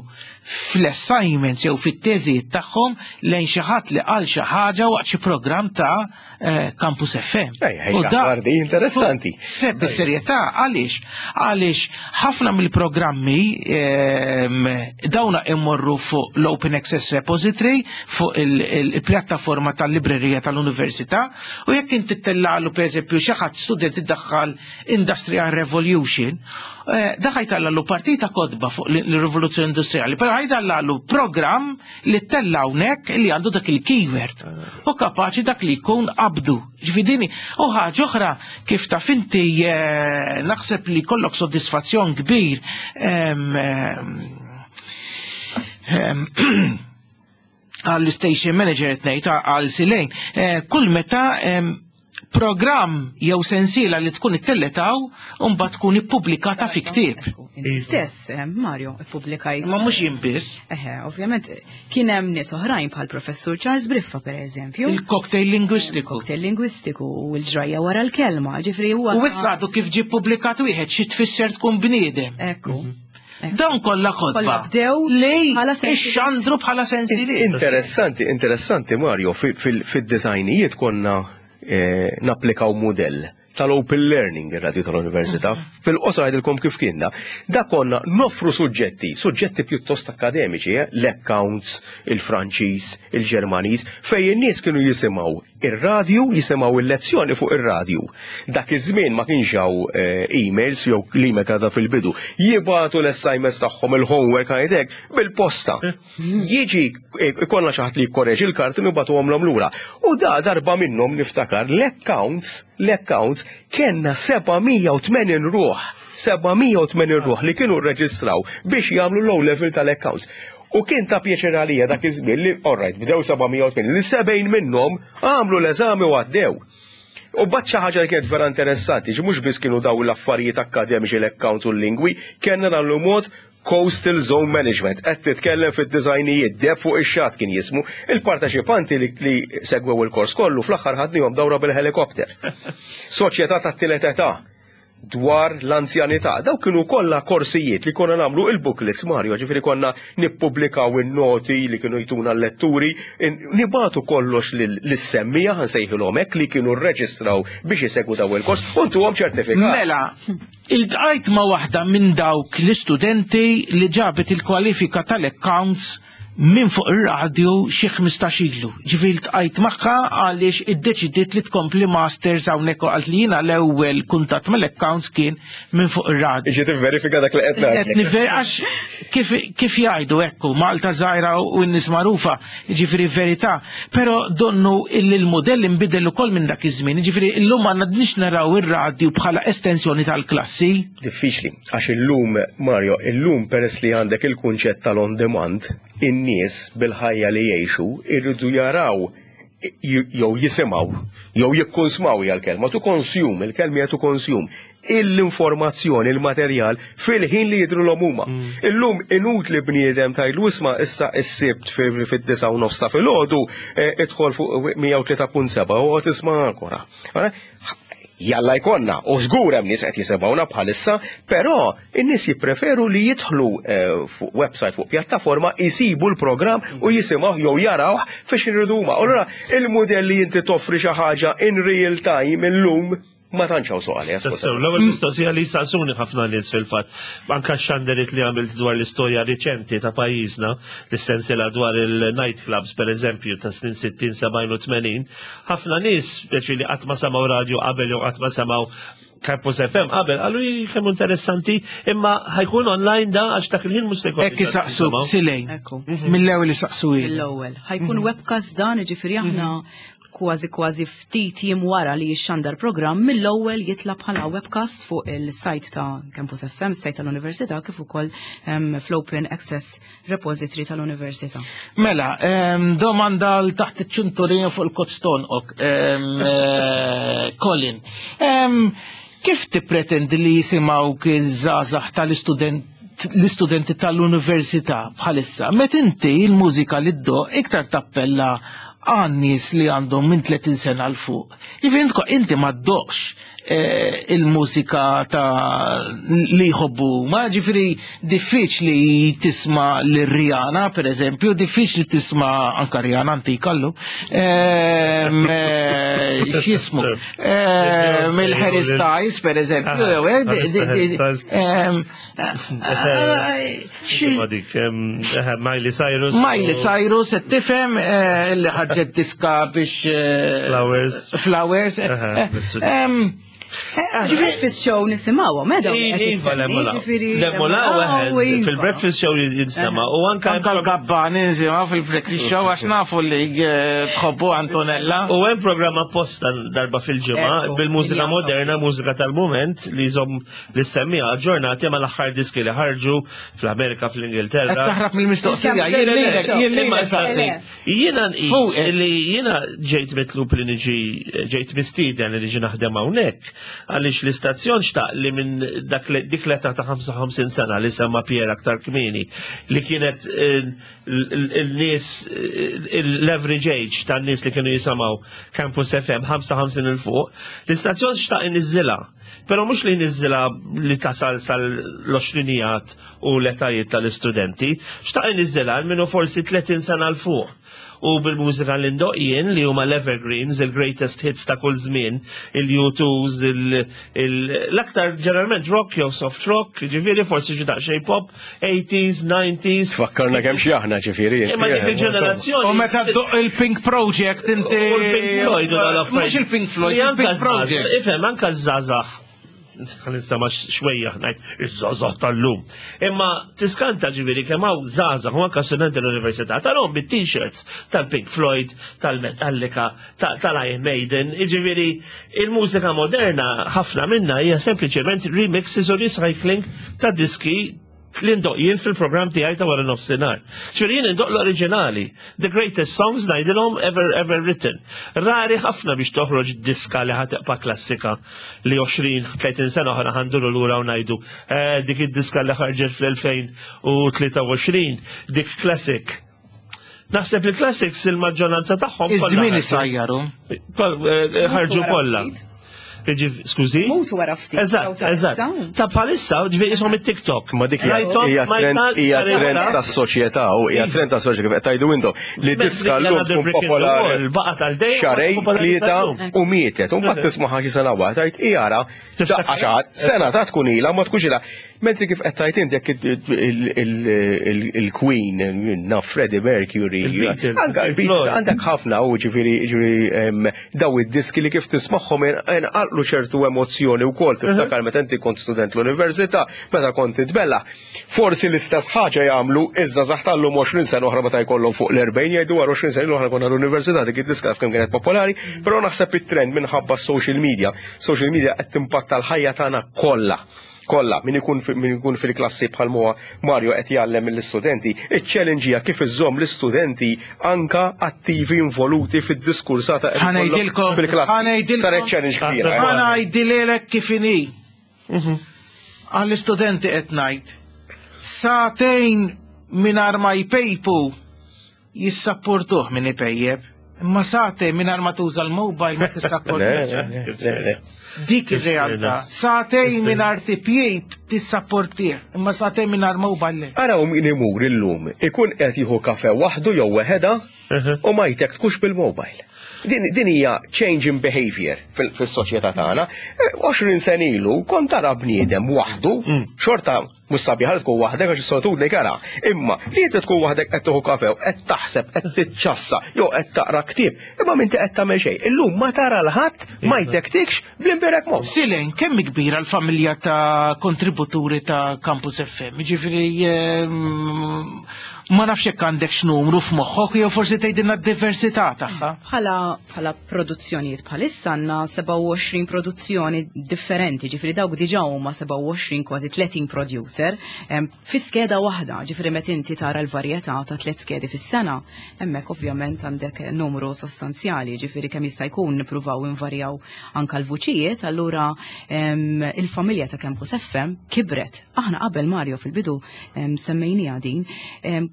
fl-assignments jew fit-teżijiet tagħhom lejn xi ħadd li qal xi ħaġa waqt xi programm ta' eh, Campus FM. U da interessanti. Eh, bis-serjetà għaliex? Għaliex ħafna mill-programmi ehm, dawna immorru fuq l-Open Access Repository fuq il-pjattaforma tal-librerija tal-università u jekk inti tellalu pereżempju xi ħadd student iddaħħal Industrial Revolution, eh, da ħajtallalu partita kodba fuq l-rivoluzzjoni industrijali, però ħajtallalu programm li tella hawnhekk li għandu dak il-keyword u kapaċi dak li jkun qabdu. Ġvidini, u ħaġa oħra kif taf inti eh, naħseb li kollok soddisfazzjon kbir għall-station manager qed ngħid għal Silejn, eh, kull meta programm jew sensiela li tkun ittelletaw u mbagħad tkun ippubblikata fi ktieb. Inti stess, eh, Mario, ippubblikajt. Ma mhux jien biss. Eħe, ovvjament kien hemm nies oħrajn bħal professur Charles Briffa pereżempju. Il-cocktail lingwistiku. Cocktail lingwistiku u l-ġrajja wara l-kelma, ġifri huwa. U issa għadu kif ġie ppubblikat wieħed xi tfisser tkun bniedem. Ekku. Mhm. Dawn kollha kotba bdew li ixxandru bħala sensiliet. Interessanti, interessanti Mario, fid-designijiet konna eh, napplikaw mudell tal-Open Learning ir-radju tal-Università. Mhm. Fil-qosor għidilkom kif kienna. Da konna nofru suġġetti, suġġetti pjuttost akademiċi, eh? l-accounts, il-Franċiż, il-Ġermaniż, fejn in-nies kienu jisimgħu ir-radju, jisimgħu il-lezzjoni fuq ir-radju. Dak iż-żmien ma kienx hawn eh, emails jew l-email għadha fil-bidu. Jibgħatu l-assignments tagħhom il-homework għajdek bil-posta. Jiġi ikollna xi ħadd li jikkoreġi l-karti u nibgħatuhomlhom lura. U da darba minnhom niftakar l-accounts, l-accounts kellna 780 ruħ, 780 ruħ li kienu rreġistraw biex jagħmlu l-O level tal-accounts. U kien ta' pjaċir għalija dak iż-żmien li, all right, bdew 780, li 70 minnhom għamlu l-eżami u għaddew. U bat xi ħaġa li kienet vera interessanti, ġi mhux biss kienu daw l-affarijiet akkademiċi l-accounts u l-lingwi, kellna nagħmlu mod Coastal Zone Management, qed titkellem fid-disgħinijiet, Deheb fuq ix-Xatt kien jismu. Il-parteċipanti li, li segwew il-kors kollu fl-aħħar ħadnihom dawra bil-ħelikopter. Soċjetà tat-tielet età dwar l-anzjanità. Dawk kienu kollha korsijiet li konna nagħmlu il-booklets Mario, ġifieri konna nippubblikaw in-noti li kienu jtuna l-letturi, nibatu kollox lis-semmija ħansejħilhom hekk li kienu rreġistraw biex isegwu daw il-kors u ntuhom ċertifikat. Mela, Iltqajt ma' waħda minn dawk l-istudenti li ġabet il-kwalifika tal-accounts minn fuq ir-radju xi 15 ilu. Ġifieri ltqajt magħha għaliex iddeċidiet li tkompli masters hawnhekk u qalt li jiena l-ewwel kuntatt mal-accounts kien minn fuq ir-radju. Ġiet tivverifika dak li qed ngħidlek. Qed nivver għax kif kif jgħidu hekk hu, Malta żgħira u n-nies magħrufa, Jiġifieri verità, però donnu illi l-mudell inbidel ukoll minn dak iż-żmien, jiġifieri llum ma għandniex naraw ir-radju bħala estensjoni tal-klassi. Diffiċli, għax illum, Mario, illum peress li għandek il-kunċett tal-on demand, in-nies bil-ħajja li jgħixu jridu jaraw jew jisimgħu jew jikkunsmaw hija l-kelma, to consume, il-kelma hija to consume, l-informazzjoni, il-materjal fil-ħin li jidhru huma. Mm. Illum inutli bniedem tgħidlu isma' issa s-sibt fid-9 u nofs ta' filgħodu eh, idħol fuq 103.7 u qed isma' ankora. Jalla jkollna, u żgur hemm nies qed jisimgħuna bħalissa, però in-nies jippreferu li jidħlu eh, fuq website fuq pjattaforma jsibu l-programm u jisimgħu jew jarawh fiex iridu huma. Allura il-mudell li inti toffri xi ħaġa in real time illum ma tantx hawn suq għaliha. Tassew, l-ewwel mistoqsija li jsaqsuni ħafna nies fil-fatt, anke x-xanderit li għamilt dwar l-istorja riċenti ta' pajjiżna, l-sensiela dwar il-night clubs pereżempju ta' snin 60, 70 u 80, ħafna nies speċi li qatt ma semgħu radju qabel jew qatt ma semgħu Campus FM qabel qalu kemm interessanti imma ħajkun online da għax dak il-ħin mhux se jkun. Hekk isaqsu silejn. Mill-ewwel isaqsu Mill-ewwel. Ħajkun mhm. webcast dan, jiġifieri aħna mhm. kważi kważi ftit jiem wara li jixxandar programm mill-ewwel jitla bħala webcast fuq il-sajt ta' Campus FM, sajt tal-Università, kif ukoll um, fl-Open Access Repository tal-Università. Mela, um, domanda l taħt iċ-ċinturin fuq il-kotstон ok, um, Colin. Kif tippretendi li jisimgħu iż-żgħażagħ tal-istudent l-istudenti tal-università bħalissa, met inti il-mużika li ddoq iktar tappella għan-nies li għandhom minn 30 sena 'l fuq. Jiġifieri inti ma ddoqx Eh, il-mużika ta' li jħobbu. Ma ġifiri diffiċli tisma l-Rihanna, per eżempju, diffiċli tisma anka Rihanna antika allu. Ehm, eh, x'jismu? Ehm, Il-Harry Styles, per eżempju. Ah, ehm, Miley Cyrus. Miley Cyrus, qed tifhem eh, li ħarġet diska biex. Eh, Flowers. Flowers. Breakfast show nisimawa, meda. Iva, Lemolaw, fil-breakfast show jinstema. U anka. Anka l-gabbani nisimaw fil-breakfast show, għax nafu li eh, tħobbu Antonella. U hemm programm apposta darba fil-ġimgħa bil-mużika moderna, mużika tal-moment li jżomm li semmija aġġornati ma l-aħħar diski li ħarġu fl-Amerika, fl-Ingilterra. Qed taħrab mill-mistoqsija, jiena nqis li jiena ġejt mitlub li niġi ġejt mistieden li niġi naħdem hawnhekk. Għaliex l-istazzjon xtaq li minn dak dik l-età ta' 55 sena li semma Pier aktar kmieni li kienet eh, il-nies eh, l-average age tan-nies li kienu jisimgħu Campus FM 55 il fuq, l-istazzjon xtaq iniżżilha. Però mhux li jniżżilha li tasal sal-20 u l-etajiet tal-istudenti, xtaq iniżżilha għal minnu forsi 30 sena l fuq. U bil-mużika li ndoq jien li huma l-evergreens, il-greatest hits ta' kull żmien, il-U2s, l-aktar ġeneralment rock jew soft rock, ġifieri forsi xi daqsxejn pop, 80s, 90s. Tfakkarna kemm xi aħna ġifieri. Imma dik il-ġenerazzjoni. U meta ddoq il-Pink Project inti. U l-Pink Floyd u dal-affarijiet. Mhux il-Pink Floyd, il-Pink Project. Ifhem, anka żgħażagħ ħan xwejja ngħid iż-żgħażagħ tal-lum. Imma tiskanta ġifieri kemm hawn żgħażagħ u anke studenti l-università tal-hom bit-t-shirts tal-Pink Floyd, tal-Metallica, tal-Iron Maiden, jiġifieri il-mużika moderna ħafna minna hija sempliċement remixes u recycling ta' diski li ndoq jien fil-programm tiegħi ta' wara nofsinhar. Ġifieri jien indoq l-oriġinali, the greatest songs ngħidilhom ever ever written. Rari ħafna biex toħroġ diska li ħateqpa klassika li 20-30 sena oħra ħanduru lura u ngħidu eh, dik id-diska li ħarġet fl-2023 dik classic. Naħseb li classics il-maġġoranza tagħhom. Iż-żmien isajjaru. Eh, eh, ħarġu kollha. Skużi? Mutu wara ftit. Eżatt, eżatt. Ta' bħalissa, ġifieri ishom it-TikTok. Ma dik hija trend tas-soċjetà u hija trend tas-soċjetà kif qed tgħidu intom li diska llum tkun popolari. Baqa' tal-dejjem. Xarej, tlieta u mietet. U mbagħad tisma' xi sena wara tgħid ijara Daqqa xaħat, sena ta' tkun ila, ma tkunx ila. Mentri kif qed tgħid int jekk il-Queen, naf Freddie Mercury, anka il-Beatles, għandek ħafna u ġifieri ġifieri daw id-diski li kif tismagħhom inqalqlu ċertu emozzjoni wkoll tiftakar meta inti kont student l-università, meta kont titbella. Forsi l-istess ħaġa jagħmlu iż-żgħażagħ tal-lum 20 sena oħra meta jkollhom fuq l-40 jgħidu wara 20 sena oħra konna l-università dik id-diska kemm kienet popolari, però naħseb it-trend minħabba social media. Social media qed timpatta l-ħajja tagħna kollha kollha min ikun min ikun fil-klassi bħal huwa Mario qed jgħallem lill-istudenti, iċ-challenge hija kif iżżomm l-istudenti anka attivi involuti fid-diskursata fil-klassi. Saret challenge kbira. Eh? Ħanajdilek kif inhi. Mhm. Għall-istudenti qed ngħid. Sagħtejn mingħajr ma jpejpu jissapportuh min ipejjeb. Imma sagħtejn mingħajr ma tuża l-mobile ma tissapportih. Dik ir-realtà. Sagħtejn mingħajr tipjib tissapportih, imma sagħtejn mingħajr mobile le. Araw min imur illum ikun qed jieħu kafe waħdu jew weħeda u ma jtektkux bil-mobile. Din, din hija change in behavior fis-soċjetà tagħna. 20 eh, sen ilu kont tara bniedem waħdu, mm. xorta mhux sabiħa li tkun waħdek għax is-solitudni kara. Imma li inti tkun waħdek qed tieħu kafe qed taħseb, qed tiċċassa, jew qed taqra ktieb, imma minti qed tagħmel xejn. Illum ma tara l-ħadd ma iva. jtektikx bl-imbirek mod. Silen, kemm kbira l-familja ta' kontributuri ta' Campus FM? Ġifieri ehm, Ma nafx jekk għandekx numru f'moħħok jew forsi tgħidilna d-diversità tagħha. Bħala bħala produzzjonijiet bħalissa għandna 27 produzzjoni differenti, ġifieri dawk diġà huma 27 kważi 30 producer fi skeda waħda, ġifieri meta inti tara l-varjetà ta' tliet skedi fis-sena, hemmhekk ovvjament għandek numru sostanzjali, ġifieri kemm jista' jkun nippruvaw invarjaw anka l-vuċijiet, allura il-familja ta' Campus FM kibret. Aħna qabel Mario fil-bidu Semmejnija din,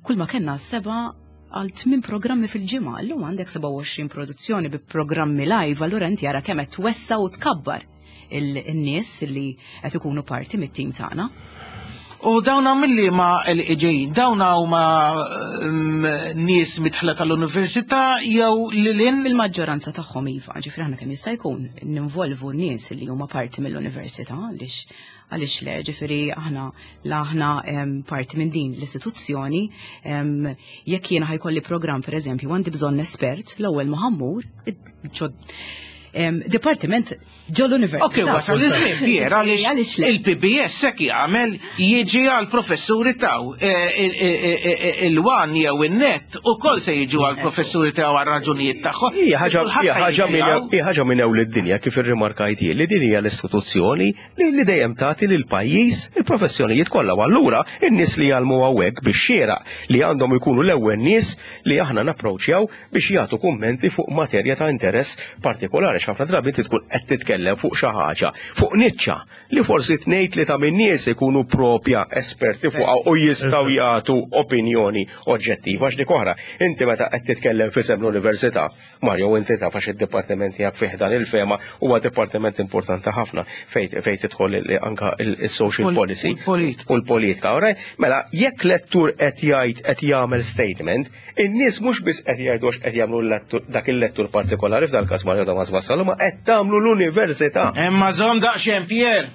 kull ma kellna seba' għal tmien programmi fil-ġimgħa, llum għandek 27 produzzjoni bi programmi live, allura inti ara kemm qed twessa u tkabbar il-nies li qed ikunu parti mit-tim tagħna. U dawna mill-li ma l-ġejjin, dawna huma nies mitħla tal-università jew lilin? Il-maġġoranza tagħhom iva, ġifri aħna kemm jista' jkun ninvolvu nies li huma parti mill-università għaliex Għaliex le, ġifieri aħna la aħna parti minn din l-istituzzjoni, jekk jiena ħajkolli programm pereżempju għandi bżonn espert, l-ewwel ma ħammur dipartiment ġol università. Ok, wasal iż-żmien Pier għaliex il-PBS hekk jagħmel jiġi għal professuri taw e, e, e, il-wan jew in-net ukoll se jiġu għal professuri taw għal raġunijiet tagħhom. Hija ħaġa minn ewl id-dinja kif irrimarkajt li din hija l-istituzzjoni li dejjem tagħti lill-pajjiż il-professjonijiet kollha u allura n-nies li jgħallmu hawnhekk bix-xieraq li għandhom ikunu l-ewwel nies li aħna napproċċjaw biex jagħtu kummenti fuq materja ta' interess partikolari. għax ħafna drabi inti tkun qed titkellem fuq xi ħaġa, fuq niċċa li forsi tnejn tlieta minn nies ikunu propja esperti fuqha u jistgħu jagħtu opinjoni oġġettiva għax dik oħra. Inti meta qed titkellem f'isem l-università, Mario, inti taf għax id-dipartiment tiegħek fih dan il-fema huwa dipartiment importanti ħafna fejn fejn tidħol anka il-social policy u l-politika. Alright? Mela, jekk lettur qed jgħid qed jagħmel statement, in-nies mhux biss qed jgħidu għax qed jagħmlu dak il-lettur partikolari f'dal-każ Mario Damas Vassallo, ma qed tagħmlu l-università. Imma żomm daqsxejn Pier,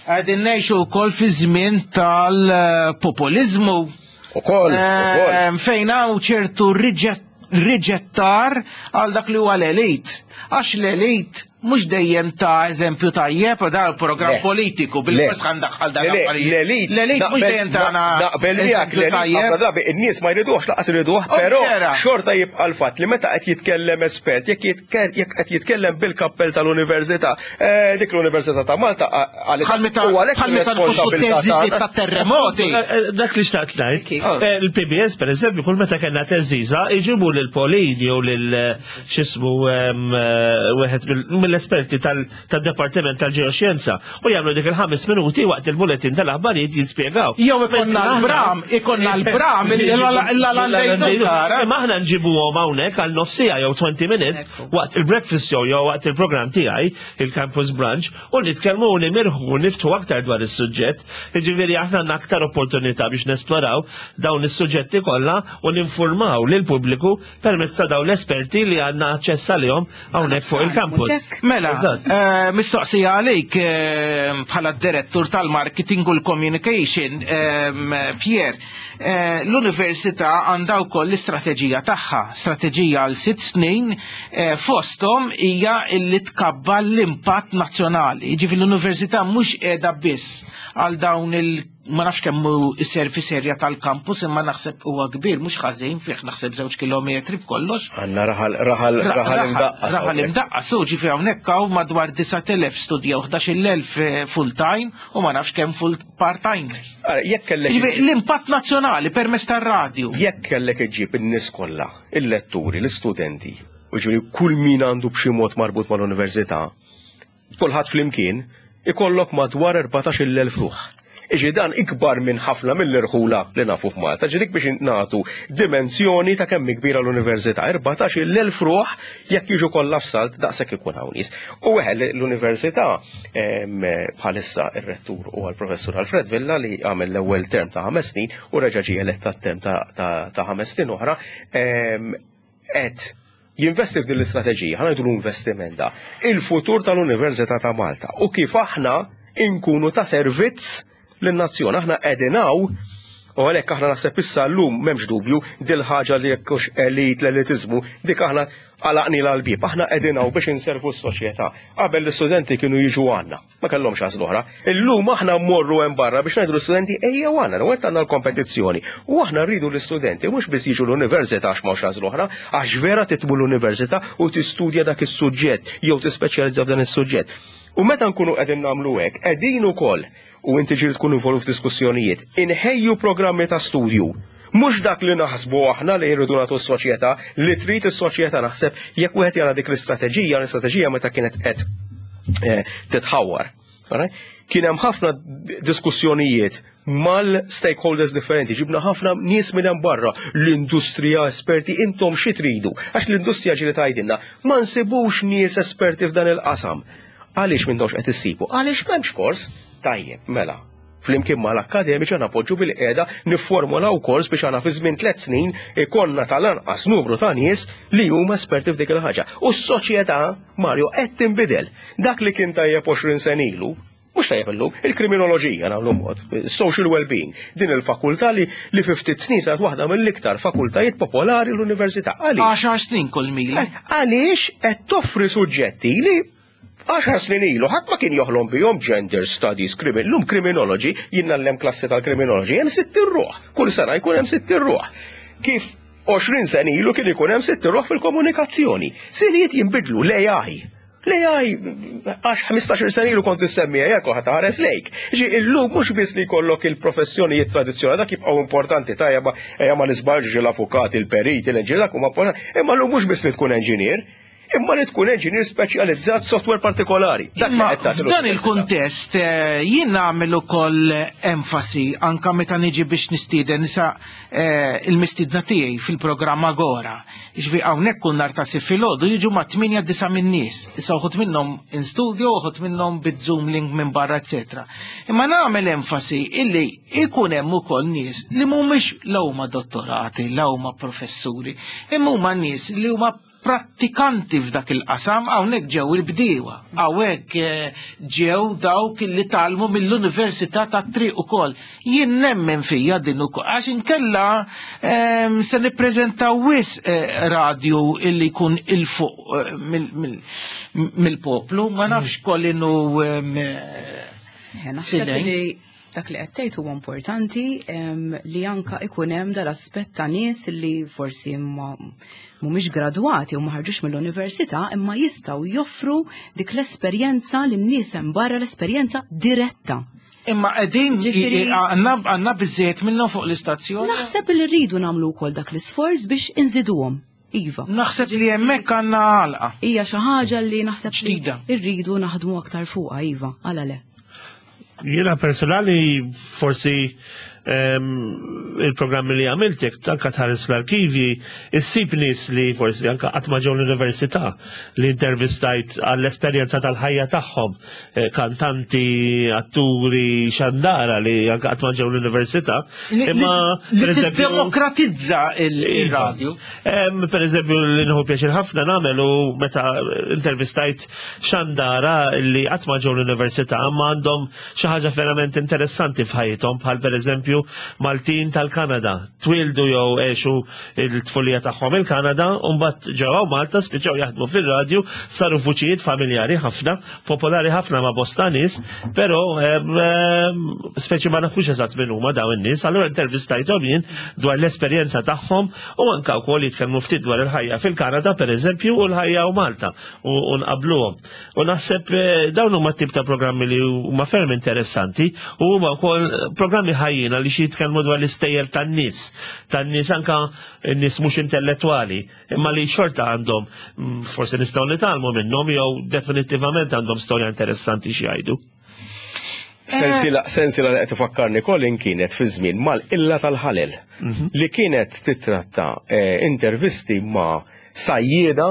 qegħdin ngħixu wkoll fi żmien tal-populiżmu. Ukoll, ukoll. Fejn hawn ċertu riġettar għal dak li huwa l-elit. Għax l-elit mhux dejjem ta' eżempju tajjeb da programm politiku bil-fors ħandaħħal dan l-elit. L-elit mhux dejjem tagħna. Naqbel miegħek l-elit ħafna drabi in-nies ma jriduhx laqas iriduh, però xorta jibqa' l-fatt li meta qed jitkellem espert, jekk jekk qed jitkellem bil-kappell tal-università, eh, dik l-Università ta' Malta għalhekk u għalhekk responsabilità ta' terremoti. Eh, eh, dak li xtaqt ngħid. Ah. Il-PBS pereżempju kull meta kellna teżiża iġibu lil Polin jew lil x'ismu wieħed mill-esperti tad-Dipartiment tal-Ġeoxjenza u jagħmlu dik il-ħames minuti waqt il-bulletin tal-aħbarijiet jispjegaw. Jew ikonna l-bram, ikonna l-bram, Imma aħna nġibuhom hawnhekk għal nofsija jew 20 minutes waqt il-breakfast show jew waqt il-programm tiegħi, il-Campus Brunch, u nitkellmu u nimirħu u niftħu aktar dwar is-suġġett. Jiġifieri aħna għandna aktar opportunità biex nesploraw dawn is-suġġetti kollha u ninfurmaw lill-pubbliku permezz ta' dawn l-esperti li għandna aċċess għalihom hawnhekk fuq il-campus. Mela, eh, mistoqsija għalik eh, bħala direttur tal-marketing u l-communication, eh, Pierre, l-università għandha wkoll l-istrateġija tagħha, strateġija għal sitt snin fosthom hija li tkabbar l-impatt nazzjonali. Ġifieri l-università mhux qiegħda biss għal dawn il- ma nafx kemm hu s-service area tal-campus imma naħseb huwa kbir mhux ħażin fih naħseb żewġ kilometri b'kollox. Għandna raħal raħal raħal imdaqqas. Raħal imdaqqas, u ġifi hawnhekk hawn madwar 9,000 studja u 11,000 eh, full time u ma nafx kemm full part timers. Jekk kellek l-impatt nazzjonali permezz tar-radju. Jekk kellek iġġib in-nies kollha, il-letturi, l-istudenti, u ġifieri kull min għandu b'xi mod marbut mal-università, kulħadd flimkien, ikollok madwar 14,000 ruħ. Iġi dan ikbar minn ħafna mill-irħula li nafu f'Malta, ġi dik biex nagħtu dimensjoni ta' kemm kbira l-università. 14,000 ruħ jekk jiġu kollha f'salt daqshekk ikun hawn nies. U eħe l-università bħalissa ir-rettur huwa l-professur Alfred Villa li għamel l-ewwel term ta' ħames snin u reġa' ġie elett term ta' ħames snin oħra qed jinvesti f'din l-istrateġija, ħa ngħidu l-investiment da, il-futur tal-Università ta' Malta u kif aħna inkunu ta' servizz lin-nazzjon. Aħna qegħdin hawn u għalhekk aħna naħseb issa llum m'hemmx dubju dil-ħaġa li jekk hux elit l-elitiżmu dik aħna għalaqni l-bieb. Aħna qegħdin hawn biex inservu s-soċjetà. Qabel l-istudenti kienu jiġu għandna. Ma kellhomx għażla oħra. Illum aħna mmorru hemm barra biex ngħidu l-istudenti ejjew għandna, l għandna l-kompetizzjoni. U aħna rridu l-istudenti mhux biss jiġu l-università għax m'hawnx għażla oħra, għax vera titmu l-università u tistudja dak is-suġġett jew tispeċjalizza f'dan is-suġġett. U meta nkunu qegħdin nagħmlu hekk, qegħdin ukoll u inti ġieli tkun involut f'diskussjonijiet, inħejju programmi ta' studju Mhux dak li naħsbu aħna li jridu nagħtu s-soċjetà, li trid is-soċjetà naħseb jekk wieħed jara dik l-istrateġija, l-istrateġija meta kienet qed eh, titħawar. Kien hemm ħafna diskussjonijiet mal-stakeholders differenti, ġibna ħafna nies minn hemm barra, l-industrija, esperti, intom xi tridu, għax l-industrija ġieli tgħidilna, ma nsibux nies esperti f'dan il-qasam. Għaliex m'intomx qed issibu? Għaliex m'hemmx kors? Tajjeb, mela, Flimkien mal-akkademiċi aħna poġġu bil-qiegħda nifformulaw kors biex aħna fi żmien tliet snin ikollna tal-anqas numru ta' nies li huma esperti f'dik il-ħaġa. U s-soċjetà, Mario, qed tinbidel. Dak li kien tajjeb 20 sena ilu, mhux tajjeb illum, il-kriminoloġija nagħmlu mod, social well-being, din il-fakultà li li fi ftit snin saret waħda mill-iktar fakultajiet popolari l-università. Għaliex? Għaxar snin kull mila. Għaliex qed toffri suġġetti li Għaxar snin ilu ħadd ma kien joħlom bihom gender studies, crimin, lum criminology, jien ngħallem klassi tal-criminology, hemm sitt ruħ, kull sena jkun hemm sitt ruħ. Kif 20 sena ilu kien ikun hemm sitt ruħ fil-komunikazzjoni. Sinijiet jinbidlu l-AI. L-AI għax 15 sena ilu kont issemmi AI kulħadd ħares lejk. Ġi illum mhux biss li jkollok il-professjonijiet tradizzjonali dak jibqgħu importanti tajja ejja ma nisbalġ l-avukati, il-periti, l-inġinier dak huma importanti, imma llum mhux biss li tkun enġinier. imma li tkun engineer speċjalizzat software partikolari. Imma f'dan il-kuntest eh, jien nagħmel ukoll enfasi anka meta niġi biex nistieden nisa eh, il-mistiedna tiegħi fil-programm Agora. Ġifi hawnhekk kull nhar ta' sif filgħodu jiġu ma' 8 disa' minn nies. Issa uħud minnhom in studio, uħud minnhom bit-Zoom link minn barra, eċetera. Imma nagħmel enfasi illi ikun hemm ukoll nies li mhumiex la huma dottorati, la huma professuri, imma huma nies li huma prattikanti f'dak il-qasam, hawnhekk ġew il-bdiewa, hawnhekk eh, ġew dawk li talmu mill-Università tat-Triq ukoll. Jien nemmen fija din ukoll, għax inkella ehm, se nippreżentaw wis eh, radju illi jkun il-fuq eh, mill-poplu, ma nafx kolinu ehm, Dak li qed tgħid huwa importanti li anka ikun hemm dal-aspett ta' nies li forsi ma mhumiex gradwati u ma ħarġux mill-università imma jistgħu joffru dik l-esperjenza lin-nies hemm barra l-esperjenza diretta. Imma qegħdin għandna biżejjed minnhom fuq l-istazzjon. Naħseb li rridu nagħmlu wkoll dak l-isforz biex inżiduhom. Iva. Naħseb li hemmhekk għandna għalqa. Hija xi ħaġa li naħseb li rridu naħdmu aktar fuqha, iva, għala le. Jiena personali forsi ehm, il-programmi li għamiltek, anka tħares l-arkivi, issib nies li forsi anka qatt ma ġew l-università li intervistajt għall-esperjenza tal-ħajja tagħhom, eh, kantanti, atturi, xandara li anka qatt ma ġew l-università. Imma demokratizza il-radju. Ehm, per eżempju, li nħu pjaċir ħafna nagħmel u meta intervistajt xandara li qatt ma ġew l-università ma għandhom xi ħaġa verament interessanti f'ħajjithom bħal pereżempju Maltin tal-Kanada. Twildu jew għexu il-tfulija tagħhom il-Kanada u mbagħad ġew Malta spiċċaw jaħdmu fir-radju, saru vuċijiet familjari ħafna, popolari ħafna ma' bosta nies, però speċi ma nafux eżatt min huma dawn in-nies, allura intervistajthom jien dwar l-esperjenza tagħhom u anke wkoll jitkellmu ftit dwar il-ħajja fil-Kanada pereżempju u l-ħajja u Malta u nqabluhom. U naħseb eh, dawn huma tip ta' programmi li huma ferm interessanti u huma wkoll programmi ħajjin għaliex jitkellmu dwar l-istejjer tan-nies, tan-nies anka n-nies mhux intellettwali, imma li xorta għandhom mm, forsi nistgħu nitgħallmu minnhom jew definittivament għandhom storja interessanti xi jgħidu. Sensila, sensila li qed ifakkarni Colin kienet fi żmien mal-illa tal-ħalel mhm. li kienet titratta eh, intervisti ma' sajjieda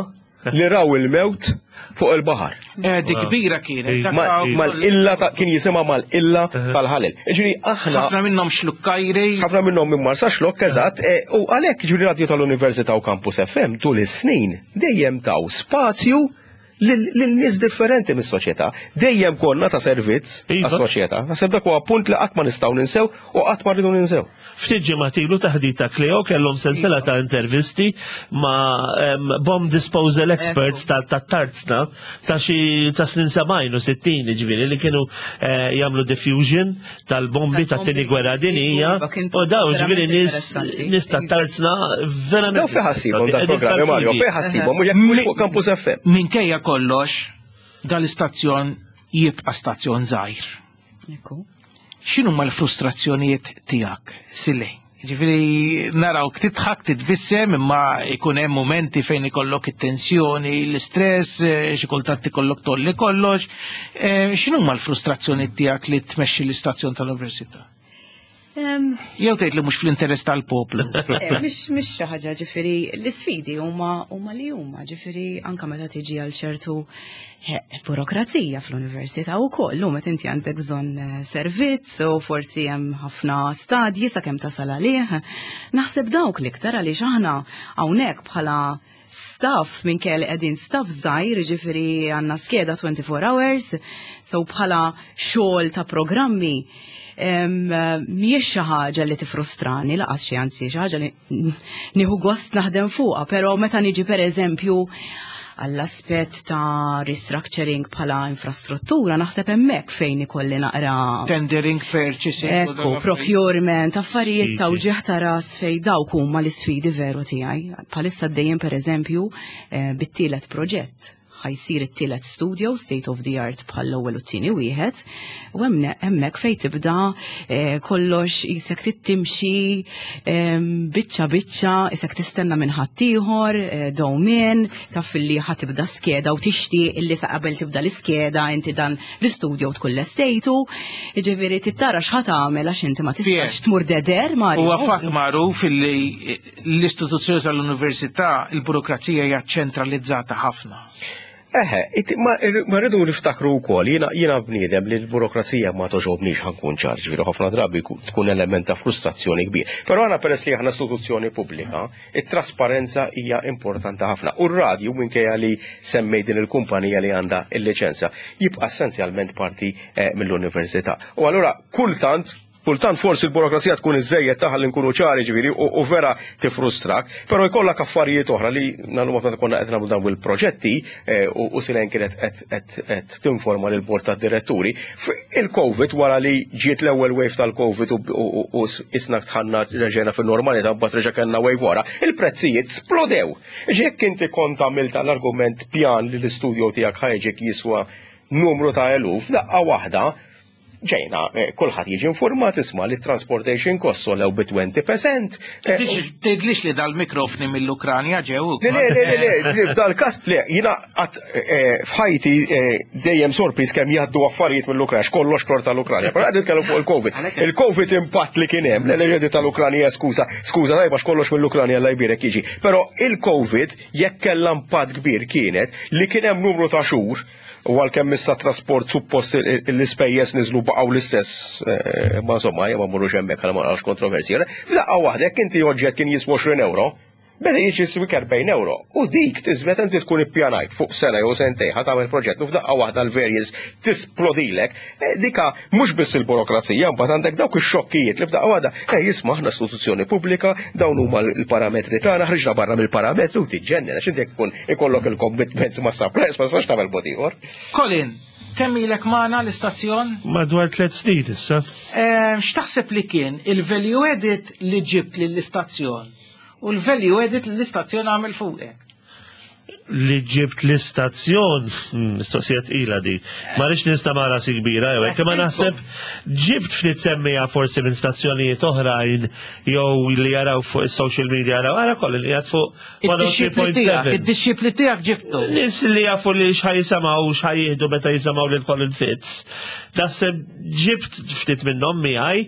li raw il-mewt fuq il-baħar. Eh, dik kbira kienet. Mal-illa kien jisimha mal-illa tal-ħalel. Ġifieri aħna. Ħafna minnhom xlukkajri. Ħafna minnhom minn Marsa Xlokk eżatt, eh, u għalhekk ġifieri radju tal-Università u Campus FM tul is-snin dejjem taw spazju lil nies differenti mis-soċjetà. Dejjem konna ta' servizz iva. għas-soċjetà. Naħseb dak huwa punt li qatt ma nistgħu ninsew u qatt ma rridu ninsew. Ftit ġimgħat ilu taħdita Cleo kellhom sensiela ta' intervisti ma' bomb disposal experts tat-tarzna ta' xi ta' snin 70 u 60 ġifieri li kienu eh, jagħmlu diffusion tal-bombi ta' tieni gwerra dinija u daw ġifieri nies nies tat-tarzna verament. Daw fejn ħassibhom dal-programmi Mario, fejn ħassibhom mhux jekk mhux fuq Campus FM. Minkejja kollox dal-istazzjon jibqa' stazzjon żgħir. X'inhuma l-frustrazzjonijiet tiegħek, Sile? Ġifieri narawk tidħak, titbissem, imma jkun hemm mumenti fejn ikollok it-tensjoni, l-istress, eh, xi kultant ikollok tolli kollox. Eh, x'inhuma l-frustrazzjonijiet tiegħek li tmexxi l-istazzjon tal-università? Jew tgħid li mhux fl-interess tal-poplu. Eh, mhix mhix xi ħaġa ġifieri l-isfidi huma huma li huma, ġifieri anke meta tiġi għal ċertu eh, burokrazija fl-università wkoll, lum qed inti għandek bżonn eh, servizz u forsi hemm ħafna stadji sakemm tasal għalih. Naħseb dawk l-iktar għaliex aħna hawnhekk bħala staff minn kelli qegħdin staff żgħir, jiġifieri għandna skeda 24 hours, so bħala xogħol ta' programmi mhijiex xi ħaġa li tifrustrani laqas xi anzi xi ħaġa li nieħu gost naħdem fuqha, però meta niġi pereżempju għall-aspett ta' restructuring bħala infrastruttura naħseb hemmhekk fejn ikolli naqra tendering purchasing ekku, procurement, affarijiet ta' uġieħ ta' ras fej dawk huma l-isfidi veru tiegħi. Bħalissa għaddejjin pereżempju eh, bit-tielet proġett. Ħa jsir it-tielet studio state of the art bħall-ewwel u t-tieni wieħed u hemmhekk fejn tibda eh, kollox isek tittimxi biċċa biċċa isek tistenna minn ħaddieħor eh, dowmien taf li ħa tibda skeda u tixtieq illi sa qabel tibda l-iskeda inti dan l-istudio tkun lestejtu, jiġifieri tittara x'ħa tagħmel għax inti ma tistax tmur deder Mario. Huwa fatt magħruf illi l-istituzzjoni tal-università il-burokrazija hija ċentralizzata ħafna. Eħe, ma rridu niftakru wkoll, jiena jiena bniedem li l-burokrazija ma toġobnix ħankun ċar, ġifieri ħafna drabi tkun element ta' frustrazzjoni kbir. Però għana peress li aħna istituzzjoni pubblika, it-trasparenza hija importanti ħafna. U r-radju minkejja li semmej din il-kumpanija li għandha il-liċenzja, jibqa' essenzjalment parti eh, mill-università. U allura kultant Kultant forsi l-burokrazija tkun iżżejjed ta' ħalli nkunu ċari ġifieri u vera tifrustrak, però jkollok affarijiet oħra li nagħmlu meta konna qed nagħmlu dawn il-proġetti eh, u Silen kienet qed tinforma lil bord tad-diretturi. Il-COVID wara li ġiet l-ewwel wave tal-COVID u isna tħanna reġgħna fin-normalità mbagħad reġa' kellna wave wara, il-prezzijiet splodew. Jekk inti kont għamilt l-argument pjan li l-istudio tiegħek ħajġek jiswa numru ta' eluf, daqqa waħda ġejna, eh, kulħadd jiġi informat isma' li transportation costs solew bi 20%. Eh, tgħidlix li dal-mikrofni mill-Ukranja ġew. Le, le, le, le, le, f'dal-każ, le, jiena eh, f'ħajti dejjem sorpriż kemm jgħaddu affarijiet mill-Ukranja, kollox tor tal-Ukranja. Però qed nitkellmu fuq il-Covid. Il-Covid impatt li kien hemm, le le tal-Ukranja skuża, skuża tajba kollox mill-Ukranja la jbirek jiġi. Però il-Covid jekk kellha impatt kbir kienet li kien hemm numru ta' xhur U għalkemm issa trasport suppost l-ispejjeż niżlu baqgħu l-istess, eh, ma insomma, ma mmorrux hemmhekk għal ma naqgħux kontroversji. F'daqqa waħda jekk inti oġġett kien jiswa 20 euro, beda jiġi jiswik 40 euro. U dik tiżmet inti tkun ippjanajt fuq sena jew sentej ħa tagħmel proġett u f'daqqa waħda l-variance tisplodilek. Eh, dika mhux biss il-burokrazija, mbagħad għandek dawk ix-xokkijiet li f'daqqa waħda, eh jisma' aħna istituzzjoni pubblika, dawn huma l-parametri tagħna, ħriġna barra mill-parametri u tiġġennen għax inti jekk tkun ikollok il-commitments ma' suppliers ma tistax tagħmel mod ieħor. Colin, kemm ilek magħna l-istazzjon? Madwar tliet snin issa. Eh, x'taħseb li kien il-value added li ġibt lill-istazzjon u l-value added li l-istazzjon għamel fuqek? li ġibt l-istazzjon, hmm, mistoqsija tqila di. Ma rridx nista' ma rasi kbira jew hekk, imma naħseb ġibt ftit semmija forsi minn stazzjonijiet oħrajn jew li jaraw fuq is-social media jaraw ara kollu li qiegħed fuq 103.7. Id-dixxipli tiegħek ġibtu. Nis li jafu li x'ħaj jisimgħu x'ħaj jieħdu meta jisimgħu lil Colin Fitz. Naħseb ġibt ftit minnhom miegħi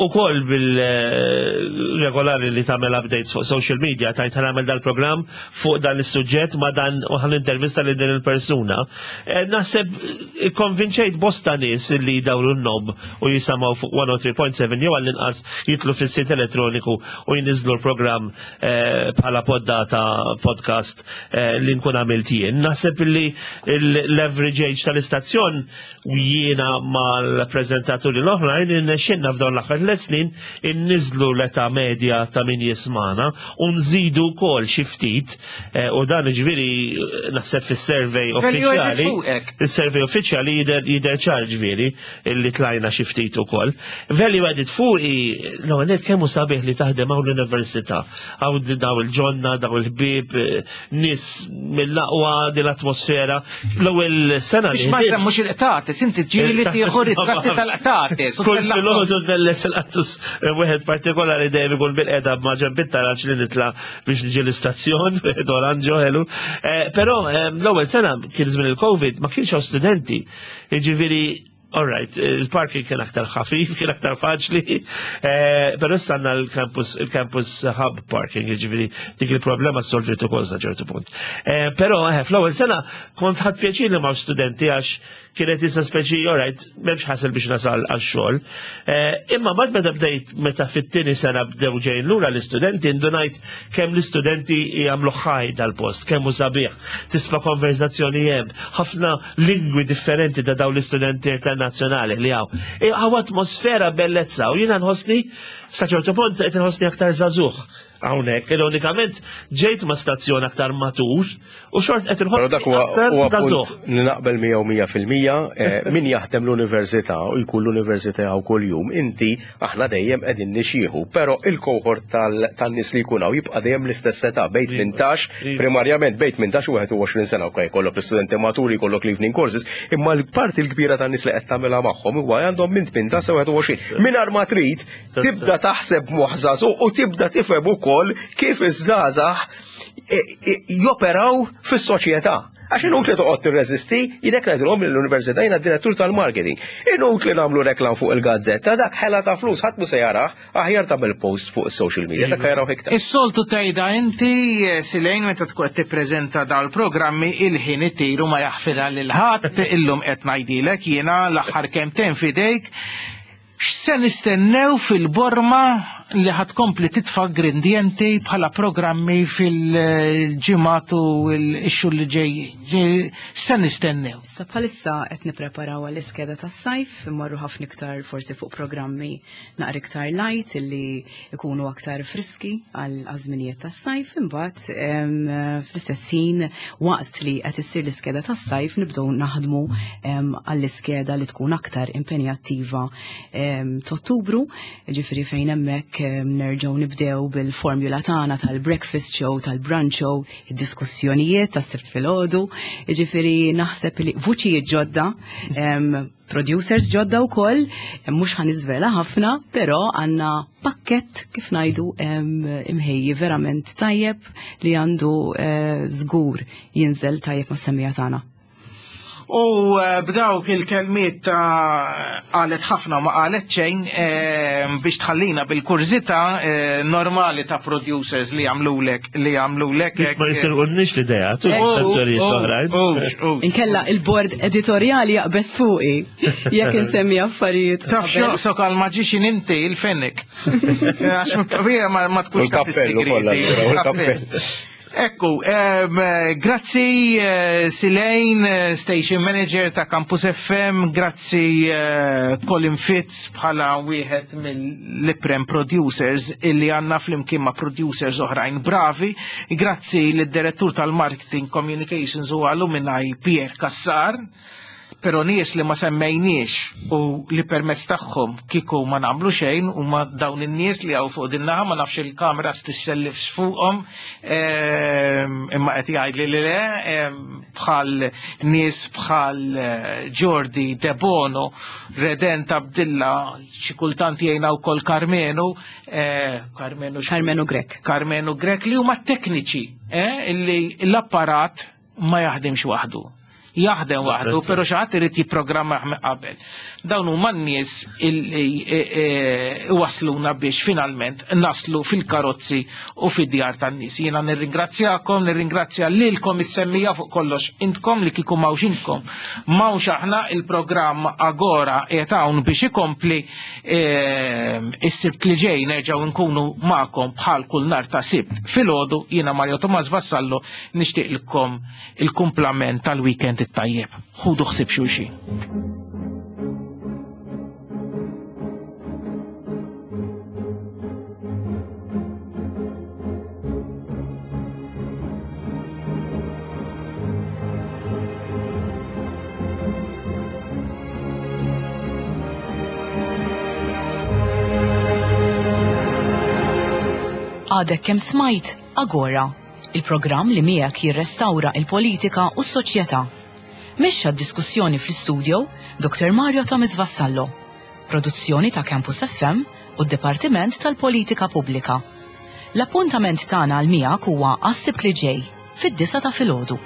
ukoll bil-regolari li tagħmel updates fuq social media tajt ħanamel dal-programm fuq dan is-suġġett ma dan u ħan intervista lil din il-persuna. Eh, naħseb eh, konvinċejt bosta nies li jdawru n-nob u jisamaw fuq 103.7 jew għall-inqas jitlu fis-sit elettroniku u jniżlu l-programm eh, bħala poddata podcast li nkun għamilt jien. Naħseb li l-average age tal-istazzjon u jiena mal-preżentaturi l-oħrajn irnexxinna f'dawn l-aħħar tliet snin inniżlu l-età medja ta' min jismana u nżidu wkoll xi ftit eh, u dan ġifieri eh, naħseb fis-survey uffiċjali. Is-survey uffiċjali jidher jidher ċar ġifieri illi tlajna xi ftit ukoll. Value added fuqi l-ewwel kemm hu sabiħ li taħdem hawn l-università. Hawn daw il-ġonna, daw il-ħbieb, eh, nis mill-aqwa din l-atmosfera. L-ewwel sena li. Ma semmux il-qtates, inti ġieli tieħu ritratti tal-qtates. Kull filgħodu tbelles il-qattus eh, wieħed partikolari dejjem ikun bil-qeda ma' ġenb it-taraġ li nitla' biex niġi l-istazzjon, wieħed oranġo ħelu. Eh, però eh, l-ewwel sena kien żmien il-Covid ma kienx hawn studenti. Jiġifieri All right, il-parking kien aktar ħafif, kien aktar faċli, eh, pero issa għandna l-campus, il-campus hub parking, jiġifieri dik il-problema solviet ukoll sa ċertu punt. Eh, però eh, fl-ewwel sena kont ħadd pjaċir li ma' studenti għax kienet issa speċi, all right, m'hemmx ħasel biex nasal għax-xogħol. Imma bad meta bdejt meta fit-tieni sena bdew ġejn lura l-istudenti ndunajt kemm l-istudenti jagħmlu ħaj dal-post, kemm hu sabiħ, tisma' konverzazzjoni hemm, ħafna lingwi differenti ta' dawn l-istudenti internazzjonali li hawn. E, hawn atmosfera bellezza u jiena nħossni sa ċertu punt qed inħossni aktar żagħżugħ. Hawnhekk, ironikament ġejt ma' stazzjon aktar matur u xort qed inħoss. Però dak huwa punt li naqbel miegħu 100% eh, min jaħdem l-università u jkun l-università hawn kuljum, inti aħna dejjem qegħdin nixjieħu, però il-kohort tan-nies li jkun hawn jibqa' dejjem l-istess età bejn 18, iva. primarjament bejn 18 u 21 sena, ok, jkollok l-istudenti maturi, jkollok l-evening courses, imma l-parti l-kbira tan-nies li qed tagħmilha magħhom huwa għandhom minn 18 sa 21. Mingħajr ma trid tibda taħseb moħħ żagħżugħ u tibda tifhem ukoll kif iż-żgħażagħ e, e, joperaw fis-soċjetà. Għax inutli toqgħod tirreżisti, jidek ngħidilhom l-università jiena direttur tal-marketing. Inutli nagħmlu reklam fuq il-gazzetta, dak ħela ta' flus ħadd mhu se jarah, aħjar tagħmel post fuq is-social media, dak jaraw iktar. Is-soltu tgħidha inti eh, Silejn meta tkun qed tippreżenta dal-programmi il-ħin itir u ma jaħfirha lil ħadd illum qed ngħidilek jiena l-aħħar kemmtejn f'idejk X'se nistennew fil-borma li ħa tkompli titfa' grindjenti bħala programmi fil-ġimgħat u x-xhur li ġejjin? X'se nistennew? Issa bħalissa qed nippreparaw għall-iskeda tas-sajf, immorru ħafna iktar forsi fuq programmi naqra iktar light illi ikunu aktar friski għal żminijiet tas-sajf, imbagħad fl-istess ħin waqt li qed issir l-iskeda tas-sajf nibdew naħdmu għall-iskeda li tkun aktar impenjattiva t'Ottubru, ġifieri fejn hemmhekk nerġgħu nibdew bil-formula tagħna tal-breakfast show, tal-brunch show, id-diskussjonijiet tas-sibt filgħodu, ġifieri naħseb li vuċijiet ġodda producers ġodda wkoll, mhux ħa niżvela ħafna, però għandna pakkett kif ngħidu imħejji verament tajjeb li għandu eh, żgur jinżel tajjeb mas-semija tagħna. U eh, b'dawk il-kelmiet ta' qalet ħafna ma qalet xejn eh, biex tħallina bil-kurżità eh, normali ta' producers li jagħmlulek li jagħmlulek. Ma jisirqulniex l-idea, tu stazzjonijiet oħrajn. Inkella il-bord editorjali jaqbeż fuqi jekk insemmi affarijiet. Taf x'joqsok għal maġixin inti il-fenek. Għax ma tkunx taf is-sigreti. Ekku, grazzi eh, Silejn, eh, Station Manager ta' Campus FM, grazzi eh, Colin Fitz bħala wieħed mill-iprem producers illi għanna flimkien ma' producers oħrajn bravi, grazzi lid-direttur tal-Marketing Communications u Alumni Pierre Cassar Però nies li ma semmejniex u li permezz tagħhom kieku ma nagħmlu xejn huma dawn in-nies li hawn fuq din naħa ma nafx il-kameras tixxellifx fuqhom ehm, imma qed jgħidli li le ehm, bħal nies bħal eh, Jordi Debono, Redent Abdilla, xi kultant jgħinna wkoll Karmenu, eh, Karmenu Karmenu Grek. Karmenu Grek li huma tekniċi eh, li l-apparat ma jaħdimx waħdu. Jaħdem waħdu, però xi ħadd irid jipprogrammah minn qabel. Dawn huma n-nies illi e, e, wasluna biex finalment naslu fil-karozzi u fid-djar tan-nies. Jiena nirringrazzjakom, nirringrazzja lilkom is-semmija fuq kollox intkom li kieku m'hawnx intkom. M'hawnx aħna il-programm Agora qiegħed hawn biex ikompli e, is-Sibt li ġej nerġgħu nkunu magħkom bħal kull nhar ta' Sibt filgħodu jiena Mario Tomas Vassallo Nixtieqlkom il-kumplament tal-weekend it-tajjeb. Ħudu ħsieb xulxin. Għadek kemm smajt Agora il-programm li miegħek jirrestawra il-politika u s-soċjetà. Mexxa d-diskussjoni fl-istudio Dr. Mario Thomas Vassallo. Produzzjoni ta' Campus FM u d-Dipartiment tal-Politika Pubblika. L-appuntament tagħna għal miegħek huwa għas-Sibt li ġej, fid-disgħa ta' filgħodu.